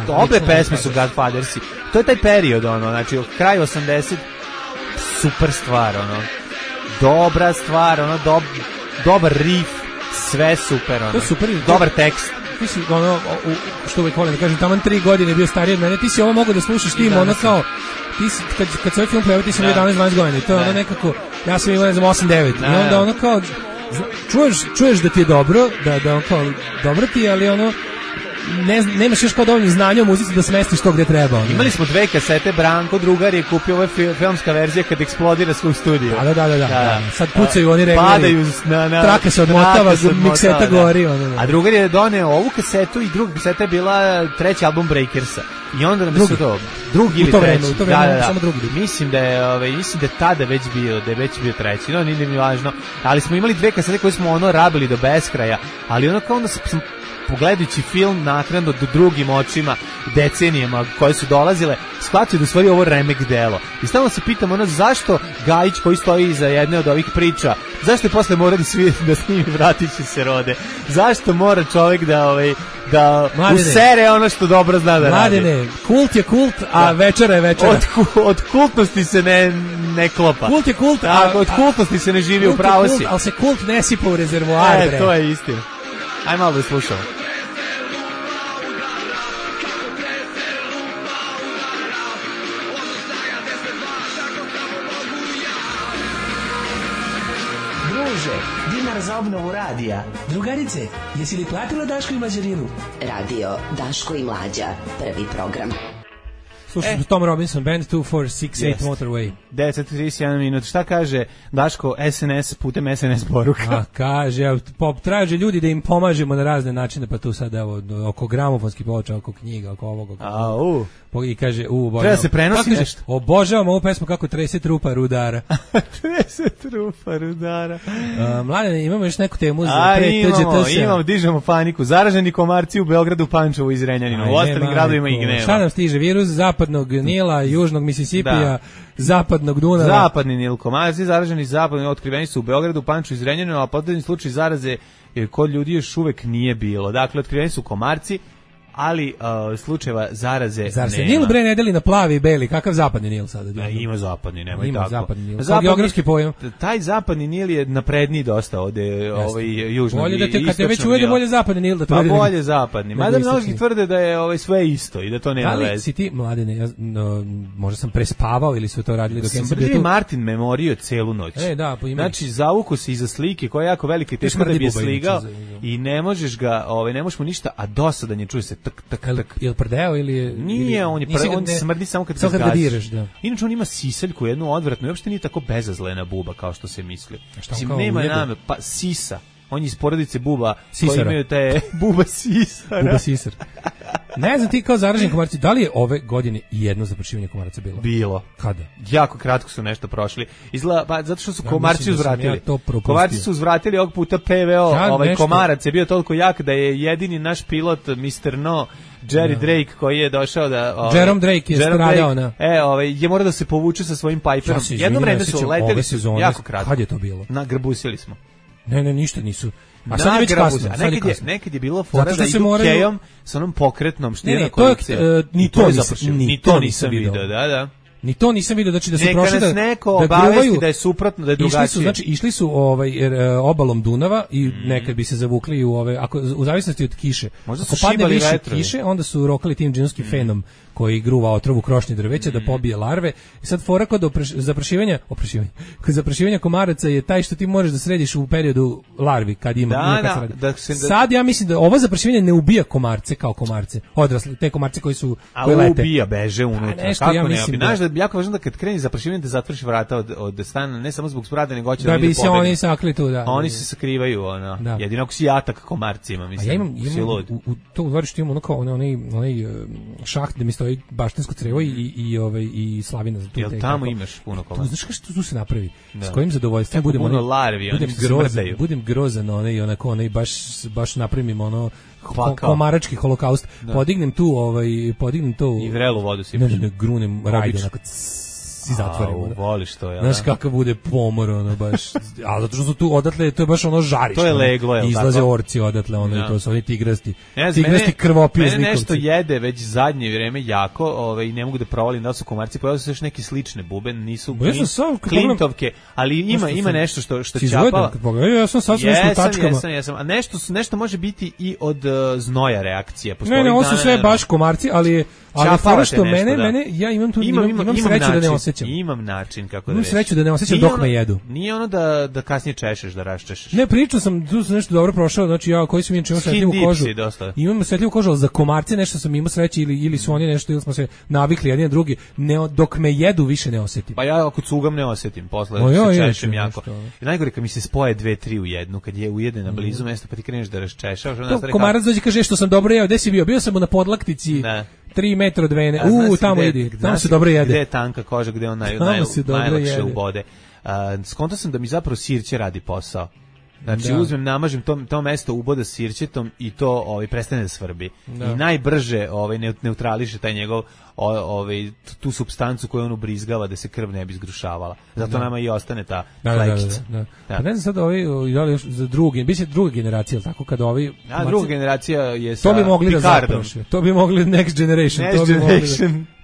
Obe pesme su Godfathersi. To je taj period, znači kraj 80, super stvar, dobra stvar, dobar riff, sve super, to je super, dobar tekst. Ti si, što uvijek volim da kažem, taman 3 godine bio stariji od mene, ti si ovo mogo da slušaš tim, kao, ti si, kad se ovaj film pojavio, ti si imao 11-12 godina, i to je nekako, ja sam imao, ne znam, 8-9, i onda kao, čuješ da ti je dobro, da kao, dobro ti je, ali nemaš još kao dovoljno znanja u muzici da smestiš to gdje treba. Imali smo 2 kasete, Branko drugar je kupio ova filmska verzija kad eksplodira svoj studio. Da. Sad pucaju oni regleri. Padaju traka se odmotava, mikseta gori. A drugar je doneo ovu kasetu i druga kaseta je bila treći album Breakersa. I onda nam se to drugi ili treći. U to vreme, samo drugi. Mislim da je tada već bio treći. No, nije mi važno. Ali smo imali 2 kasete koje smo rabili do beskraja, ali kao onda sam pogledajući film naknadno do drugim očima decenijama koje su dolazile, shvatio da u stvari ovo remek delo. I stalno se pitam zašto Gajić koji stoji iza jedne od ovih priča, zašto je posle mora da snimi Vratići se rode? Zašto mora čovjek da usere ono što dobro zna da radi? Mladene, kult je kult, a večera je večera. Od kultnosti se ne klopa. Kult je kult, od kultnosti se ne živi, u pravo si. Ali se kult ne sipa u rezervoar. To je istina. Aj malo da slušamo. Druže, dinar za obnovu radija. Drugarice, jesi li platila Daško i Mlađarinu? Radio Daško i Mlađa, prvi program. Slušamo Tom Robinson Band 2468 Motorway. 10:31 minut. Šta kaže Daško SNS putem SNS poruka? Kaže, traže ljudi da im pomažemo na razne načine, pa tu sad oko gramofonskih ploča, oko knjiga, oko ovog. I kaže, treba se prenosi nešto. Obožavam ovu pesmu kako trese trupa rudara. Trese trupa rudara. Mladene, imamo još neku temu za imamo, dižemo paniku. Zaraženi komarci u Beogradu, Pančevu i Zrenjaninu. U ostalim gradovima ih nema. Šta nam stiže? Virus zapadnog Nila, južnog Misisipija, zapadnog Dunava. Zapadni Nil, komarci zaraženi zapadni otkriveni su u Beogradu, Pančevu i Zrenjaninu, a posljednji slučaj zaraze kod ljudi još uvek nije bilo. Dakle, otkriveni su komarci, ali slučajeva zaraze nema. Nil bre ne deli na plavi i beli, kakav zapadni Nil sada? Ima zapadni, nemoj tako. Zapadni Nil. Geografski pojam. Taj zapadni Nil je napredniji dosta ovde, južno. Bolje da te kad te već uvede bolje zapadni Nil da to vidi. Pa bolje zapadni. Mada mnogi tvrde da je sve isto i da to nema veze. Ali si ti, Mladene, možda sam prespavao ili su to radili dok sam bio tu. Martin memorio celu noć. Znači zavuko se iza slike koja je jako velika i teško da bi je sligao i ne možeš ga, ne možeš mu ništa, a dosadan je, čuje se tak. Jel prdeo ili je... Nije, on smrdi samo kad ga zgaziš. Inače on ima siseljku, jednu odvratnu, i uopšte nije tako bezazlena buba kao što se misli. Nema name, pa sisa. On je iz porodice buba koji imaju te buba sisar. Buba sisar. Ne znam ti kao zaraženi komarci, da li je ove godine jedno zaprašivanje komaraca bilo? Bilo. Kada? Jako kratko su nešto prošli. Izgleda, pa zato što su komarci uzvratili. Komarci su uzvratili ovog puta PVO, komarac je bio toliko jak da je jedini naš pilot Mr. No, Jerry Drake, koji je došao da... Jerome Drake je stradao na... je morao da se povuče sa svojim Piperom. Jedno vreme su leteli jako kratko. Kad je to bilo? Nagrbusili smo. Ne, ništa nisu. A sad je već kasno. Nekad je bilo fora da idu kejom sa onom pokretnom štira kolekcija. Ni to nisam video. Da. Ni to nisam video, znači da su prošli da neko obavesti da je suprotno, da je drugačije. Išli su obalom Dunava i nekad bi se zavukli u zavisnosti od kiše. Ako padne više kiše, onda su rokali tim džinovskim fenom koji gruva otrovu krošnje drveća da pobije larve. I sad fora kod zaprašivanja komaraca je taj što ti možeš da središ u periodu larvi kad ima. Sad ja mislim da ovo zaprašivanje ne ubija komarce kao komarce, odrasle, te komarce koji su koji lete. Ubija, beže unutra. Kako ja mislim znaš da je jako važno da kad kreni zaprašivanje da zatvoriš vrata od stana, ne samo zbog smrada, nego hoće da bi se oni sakli tu, da. Oni se sakrivaju, jedino ako si jatak komarcima, mislim. Ja imam u dvorištu imam onaj šaht da mi stoji baštensko crevo i slavina za tu. Jel tamo imaš puno komaraca? Znaš što tu se napravi? S kojim zadovoljstvom budem grozan onaj baš napravim komarački holokaust. Podignem tu i vrelu vodu sipaš. Ne, grunem rajde onako i zatvorim. Voliš to, znaš kakav bude pomor, baš. A zato što su tu odatle, to je baš žarište. To je leglo, je li tako? Izlaze orci odatle, to su oni tigrasti. Tigrasti krvopije zlikovci. Mene nešto jede već zadnje vrijeme jako, i ne mogu da provalim da su komarci, pojavili su još neke slične bube, nisu klintovke, ali ima nešto što ćapava. Ja sam sad nešto u tačkama. Jesam. A nešto može biti i od znoja reakcija. Ne, ovo su sve baš komarci, ali fora što mene, ja imam sreću da ne osjećam. Imam način kako da imam sreću da ne osjećam dok me jedu. Nije ono da kasnije češeš, da raščešeš. Ne, pričao sam, tu sam nešto dobro prošao, znači ja koji sam imao osjetljivu kožu. Imam osjetljivu kožu, ali za komarce nešto sam imao sreće ili su oni nešto, ili smo se navikli jedni na drugi, dok me jedu više ne osjetim. Pa ja ako cugam ne osjetim, posle se češem jako. I najgore kad mi se spoje 2-3 u jednu, kad je ujedena blizu mesta pa ti kreneš da raščešaš. Komarac dođe kaže što sam dobro jeo, gde si bio? Bio sam na podlaktici. 3 metra od vene. Tamo idi. Tamo se dobro jede. Gde je tanka koža, gde on najlakše ubode. Skonto sam da mi zapravo sirće radi posao. Znači uzmem, namažem to mesto uboda sirćetom i to prestane da svrbi. I najbrže neutrališe taj njegov tu supstancu koju on ubrizgava da se krv ne bi zgrušavala. Zato nama i ostane ta flekica. Pa ne znam sad za druga generacija, tako kad druga generacija je sa to bi mogli Picardom. Da zapraše. To bi mogli Next Generation.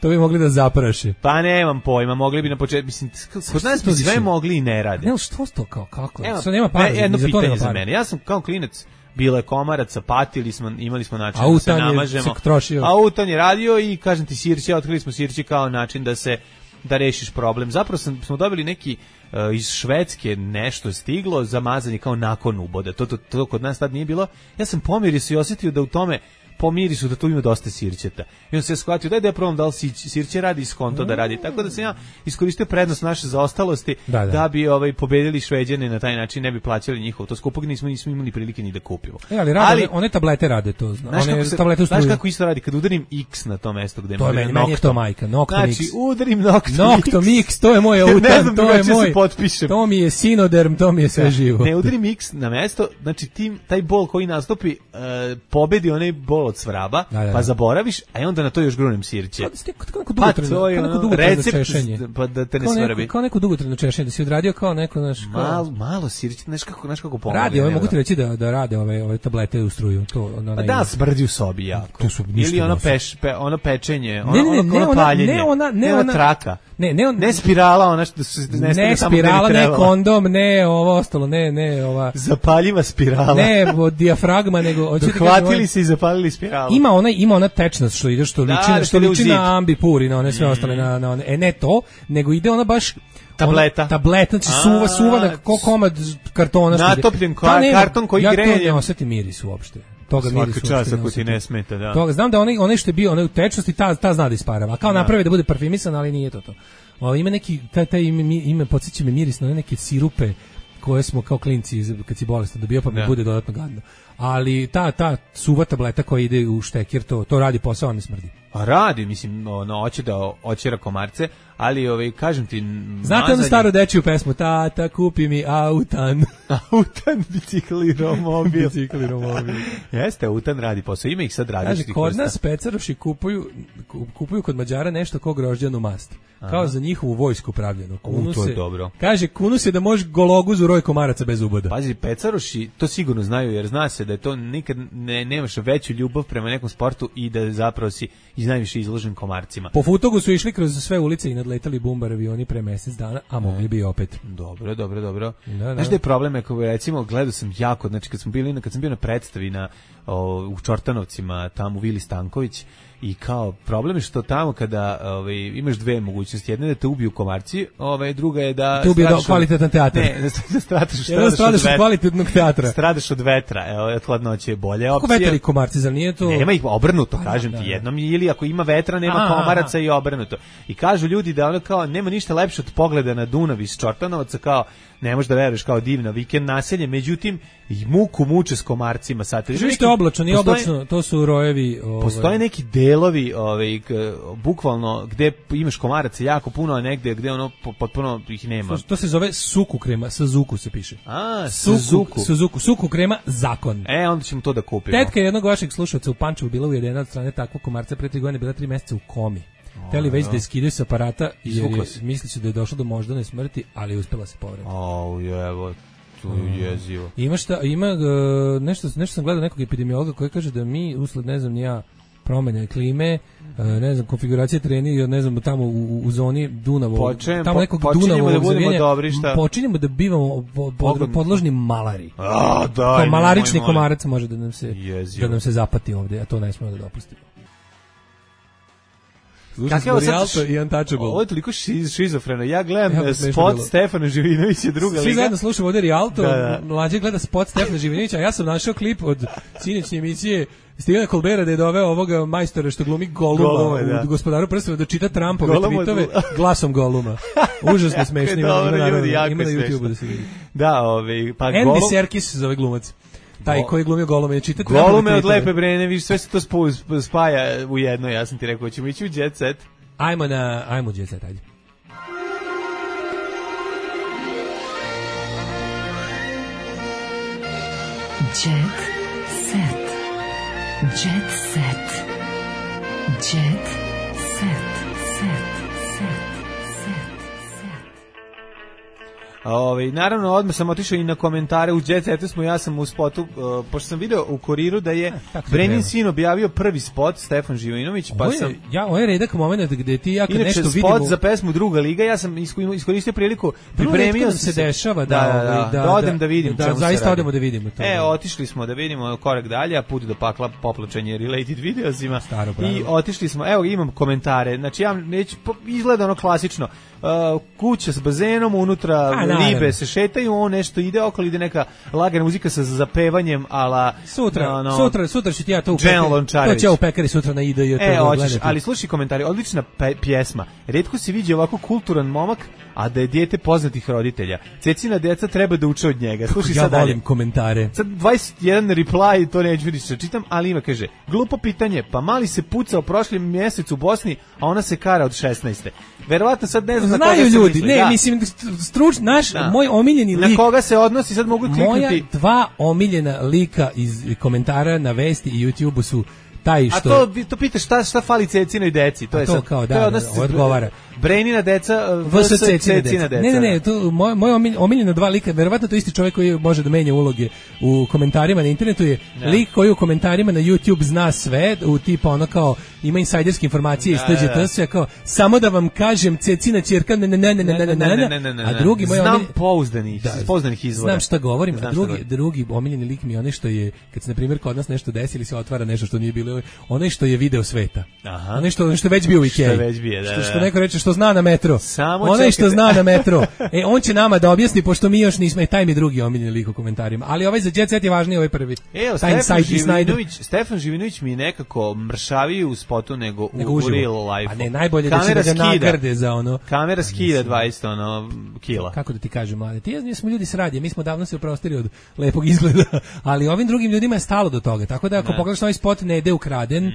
To bi mogli da zapraše. Pa nemam pojma, mogli bi na početku, mislim, kod nas bi sve mogli i ne rade. Ne, što to kako? Sad nema para. Jedno pitanje za mene. Ja sam kao klinac bilo je komaraca, patili smo, imali smo način da se namažemo. Autan je radio i kažem ti sirće, otkrili smo sirće kao način da rešiš problem. Zapravo smo dobili neki iz Švedske nešto stiglo za mazanje kao nakon uboda. To kod nas tad nije bilo. Ja sam pomirio se i osjetio da u tome po mirisu da tu ima dosta sirćeta. I on se je shvatio da ja probam da li sirće radi iz konto da radi. Tako da sam ja iskoristio prednost naše zaostalosti da bi pobedili Šveđane na taj način, ne bi plaćali njihovo. To skupog nismo imali prilike ni da kupimo. Ali one tablete rade to. Znaš kako isto radi? Kad udarim X na to mesto gde to je meni to majka. Znači udarim Noctomix. Noctomix, to je moj autan, to je moj. To mi je Sinoderm, to mi je sve živo. Ne udarim X na mesto, znači taj bol koji nastupi pobedi onaj bol od svraba, pa zaboraviš, a onda na to još grunem sirće. Pa to je recept pa da te ne svrbi. Kao neko dugotrajno češenje, da si odradio kao neko naš malo sirće, znaš kako pomogne. Radi, mogu ti reći da rade ove tablete u struju, to pa da smrdi u sobi jako. Ili ono pečenje, ono paljenje. Ne ona traka. Ne spirala, ona što ne spirala, ne kondom, ne ovo ostalo, ne ova zapaljiva spirala. Ne dijafragma, nego hvatili se i zapalili spiralu. Ima ona tečnost što ide što liči na ambipuri, na one sve ostale na one. Ne to, nego ide ona baš tableta, znači suva na komad kartona. Natopljen karton koji greje. Ja to ne osjetim miris uopšte. Toga svaka čast ako ti ne smeta, da. Toga znam da onaj što je bio onaj u tečnosti ta zna da isparava. Kao napravi da bude parfimisan, ali nije to. Ima neki taj ime podsjeća me miris na neke sirupe koje smo kao klinci kad si bolestan dobio, pa mi bude dodatno gadno. Ali ta suva tableta koja ide u štekir, to radi posao, ne smrdi. A radi, mislim, hoće da očera komarce, ali kažem ti... Znate onu staru dečiju pesmu, tata, kupi mi autan. Autan, bicikl i romobil. Bicikl i romobil. Jeste, autan radi posao, ima ih sad različitih. Kaže, kod nas pecaroši kupuju kod Mađara nešto kao grožđanu mast. Kao za njihovu vojsku pravljeno. To je dobro. Kaže, kunu se da može gologuzu roj komaraca bez uboda. Pazi, pecaroši to sigurno znaju, jer zna se da je to nikad nemaš veću ljubav prema nekom sportu i da zapravo si najviše izložen komarcima. Po Futogu su išli kroz sve ulice i nadletali bumbar avioni pre mesec dana, a mogli bi opet. Dobro. Znaš da je problem, ako recimo gledao sam jako, znači kad sam bio na predstavi u Čortanovcima, tamo u Vili Stanković, i kao problem je što tamo kada imaš dve mogućnosti, jedna je da te ubiju komarci, druga je da te ubiju kvalitetan teatar. Ne, da stradaš od kvalitetnog teatra. Stradaš od vetra, od hladnoće je bolje opcija. Kako vetar i komarci, zar nije to? Nema ih, obrnuto, kažem ti, jednom ili ako ima vetra, nema komaraca i obrnuto. I kažu ljudi da kao nema ništa lepše od pogleda na Dunav iz Čortanovaca, kao ne možeš da veruješ, kao divno vikend naselje, međutim i muku muče s komarcima. Što je oblačno, nije oblačno, to su rojevi. Postoje neki delovi, bukvalno gde imaš komaraca jako puno, a negde gde potpuno ih nema. To se zove suku krema, Suzuku se piše. Suzuku krema, zakon. Onda ćemo to da kupimo. Tetka jednog vašeg slušalca u Pančevu bila ujedena od strane takvog komarca pre 3 godine, bila 3 meseca u komi. Hteli već da je skidaju s aparata jer misli se da je došlo do moždane smrti, ali je uspela se povrati. Evo, to je jezivo. Ima nešto sam gledao nekog epidemiologa koji kaže da mi usled, ne znam, promene klime, ne znam, konfiguracije treni, ne znam, tamo u zoni Dunava, tamo nekog Dunavog zavijanja, počinjemo da bivamo podložni malari. Kao malarični komarac može da nam se zapati ovdje, a to ne smemo da dopustimo. Ovo je toliko šizofreno. Ja gledam spot Stefana Živinovića, druga liga. Svi zajedno slušamo ovdje Rialto, mlađe gleda spot Stefana Živinovića, a ja sam našao klip od sinoćnje emisije Stivena Kolbera da je doveo ovoga majstora što glumi Goluma u Gospodaru prstava da čita Trumpove tweetove glasom Goluma. Užasno smešno, ima na YouTube-u da se vidi. Andy Serkis zove glumac. Taj koji je glumio Golume je čitati. Golume od Lepe Brene, viš, sve se to spaja u jedno, ja sam ti rekao, ćemo ići u Jet Set. Ajmo u Jet Set, ajde. Jet Set. Jet Set. Jet Set. Naravno, odmah sam otišao i na komentare u Jet Setu ja sam u spotu, pošto sam video u Kuriru da je Brenin sin objavio prvi spot, Stefan Živinović, pa sam... Ovo je redak moment gde ti ja kad nešto vidimo... Inače, spot za pesmu Druga liga, ja sam iskoristio priliku, pripremio sam se dešava da odem da vidim čemu se radi. Zaista odemo da vidimo to. Otišli smo da vidimo korak dalje, a put do pakla poplačenje related videosima i otišli smo, evo imam komentare, znači ja neću, izgleda ono klasično, kuća s bazenom, unutra ribe se šetaju, on nešto ide okolo, ide neka lagana muzika sa zapevanjem, ala... Sutra ću ti ja to u pekari, to će u pekari sutra na ide. Ali slušaj komentari, odlična pjesma, retko se vidi ovako kulturan momak, a da je dijete poznatih roditelja. Cecina deca treba da uče od njega. Slušaj sad dalje. Ja volim komentare. Sad 21 reply, to neću vidiš, čitam, ali ima, kaže, glupo pitanje, pa mali se pucao prošli mjesec u Bosni, a ona se kara od 16. Verovatno sad ne znam na koga se ljudi, misli. Mislim, moj omiljeni lik. Na koga se odnosi, sad mogu kliknuti. Moja 2 omiljena lika iz komentara na Vesti i YouTube-u su taj što... A to pitaš šta fali Cecinoj deci, to je sad... Kao, odgovara. Brenina deca vs. Cecina deca. Ne, to moj omiljeno 2 lika, verovatno to isti čovjek koji može da menja uloge u komentarima na internetu je lik koji u komentarima na YouTube zna sve, u tipa ono kao ima insajderske informacije iz TGT, sve kao samo da vam kažem Cecina ćerka a drugi moj znam pouzdanih izvora. Znam šta govorim, a drugi omiljeni lik mi je onaj što je kad se na primjer kod nas nešto desi ili se otvara nešto što nije bilo ili onaj što je video sveta. Aha. Onaj što je već bio u Ikei. Što neko reče što zna na metro. Onaj što zna na metro. On će nama da objasni, pošto mi još nismo, i taj mi drugi omiljeni lik u komentarima. Ali ovaj za Jet Set je važniji, ovaj prvi. Stefan Živinović mi je nekako mršaviji u spotu nego u uživo. real life. A ne, najbolje da će da ga nagrade za ono. Kamera skida 20 kila. Kako da ti kažem, mlade? Ti smo ljudi s radije, mi smo davno se oprostili od lepog izgleda, ali ovim drugim ljudima je stalo do toga. Tako da ako pogledaš ovaj spot ne ide ukraden,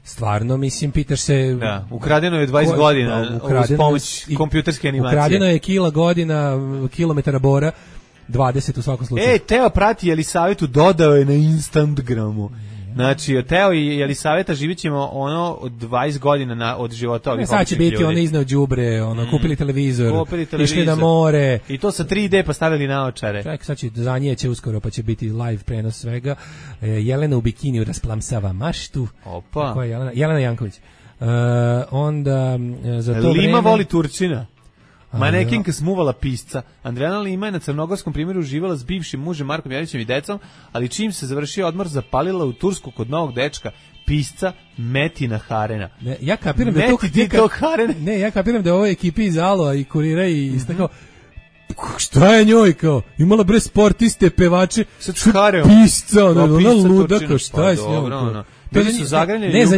stvarno mislim pitaš se. Da, ukradeno je 20 godina uz pomoć kompjuterske animacije. Ukradeno je kilometara bora. 20 u svakom slučaju. Teo prati Jelisavetu, dodao je na Instagramu. Znači, Teo i Jelisaveta živit ćemo ono od 20 godina od života ovih sad će biti ljudi. Ono izneo đubre, kupili televizor, išli na more. I to sa 3D pa stavili naočare. Čekaj, sad će zanijeće uskoro, pa će biti live prenos svega. Jelena u bikiniju rasplamsava maštu. Opa. Ko je Jelena Janković. Onda za to Lima vreme... voli Turčina. Manekinka smuvala pisca. Andrijana Lima je na crnogorskom primjeru uživala s bivšim mužem Markom Janićem i decom, ali čim se završio odmor zapalila u Tursku kod novog dečka, pisca Metina Harena. Ne, ja kapiram da ja kapiram da ovo ekipi iz Aloa i Kurira i istakao šta je njoj kao? Imala bre sportiste, pevače, pisca, ona luda, kao šta je s njom? Bili su zagranjeni. Ne, za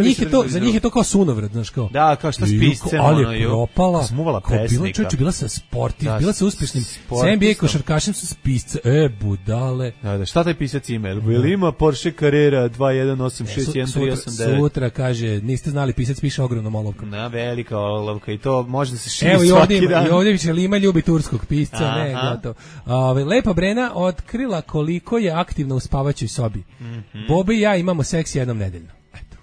njih je to kao sunovrat, znaš kao. Da, kao šta s piscem, ali je propala. Smuvala pesnika. Bila sa sportiv, bila sa uspešnim. Sa NBA košarkašem su s pisca. Budale. Da, šta taj pisac ima? Ili ima Porsche Carrera 2186139? Sutra kaže, niste znali, pisac piše ogromnom olovkom. Na, velika olovka i to može da se širi svaki dan. Evo i ovdje će Lima ljubi turskog pisca, ne, gotovo. Lepa Brena otkrila koliko je aktivna u spavaćoj sobi. Bobi i ja imamo seks jednom nedeljno.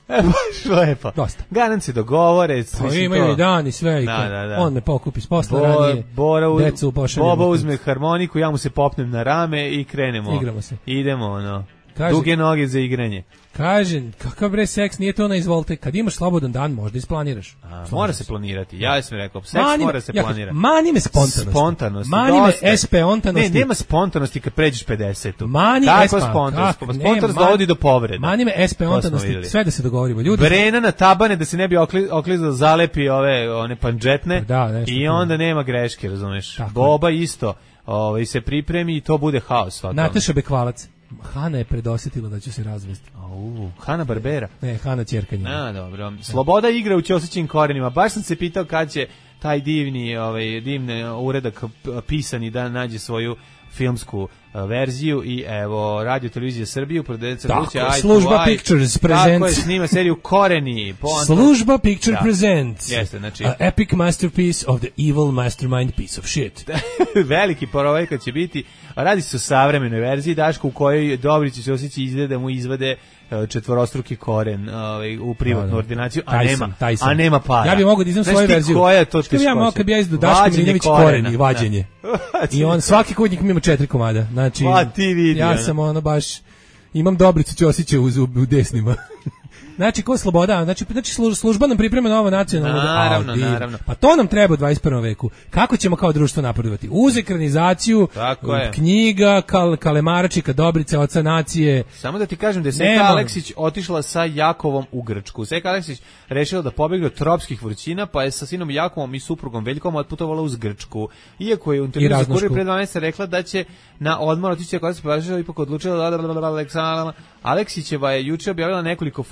Baš lepo. Dosta. Garant se dogovore. Imaju i dan i sve. On me pokupi s posla ranije. Boba uzme harmoniku, ja mu se popnem na rame i krenemo. Igramo se. Idemo, duge noge za igranje. Kaže, kakav bre seks, nije to izvolite. Kad imaš slobodan dan, možda isplaniraš. Mora se planirati. Ja sam rekao, seks mora se planirati. Mani me spontanost. Mani me espeontanosti. Ne, nema spontanosti kad pređeš 50-u. Mani spontanost dovodi do povreda. Mani me espeontanosti. Sve da se dogovorimo. Ljudi. Brena na tabane da se ne bi oklizao, zalepi one panđetne. I onda nema greške, razumeš. Boba isto. Se pripremi i to bude haos. Nataša Bekvalac. Hana je predosetila da će se razvesti. Hana Barbera? Ne, Hana Ćerkanja. Dobro. Sloboda igra u Ćosićim korenima. Baš sam se pitao kad će taj divni uredak pisani da nađe svoju filmsku verziju i evo Radio Televizija Srbije Služba Pictures presents. Tako je, snima seriju Koreni. Služba Picture presents. Jeste, znači epic masterpiece of the evil mastermind piece of shit. Veliki porovajka će biti. Radi se o savremenoj verziji, Daško, u kojoj Dobrić i Ćosić izgleda da mu izvade četvorostruki koren u privatnu ordinaciju, a nema para. Ja bih mogao da iznem svoju verziju. Koja je to teškoća? Ja mogu kad bi ja izdu Daško Milinović koren i vađenje. I on svaki kutnik ima 4 komada. Znači, ja sam baš imam Dobricu Ćosića u desnima. Znači, ko sloboda? Znači služba nam priprema novo nacionalno. Naravno. Pa to nam treba u 21. veku. Kako ćemo kao društvo napredovati? Uz ekranizaciju, knjiga, Kalemaračika, Dobrice, Oca nacije. Samo da ti kažem da je Seka Aleksić otišla sa Jakovom u Grčku. Seka Aleksić rešila da pobegne od tropskih vrućina, pa je sa sinom Jakovom i suprugom Veljkom otputovala uz Grčku. Iako je u intervju za Kurir pre 2 mjeseca rekla da će na odmor otići koja se považila, ipak odlučila Aleksićeva je juče objavila nekoliko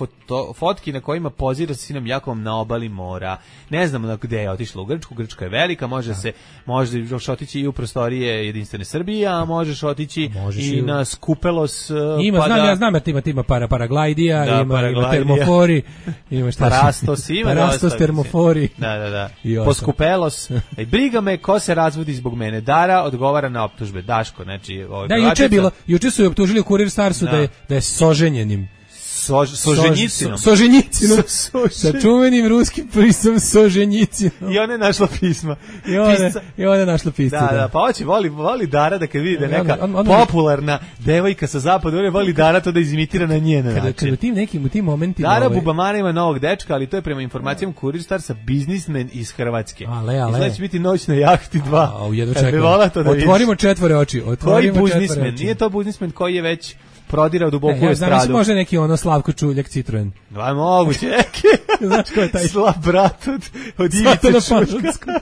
fotki na kojima pozira sa sinom Jakovom na obali mora. Ne znamo gde je otišla u Grčku. Grčka je velika, možeš otići i u prostorije Jedinstvene Srbije, a možeš otići i na Skupelos. Znam jer ima paraglajdija, ima termofori, ima Parastos, termofori. Da. Poskupelos. Briga me ko se razvodi zbog mene. Dara odgovara na optužbe. Daško, znači... juče su je optužili u Kurir Starsu da je soženjenim. Soženjicinom. Sa čuvenim ruskim pismom Soženjicinom. I ona je našla pisma. I ona je našla pisma. Da, pa voli Dara da kad vidi da je neka popularna devojka sa zapada, ona voli Dara to da izimitira na njen način. Kad u tim momentima... Dara Bubamara ima novog dečka, ali to je prema informacijama Kurir Starsa biznismen iz Hrvatske. Izgleda će biti noć na jahti 2. Otvorimo 4 oči. Koji biznismen? Nije to biznismen koji je već prodirao duboko u estradu. Znam, može neki ono Slavko Čuljak Citroen. Aj, moguće neki. Znaš ko je taj? Slab brat od Ivice Čuljka.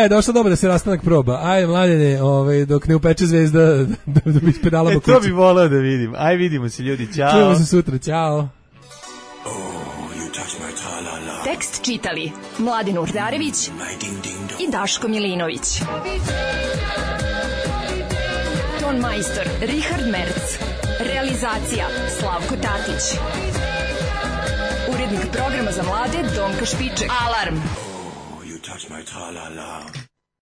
Došlo dobro da se rastanak proba. Aj, Mladene, dok ne upeče zvezda, da bi ispedalamo kući. To bi voleo da vidim. Aj, vidimo se ljudi, ćao. Čujemo se sutra, ćao. Tekst čitali Mladin Urdarević i Daško Milinović. Ton majstor Richard Merc. Realizacija Slavko Tatić. Urednik programa za mlade Donka Špiček. Alarm! Oh, you touch my tra-la-la.